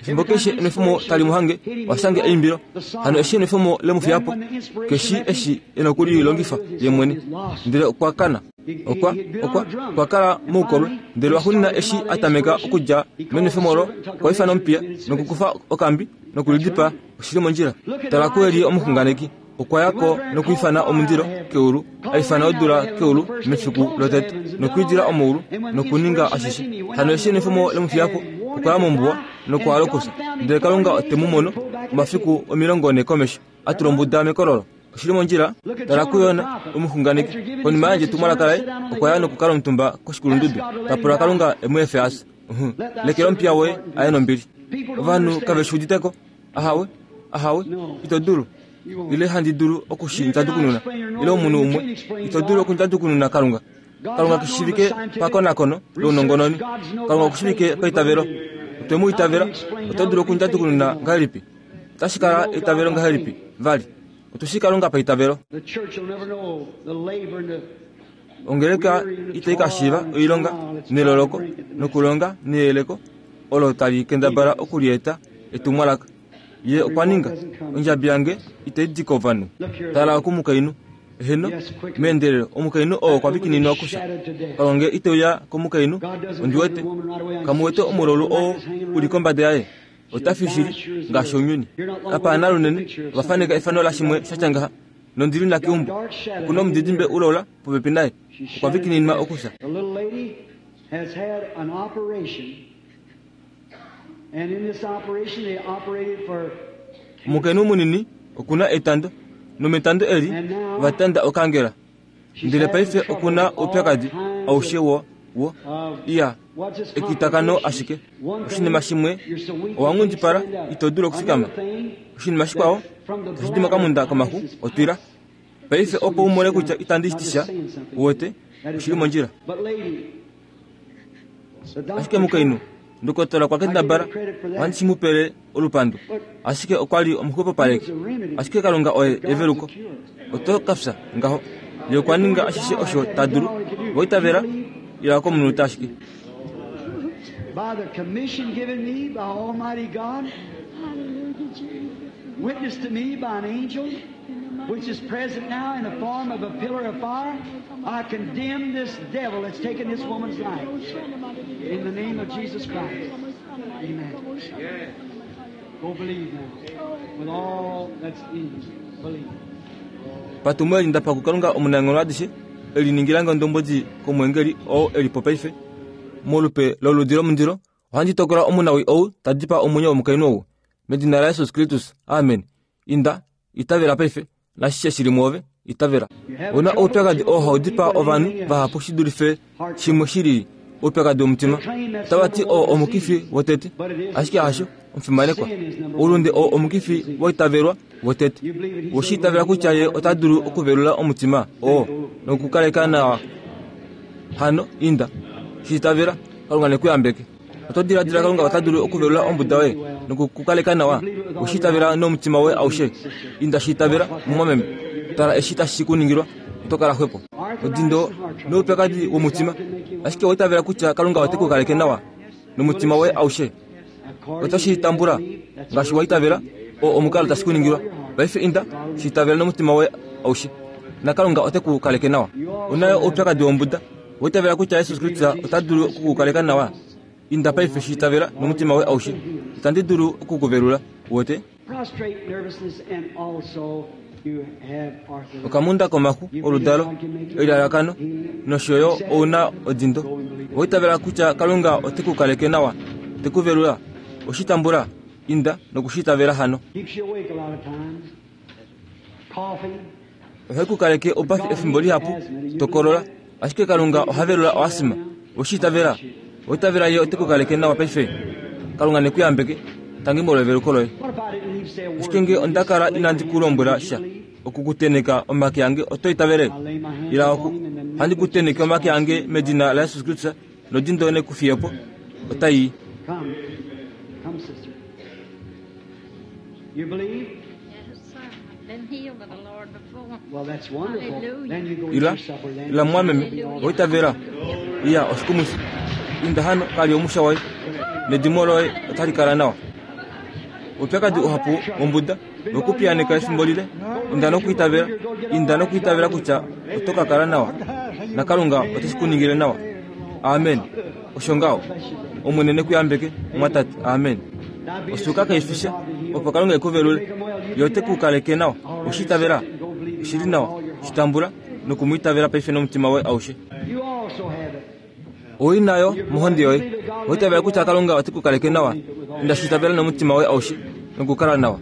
Efimbo keshe enwefomo tali muhange washange eimbilo. Hano eshi enwefomo lemufiyapo keshi eshi enokulilongifa ye mwene. Ndele okwa kana okwa okwa okwa kala moukolwe. Ndele waxunina eshi atameka okudja menwefomo olo, okwa ifana omupiya nokukufa okambi nokulidipa. Oshili mondjila. Tala kuElia omuxunganeki. Okwa yako nokuifana omundilo keulu, aifana odula keulu mefiku lotete, nokuidila omoulu nokuninga ashishe. Hano eshi enwefomo lemufiyapo, okwa ya mombuwa nokwalokusa. Ndele Kalunga otemu mono omafiku omilongo ne komesho, atula ombuda mekololo. Oshili mondjila. Tala kuYona omuxunganeki. Konima yandje etumwalaka laye, okwa ya nokukala omutumba koshikulundudu, tapula Kalunga emu efe ase. Lekela omupiya woye aye nombili. Ovanhu kave shi uditeko. Ahawe, ahawe, ito dulu ile handi dulu okushinjadukununa ile omunhu umwe ito dulu okundjadukununa Kalunga. Kalunga kushivike pakonakono lounongononi. Kalunga kushivike paitavelo. Otwe mu itavela. Oto dulu okundjadukununa ngahelipi? Otashi kala eitavelo ngahelipi? Vali otushi Kalunga paitavelo. Ongeleka itai kashiiva oilonga neloloko nokulonga neyeleko olo tali kendabala okulieta etumwalaka. Ye okwa ninga ondjabi yange itai di kovanhu. Tala kumukainhu. Heno meendelelo omukainhu oo okwa vikininwa okufya. Kalunga ite uya komukainhu. Ondiwete kamuwete omulolu oo uli kombada yaye. Ota fi shili ngaashi ounyuni. Kapana lunene ovafaneka efano lashimwe shatya ngaha. Nondili nakeumbo okuna omudidimbe ulola popepi naye. Okwa vikininwa okufya. Omukainhu munini okuna etando, nometando eli ovatanda okangela. Ndele paife okuna oupyakadi aushe wo wo iya ekitakano ashike. Oshinima shimwe owanghundipala ito dulu okufikama. Oshinima shikwao tashi di mokamunda komaxu otwila. Paife opo umone kutya itandi shitisha, uwete oshili mondjila. Ashike mukainhu ndokotola kwa kendabala ohandi shi mu pele olupandu, ashike okwa li omuxwepopaleki. Ashike Kalunga oye eveluko. Oto kafya ngaho. Ye okwa ninga ashishe osho ta dulu. Voitavela ila komunhu ashike. By the commission given me by Almighty God, witnessed to me by an angel, which is present now in the form of a pillar of fire, I condemn this devil that's taken this woman's life. In the name of Jesus Christ. Amen. Go believe now. With all that's in you. Believe. Patumwe ndapa kukalunga omunang'olo adishe eliningilanga ondombodi komwengeli oo elipo paife molupe loludi lomundilo. Ohandi tokola omunawi ou tadipa omwenyo womukainhu ou medina la Jesus Kristus. Amen. Inda itavela paife nashishe shili muove itavela. Ona oupyakadi oo haudipa ovanhu vahapu shi dulife shimwe shilili. Oupyakadi womutima tavati oo omukifi wotete, ashike hasho omufimanekwa. Oulunde oo omukifi woitavelwa wotete. Woshi itavela kutya ye ota dulu okuvelula omutima oo nokukaleka nawa. Hano inda shiitavela Kalunga nekuyambeke. Oto diladila Kalunga ota dulu okuvelula ombuda woye? Nokukukaleka nawa. Oshitavela nomutima woye aushe. Inda shitavela mumwameme. Tala eshi tashi kuningilwa oto kala xwepo. Odindo noupyakadi womutima. Ashike oitavela kutya Kalunga ote ku kaleke nawa nomutima woye aushe. Oto tambula ngaashi waitavela o omukalo tashi kuningilwa. Paife inda shitavela nomutima woye aushe. Na Kalunga ote ku kaleke nawa. Onayo oupyakadi wombuda. Oitavela kutya Jesus Kristus ota dulu okukukaleka nawa. Inda paife shitavela nomutima woye aushe. Itandi dulu okukuvelula wote. Prostrate nervousness and also you have arthritis. Okamunda komaxu oludalo elalakano nosho yo ouna odindo. Oitavela kutya Kalunga ote ku kaleke nawa, te ku velula. Oshitambula inda nokushitavela hano. Keeps you awake a lot of times. Coughing. Ohai ku kaleke oupafi efimbo lihapu tokolola. Ashike Kalunga oha velula oasima. Oshitavela. Oitavela ye ote ku kaleke nawa paife. Kalunga ne ku yambeke. Tangi molweveluko loye. What if I didn't even say a word? Ashike nge onda kala inandi ku lombwela sha okukuteneka omake ange oto itavele. Ila oku handi kuteneke omake ange medina la Jesus Kristus nodindo ne kufiyepo otai. Come. Come, sister. You believe? Yes, sir. I've been healed of the Lord before. Well, that's wonderful. Hallelujah. Then you go eat Ila your supper. Then ila mwameme oitavela. Iya oshikumufi. Inda hano kali omusha waye nedimo loye otali kala nawa. Upyakadi uhapu wombuda nokupiyaneka efimbo lile. Inda nokuitavela. Inda nokuitavela kutya oto ka kala nawa. Na Kalunga oteshi kuningile nawa. Amen. Osho ngaho. Omwene ne ku yambeke mwatate. Amen. Osuka kaifisha opo Kalunga ekuvelule. Ye ote ku kaleke nawa. Oshitavela. Oshili nawa. Shitambula nokumwitavela paife nomutima woye aushe. You also have it. Oi nayo mohondi yoye. Oitavela kutya Kalunga ote ku kaleke nawa. Inda shitavela nomutima woye aushe nokukala nawa.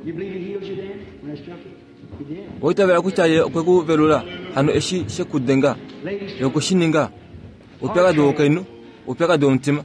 You believe he healed you then when I struck you? He did. Oitavela kutya ye okwe ku velula hano eshi shekudenga Ladies, ye okushininga. Upyakadi wokainu, upyakadi womutima.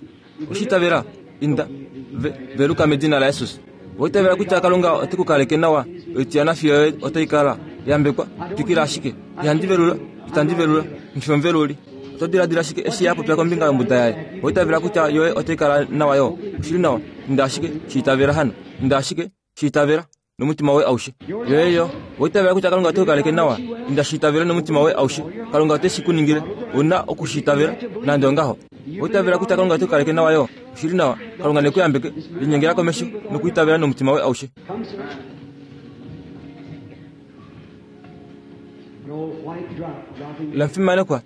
Oshitavela inda ve, veluka medina la Jesus. Oitavela kutya Kalunga ote ku kaleke nawa. Oitiyana fiyo yoye otai kala yambekwa. Twikila ashike. Ihandi velula, itandi velula, nifomveluli. Oto diladila ashike eshi yapopya kombinga yombuda yaye. Oitavela kutya yoye otai kala nawa yo. Oshili nawa. Inda ashike shiitavela hano. Inda ashike shiitavela nomutima woye aushe. Yoye yo. Oitavela kutya Kalunga ote ku kaleke nawa. Inda shiitavela nomutima woye aushe. Kalunga ote shi kuningile. Una okushitavela nande ongaho. Oitavela kutya Kalunga ote ku kaleke nawa yo. Oshili nawa. Kalunga ne ku yambeke. Linyengela komesho nokuitavela nomutima woye aushe. come, sir. An old white drop dropping. Lamfimanekwa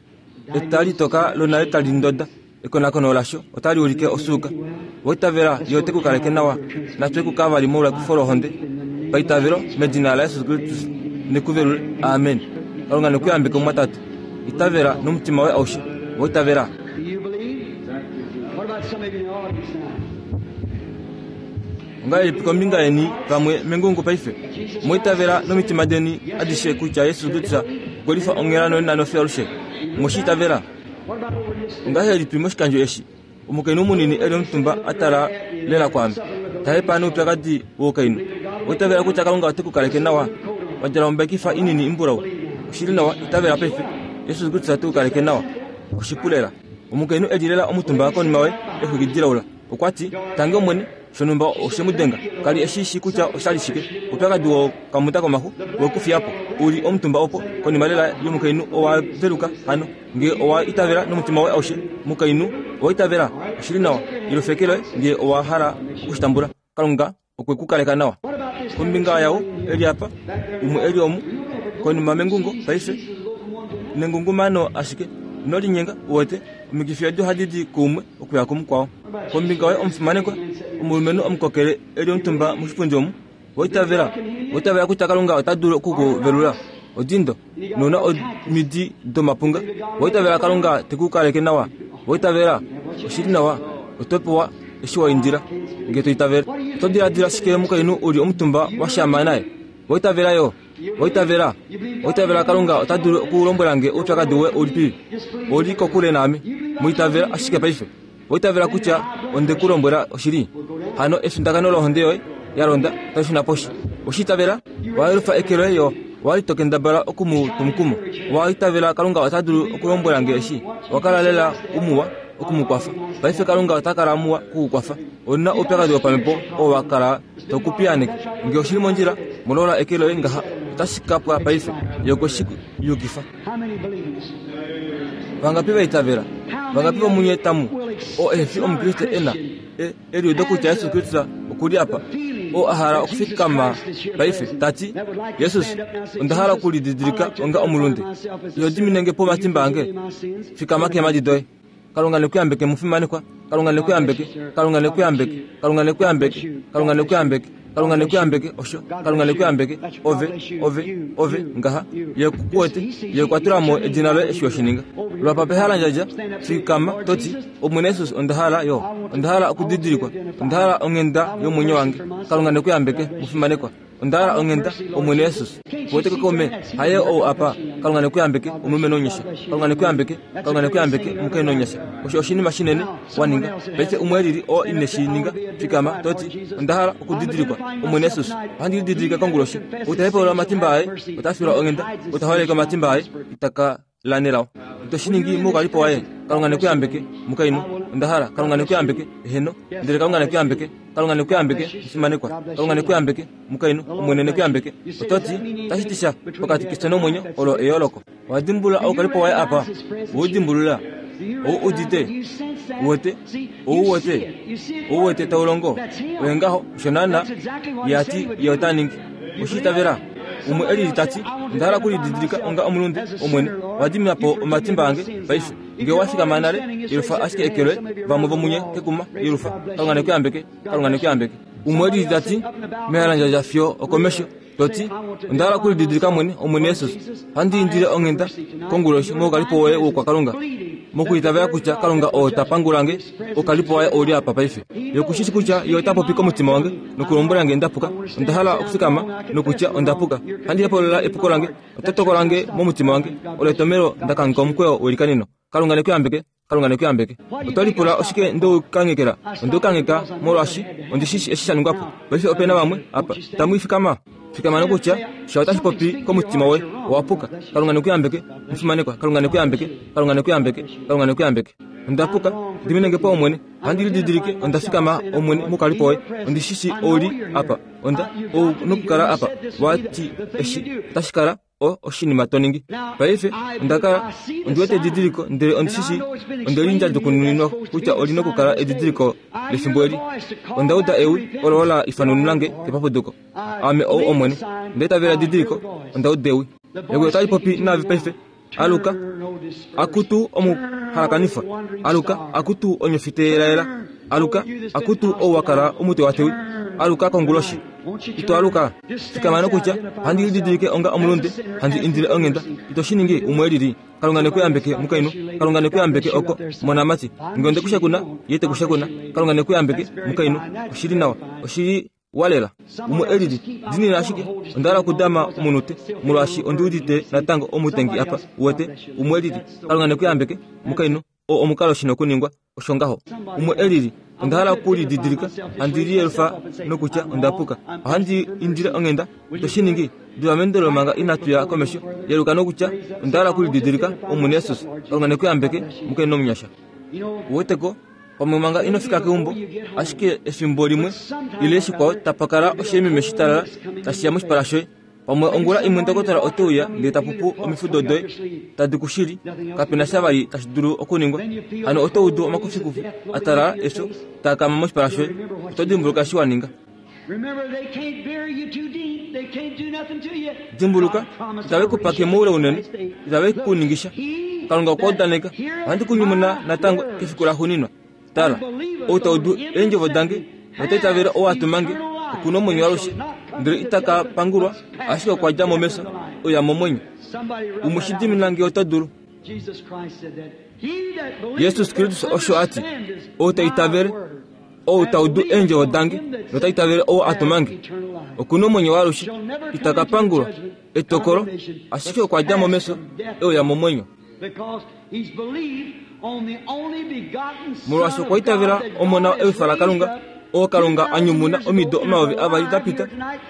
etali toka lonale tali ndoda. Ekonakono lasho otali ulike osuuka. Oitavela ye ote ku kaleke nawa. Natwe ku kavali molwa ekufo lohonde. Paitavelo medina la Jesus Kristus nekuvelule. Amen. Kalunga ne ku yambeke mwatate. Itavela nomutima woye aushe. Oitavela. Do you believe? What about some of you in the audience now? Ongahelipi kombinga yeni vamwe mengungu paife? Moitavela nomitima deni adishe kutya Jesus Kristus okwe lifa onghela nonena nofiyo alushe. Moshitavela. What about over this? Ongahelipi moshikandjo eshi? Omukainhu munini eli omutumba atala lela kwaame. Tahepa noupyakadi woukainhu. Oitavela kutya Kalunga ote ku kaleke nawa. Wadjala ombekifa inini imbulau. Oshili nawa, itavela paife. Jesus Kristus ote ku kaleke nawa. Oshipu lela. Omukainhu eli lela omutumba konima woye exwiki dilaula. Okwa ti, tangi Omwene, shonhumba oshe mu denga. Kali eshi shi kutya oshali shike. Upyakadi wokamuta komaxu wekufiyapo. Uli omutumba opo konima lela yomukainhu owa veluka hano. Nge owa itavela nomutima woye aushe. Mukainhu owa itavela. Oshili nawa. Ilofeke loye nge owa hala okushitambula. Kalunga okwe ku kaleka nawa. What about this? Kombinga yawo eli apa umwe eli omu konima mengungo paife nengungumano ashike nolinyenga uwete omikifi edi ohadi di kuumwe okuya kumukwao. Kombinga woye omufimanekwa omulumenhu omukokele eli omutumba moshipundi omu. Oitavela. Oitavela kutya Kalunga ota dulu okukuvelula. Odindo nona omidi domapunga. Oitavela Kalunga te ku kaleke nawa. Oitavela. Oshili nawa. Oto pewa eshi wa indila nge to itavela. Oto diladila shike mukainhu uli omutumba wa shama naye? Oitavela yo. Oitavela. Oitavela Kalunga ota dulu okulombwela nge oupyakadi woye ulipi. Oli kokule naame. Muitavela ashike paife. Oitavela kutya onde ku lombwela oshili. Hano efindakano lohonde yoye ya londa tali shuna poshi. Oshitavela. Wayelufa eke loye yo. Wali tokendabala okumu tumukumo. Waitavela Kalunga ota dulu okulombwela nge eshi. Wakala lela umuwa okumukwafa. Paife Kalunga ota kala muwa kukukwafa. Ona oupyakadi wopamhepo oo wa kala tokupiyaaneka. Ngee oshili mondjila, molola eke loye ngaha otashi ka pwa paife. Ye okwe shi yukifa. Vangapi va itavela? Vangapi vomunye tamu oo ehe fi omukriste e na eliudo kutya Jesus Kristus oku li apa, oo a hala okufikama paife, tati, Jesus, onda hala okulididilika onga omulunde. Iho diminenge po omatimba ange? Fikama keemhadi doye. Kalunga nekuyambeke mufimanekwa. Kalunga nekuyambeke. Kalunga nekuyambeke. Kalunga nekuyambeke. Kalunga nekuyambeke. Kalunga nekuyambeke osho. Kalunga nekuyambeke. Ove, ove, ove, ngaha. Ye kuwete, ye kwatula mo edina loye eshi washininga. Lwapa pehala ndjadja, fikama toti, Omwene Jesus onda hala yo. Onda hala okudidilikwa. Onda hala onghenda yomwenyo wange. Kalunga nekuyambeke mufimanekwa. Onda hala onghenda Omwene Jesus. Kuwete kokome, haye ou apa. Kalunga nekuyambeke omulumenhu onyasha. Kalunga nekuyambeke, Kalunga nekuyambeke omukainhu onyasha. Osho oshinima shinene waninga. Paife umwe elili oo ine shi ninga, fikama toti, onda hala okudidilikwa Omwene Jesus. Ohandi lididilika konguloshi. Ou ta hepaulula omatimba aye, ota filwa onghenda. Ou ta holeke omatimba aye, ita ka lanelao. Ito shi ningi moukalipo waye. Kalunga nekuyambeke mukainhu. Onda hala Kalunga nekuyambeke eheno. Ndele Kalunga nekuyambeke. Kalunga nekuyambeke mufimanekwa. Kalunga nekuyambeke mukainhu. Omwene nekuyambeke. Ototi tashi ti sha pokati kefyo nomwenyo olo eyooloko. Owadimbulula oukalipo waye apa? Oudimbulula. Ou udite. Uwete. Ou wete. Ou wete taulongo. Oye ngaho osho naana ye ati ye ota ningi. Oshiitavela. Umwe elili tati, onda hala okulididilika onga omulunde Omwene. Owa po omatimba ange paife. Ngee owa fikama nale, yelufa ashike eke loye, vamwe vomunye kekuma, yelufa. Kalunga nekuyambeke, Kalunga nekuyambeke. Umwe elili tati, mehalandjadja fiyo okomesho, toti, onda hala okulididilika mwene, Omwene Jesus. Ohandi indile onghenda konguloshi moukalipo woye wokwakalunga. Mokuitavela kutya Kalunga oo ta pangulange, oukalipo waye ouli apa paife. Ye okushishi kutya ye ota popi komutima wange nokulombwela nge ndapuka. Onda hala okufikama nokutya onda puka. Ohandi hepaulula epuko lange, ota tokolange momutima wange. Olo etomhelo nda kangheka omukweyo welikaneno. Kalunga nekuyambeke, Kalunga nekuyambeke. Oto lipula oshike ndeukanghekela? Ondeukangheka molwaashi ondishishi eshi sha ningwa po. Paife ope na vamwe apa tamu ifikama. Fikama nokutya sha otashi popi komutima woye, owa puka. Kalunga nekuyambeke, mufimanekwa. Kalunga nekuyambeke, Kalunga nekuyambeke, Kalunga nekuyambeke. Onda puka, diminenge po Omwene. Ohandi lididilike, onda fikama Omwene moukalipo woye. Ondishishi ouli apa. Onda ou nokukala apa. Wati eshi otashi kala o oshinima to ningi. Paife onda kala ondi wete edidiliko, ndele ondishishi onde lindjadukuninwa kutya oli nokukala edidiliko lefimbo eli. Onda uda ewi olo la ifanununa kepapuduko. Ame ou Omwene. Onda itavela edidiliko, onda uda ewi. Ewi otali popi naave paife. Aluka, akutu omuhalakanifwa. Aluka, akutu onyofiteelaela. Aluka, akutu ou wa kala omutewatewi. Aluka konguloshi. Ito aluka. Fikama nokutya, ohandi lididilike onga omulunde, handi indile onghenda. Ito shi ningi umwe elili. Kalunga nekuyambeke mukainhu. Kalunga nekuyambeke oko monamati. Ngee onde kushakuna, ye te kushakuna. Kalunga nekuyambeke mukainhu. Oshili nawa. Oshili walela. Umwe elili. Dinina ashike. Onda hala okudama omunute, molwaashi ondi udite natango omutengi apa. Uwete, umwe elili. Kalunga nekuyambeke mukainhu. Oo omukalo shi nokuningwa. Osho ngaho. Umwe elili. Onda hala okulididilika, handi liyelufa nokutya onda puka. Ohandi indile onghenda. Ito shi ningi. Diva meendelelo manga inatu ya komesho. Yeluka nokutya onda hala okulididilika Omwene Jesus. Kalunga nekuyambeke mukainhu omunyasha. Uweteko, pamwe manga ino fika keumbo, ashike efimbo limwe ile shikwao tapa kala osheememe shitalala tashi ya moshipala shoye. Pamwe ongula imwe ndokotola ote uya ndele ta pupu omifudo doye tadi kushili, kapena sha vali tashi dulu okuningwa. Hano oto udu omakufikufi a talala efyo taa kama moshipala shoye. Oto dimbuluka eshi wa ninga. Dimbuluka, itave ku pake moule unene, itave ku ningisha. Kalunga okwa udaneka, ohandi ku nyumuna natango kefiku laxuuninwa. Tala, ou ta udu eendjovo dange nota itavele ou a tuma nge, oku na omwenyo waalushe, ndele ita ka pangulwa, ashike okwa dja mo mefyo, oya momwenyo. Umwe shi dimina nge ota dulu. Jesus Kristus osho a ti, ou ta itavele, ou ta udu eendjovo dange nota itavele ou a tuma nge, oku na omwenyo waalushe, ita ka pangulwa etokolo, ashike okwa dja mo mefyo, e uya momwenyo. Molwaashi okwa itavela Omona ewifa laKalunga, oo Kalunga a nyumuna omido omayovi avali da pita,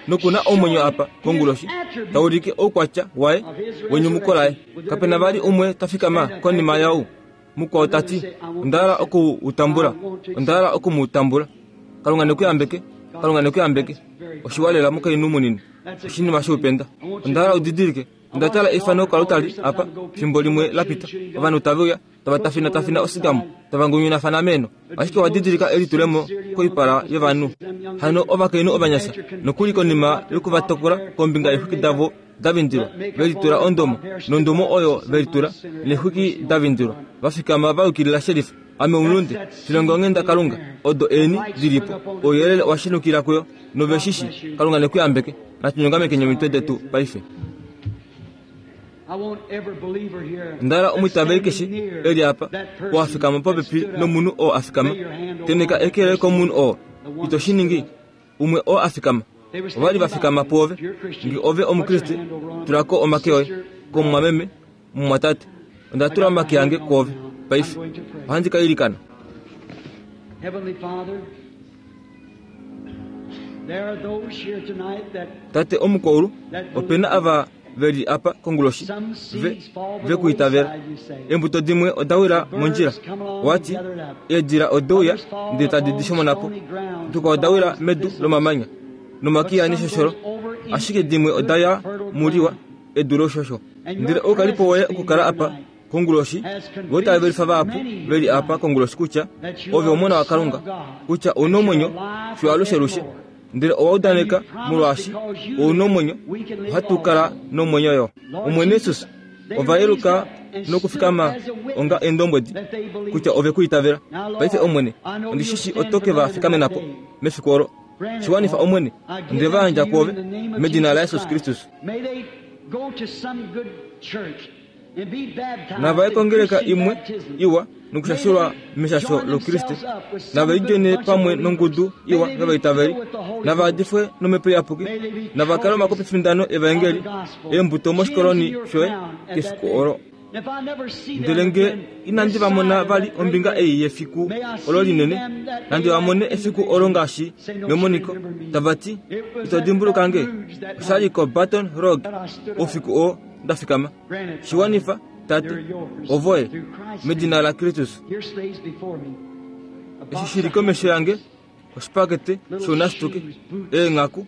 noku na omwenyo apa konguloshi, taulike oukwatya waye wenyumuko laye. Kapena vali umwe ta fikama konima yau mukwao tati, onda hala oku u tambula, onda hala oku mu tambula. Kalunga nekuyambeke, Kalunga nekuyambeke. Oshiwalela mukainhu munini, oshinima shoupenda. Onda hala udidilike, onda tala efano kalutali apa fimbo limwe lapita. Ovanhu tave uya tava tafina tafina osigamo, tava ngunyunafana meno. Ashike wadidilika elitulemo koipala yovanhu. Hano ovakainhu ovanyasha nokuli konima yokuvatokola kombinga yeexwiki davo davindilwa, velitula ondomo, nondomo oyo velitula neexwiki davindilwa, vafikama vayukilila sherifa. Ame omulunde, shilongo onghenda Kalunga, odo eni dilipo, ouyelele owa shenukila kuyo, noveshishi, Kalunga nekuyambeke. Natunyongameke omitwe detu paife. Ndala omwitaveli keshe eli apa, oo afikama popepi nomunhu oo afikama, teneka eke komunhu oo, ito shi ningi, umwe oo afikama. Ovali vafikama pwoove, nge ove omukriste, tulako omake oye, komumwameme, mumwatate. Onda tula omake ange kwoove, paife. Ohandi ka ilikana. Tate omukwaulu, opena ava veli apa konguloshi, ve, ve kuitavela. Embuto dimwe oda wila mondjila, wati eedila odeuya ndele tadi di shomonapo. Tuka oda wila medu lomamanya nomakiya neshosholo, ashike dimwe oda ya muliwa edu loshosho. Ndele oukalipo woye okukala apa konguloshi, voitavelifa vahapu veli apa konguloshi kutya ove omona waKalunga, kutya ouna omwenyo fiyo alushelushe. Ndele owaudaneka molwaashi ouna omwenyo, ohatu kala nomwenyo yo. Omwene Jesus, ovayeluka nokufikama onga endombwedi kutya ove kuitavela. Paife Omwene, ondishishi otoke va fikamenapo mefiku olo. Shiwanifa Omwene, onde va yandja kwoove medina la Jesus Kristus. Nava ekongeleka imwe iwa nokushashulwa meshasho lokriste, nava idjone pamwe nongudu iwa yovaitaveli, nava adifwe nomhepo iyapuki, nava kale omakopifindano evaengeli eembuto moshikoloni shoye kefiku olo. Ndele nge inandi va mona vali ombinga ei yefiku olo linene, nandi va mone efiku olo ngaashi memoniko, tava ti, ito dimbuluka nge, oshali ko Baton Rouge oufiku oo ndafikama. Shiwanifa, Tate, ovoye, medina la Kristus. Eshi shili komesho yange, oshipakete shounasituke, eenghaku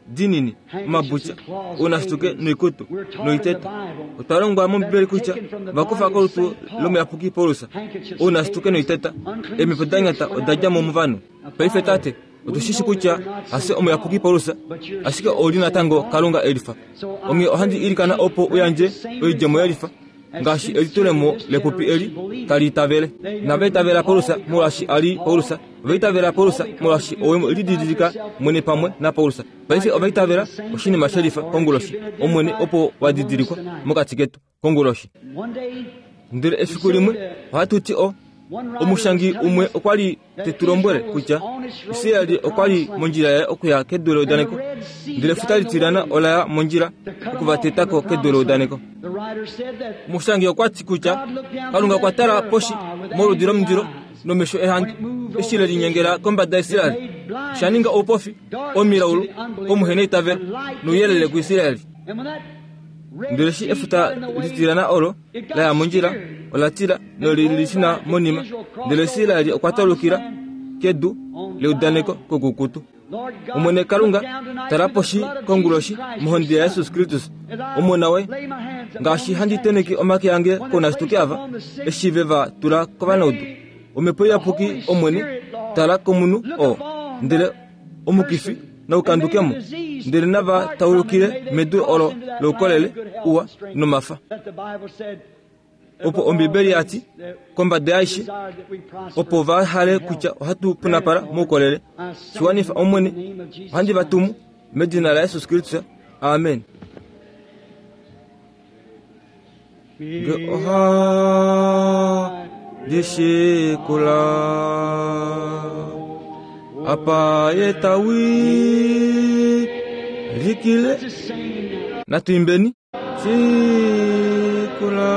dinini, omabutya, ounasituke noikutu, noiteta. Otwa longwa mOmbibeli kutya vakufa kolutu lomuyapuki Paulus, ounasituke noiteta, eemhepo da nyata oda dja mo movanhu. Paife Tate, otushishi kutya hase omuyapuki Paulus, ashike ouli natango Kalunga elifa. Onghee ohandi ilikana opo uyandje oidjemo yelifa, ngaashi elitulemo lepupi eli tali itavele. Nava itavela Paulus molwaashi ali Paulus, ova itavela Paulus molwaashi owe lididilika mwene pamwe naPaulus. Paife ova itavela oshinima shelifa konguloshi, Omwene opo wa didilikwa mokati ketu konguloshi. Ndele efiku limwe ohatu ti o omushangi umwe okwa li te tu lombwele kutya Israeli okwa li mondjila yaye okuya kedu leudaneko, ndele efuta litilana ola ya mondjila okuvatetako kedu leudaneko. Omushangi okwa ti kutya Kalunga okwa tala poshi moludi lomundilo nomesho ehandu eshi le linyengela kombada yaIsraeli, osha ninga oupofi omilaulu komuhena eitavelo nouyelele kuIsraeli. Ndele eshi efuta litilana olo la ya mondjila, ola tila nolilishina monima. Ndele Israeli okwa taulukila kedu leudaneko kokukutu. Omwene Kalunga, tala poshi konguloshi mohonde yaJesus Kristus, omona woye, ngaashi handi teneke omake ange kounasituke ava, eshi ve va tula kovanaudu. Omhepo iyapuki Omwene, tala komunhu oo, ndele omukifi naukandukemo, ndele nava taulukile medu olo loukolele uwa nomafa. Opo Ombibeli yati kombada yaishe, opo va hale kutya ohatu punapala moukolele. Shiwanifa Omwene, ohandi va tumu medina la Jesus Kristus. Amen. Nge oha dishikula apa yetawi likile. Natuimbeni sikula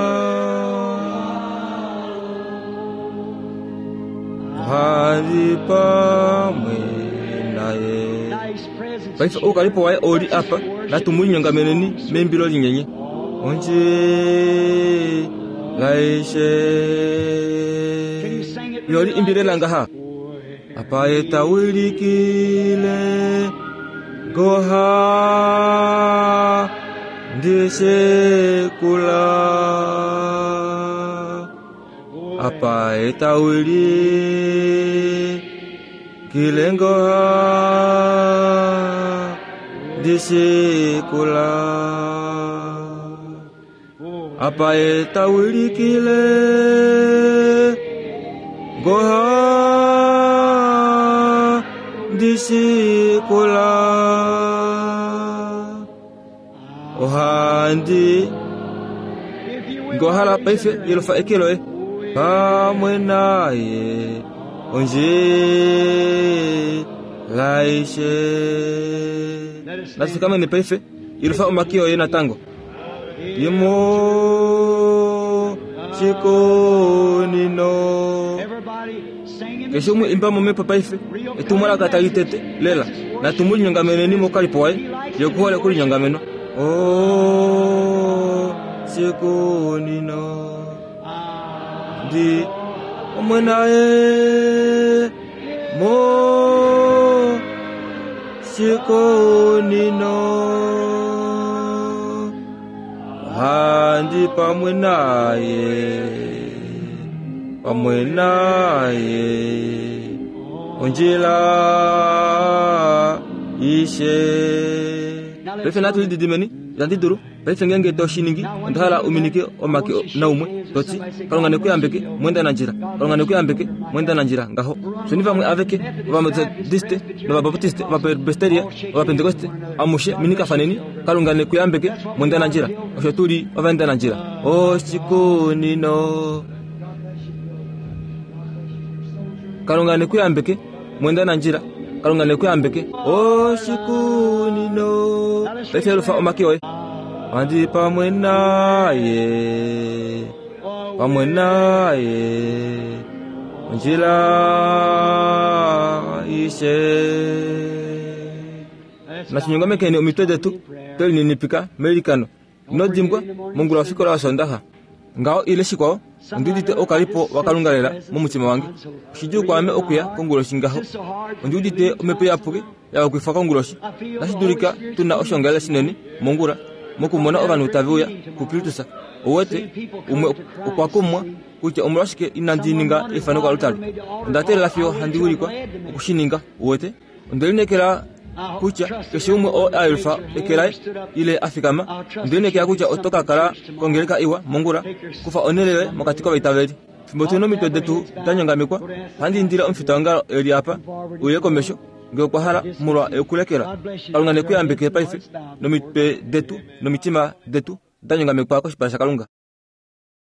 hali pamwe naye. Paife oukalipo waye oli apa, natumulinyongameneni membilo linyenye. Onje laishe yoli imbile langaha. Apa ye ta wilikile goha ndisekula. Apa ye ta wilikile goha ndisekula. Apa ye ta wilikile goha ndisikula. Ohandi ngohala paife ilofa ekeloe pamwe naye onje laishe. Nasikamene paife ilofa omakio ye natango imo chikonino. Keshe umwe imba momepo paife etumwalaka talitete lela natumulinyongameneni mokalipo waye yokuhole kulinyongameno. Oh chikonino ndi omwe naye mo chikonino. Handi pamwe naye pamwe naye onjila ishe. Paife natu lididimeni itandi dulu paife ngenge toshiningi onda hala uminike omake naumwe toti Kalunga nekuyambeke mwenda na njira. Kalunga nekuyambeke mwenda na njira ngaho. Fyeni vamwe aveke ovamethodiste novabaptiste ovapresbiteria ovapentekoste amushe minikafaneni Kalunga nekuyambeke mwenda na njira. Osho tuli ovaenda na njira. Oshikunino Kalunga nekuyambeke mwenda na njira. Kalunga nekuyambeke oshikunino. Paife lufa omake oye andi pamwe naye pamwe naye onjila ishe. Nashinyongamekeni omitwe detu twelininipika melikano inodimbwa mongula wafikola wasondaha ngaho ile shikwao ondiudite okalipo wakalunga lela momutima wange. Oshidjuu kwaame okuya konguloshi ngaho. Ondiudite omhepo iyapuki yawakwifwa konguloshi. Nashidulika tuna oshongalele shinene mongula mokumona ovanhu tave uya kuKristus. Owete umwe okwa kumwa kutya omolwashike inandi ninga eifano koalutari. Onda teelela fiyo handi wilikwa okushininga. Uwete onde lineekela kutya keshe umwe oo a yelufa eke laye ile a fikama. Onde lineekela kutya oto ka kala kongeleka iwa mongula kufa onhele yoye mokati kovaitaveli. Fimbo tuli nomitwe detu da nyongamekwa, ohandi indile omufita eli apa uye komesho ngee okwa hala molwa okulekela. Kalunga nekuyambeke paife nomitwe detu nomitima detu da nyongamekwa koshipala shaKalunga.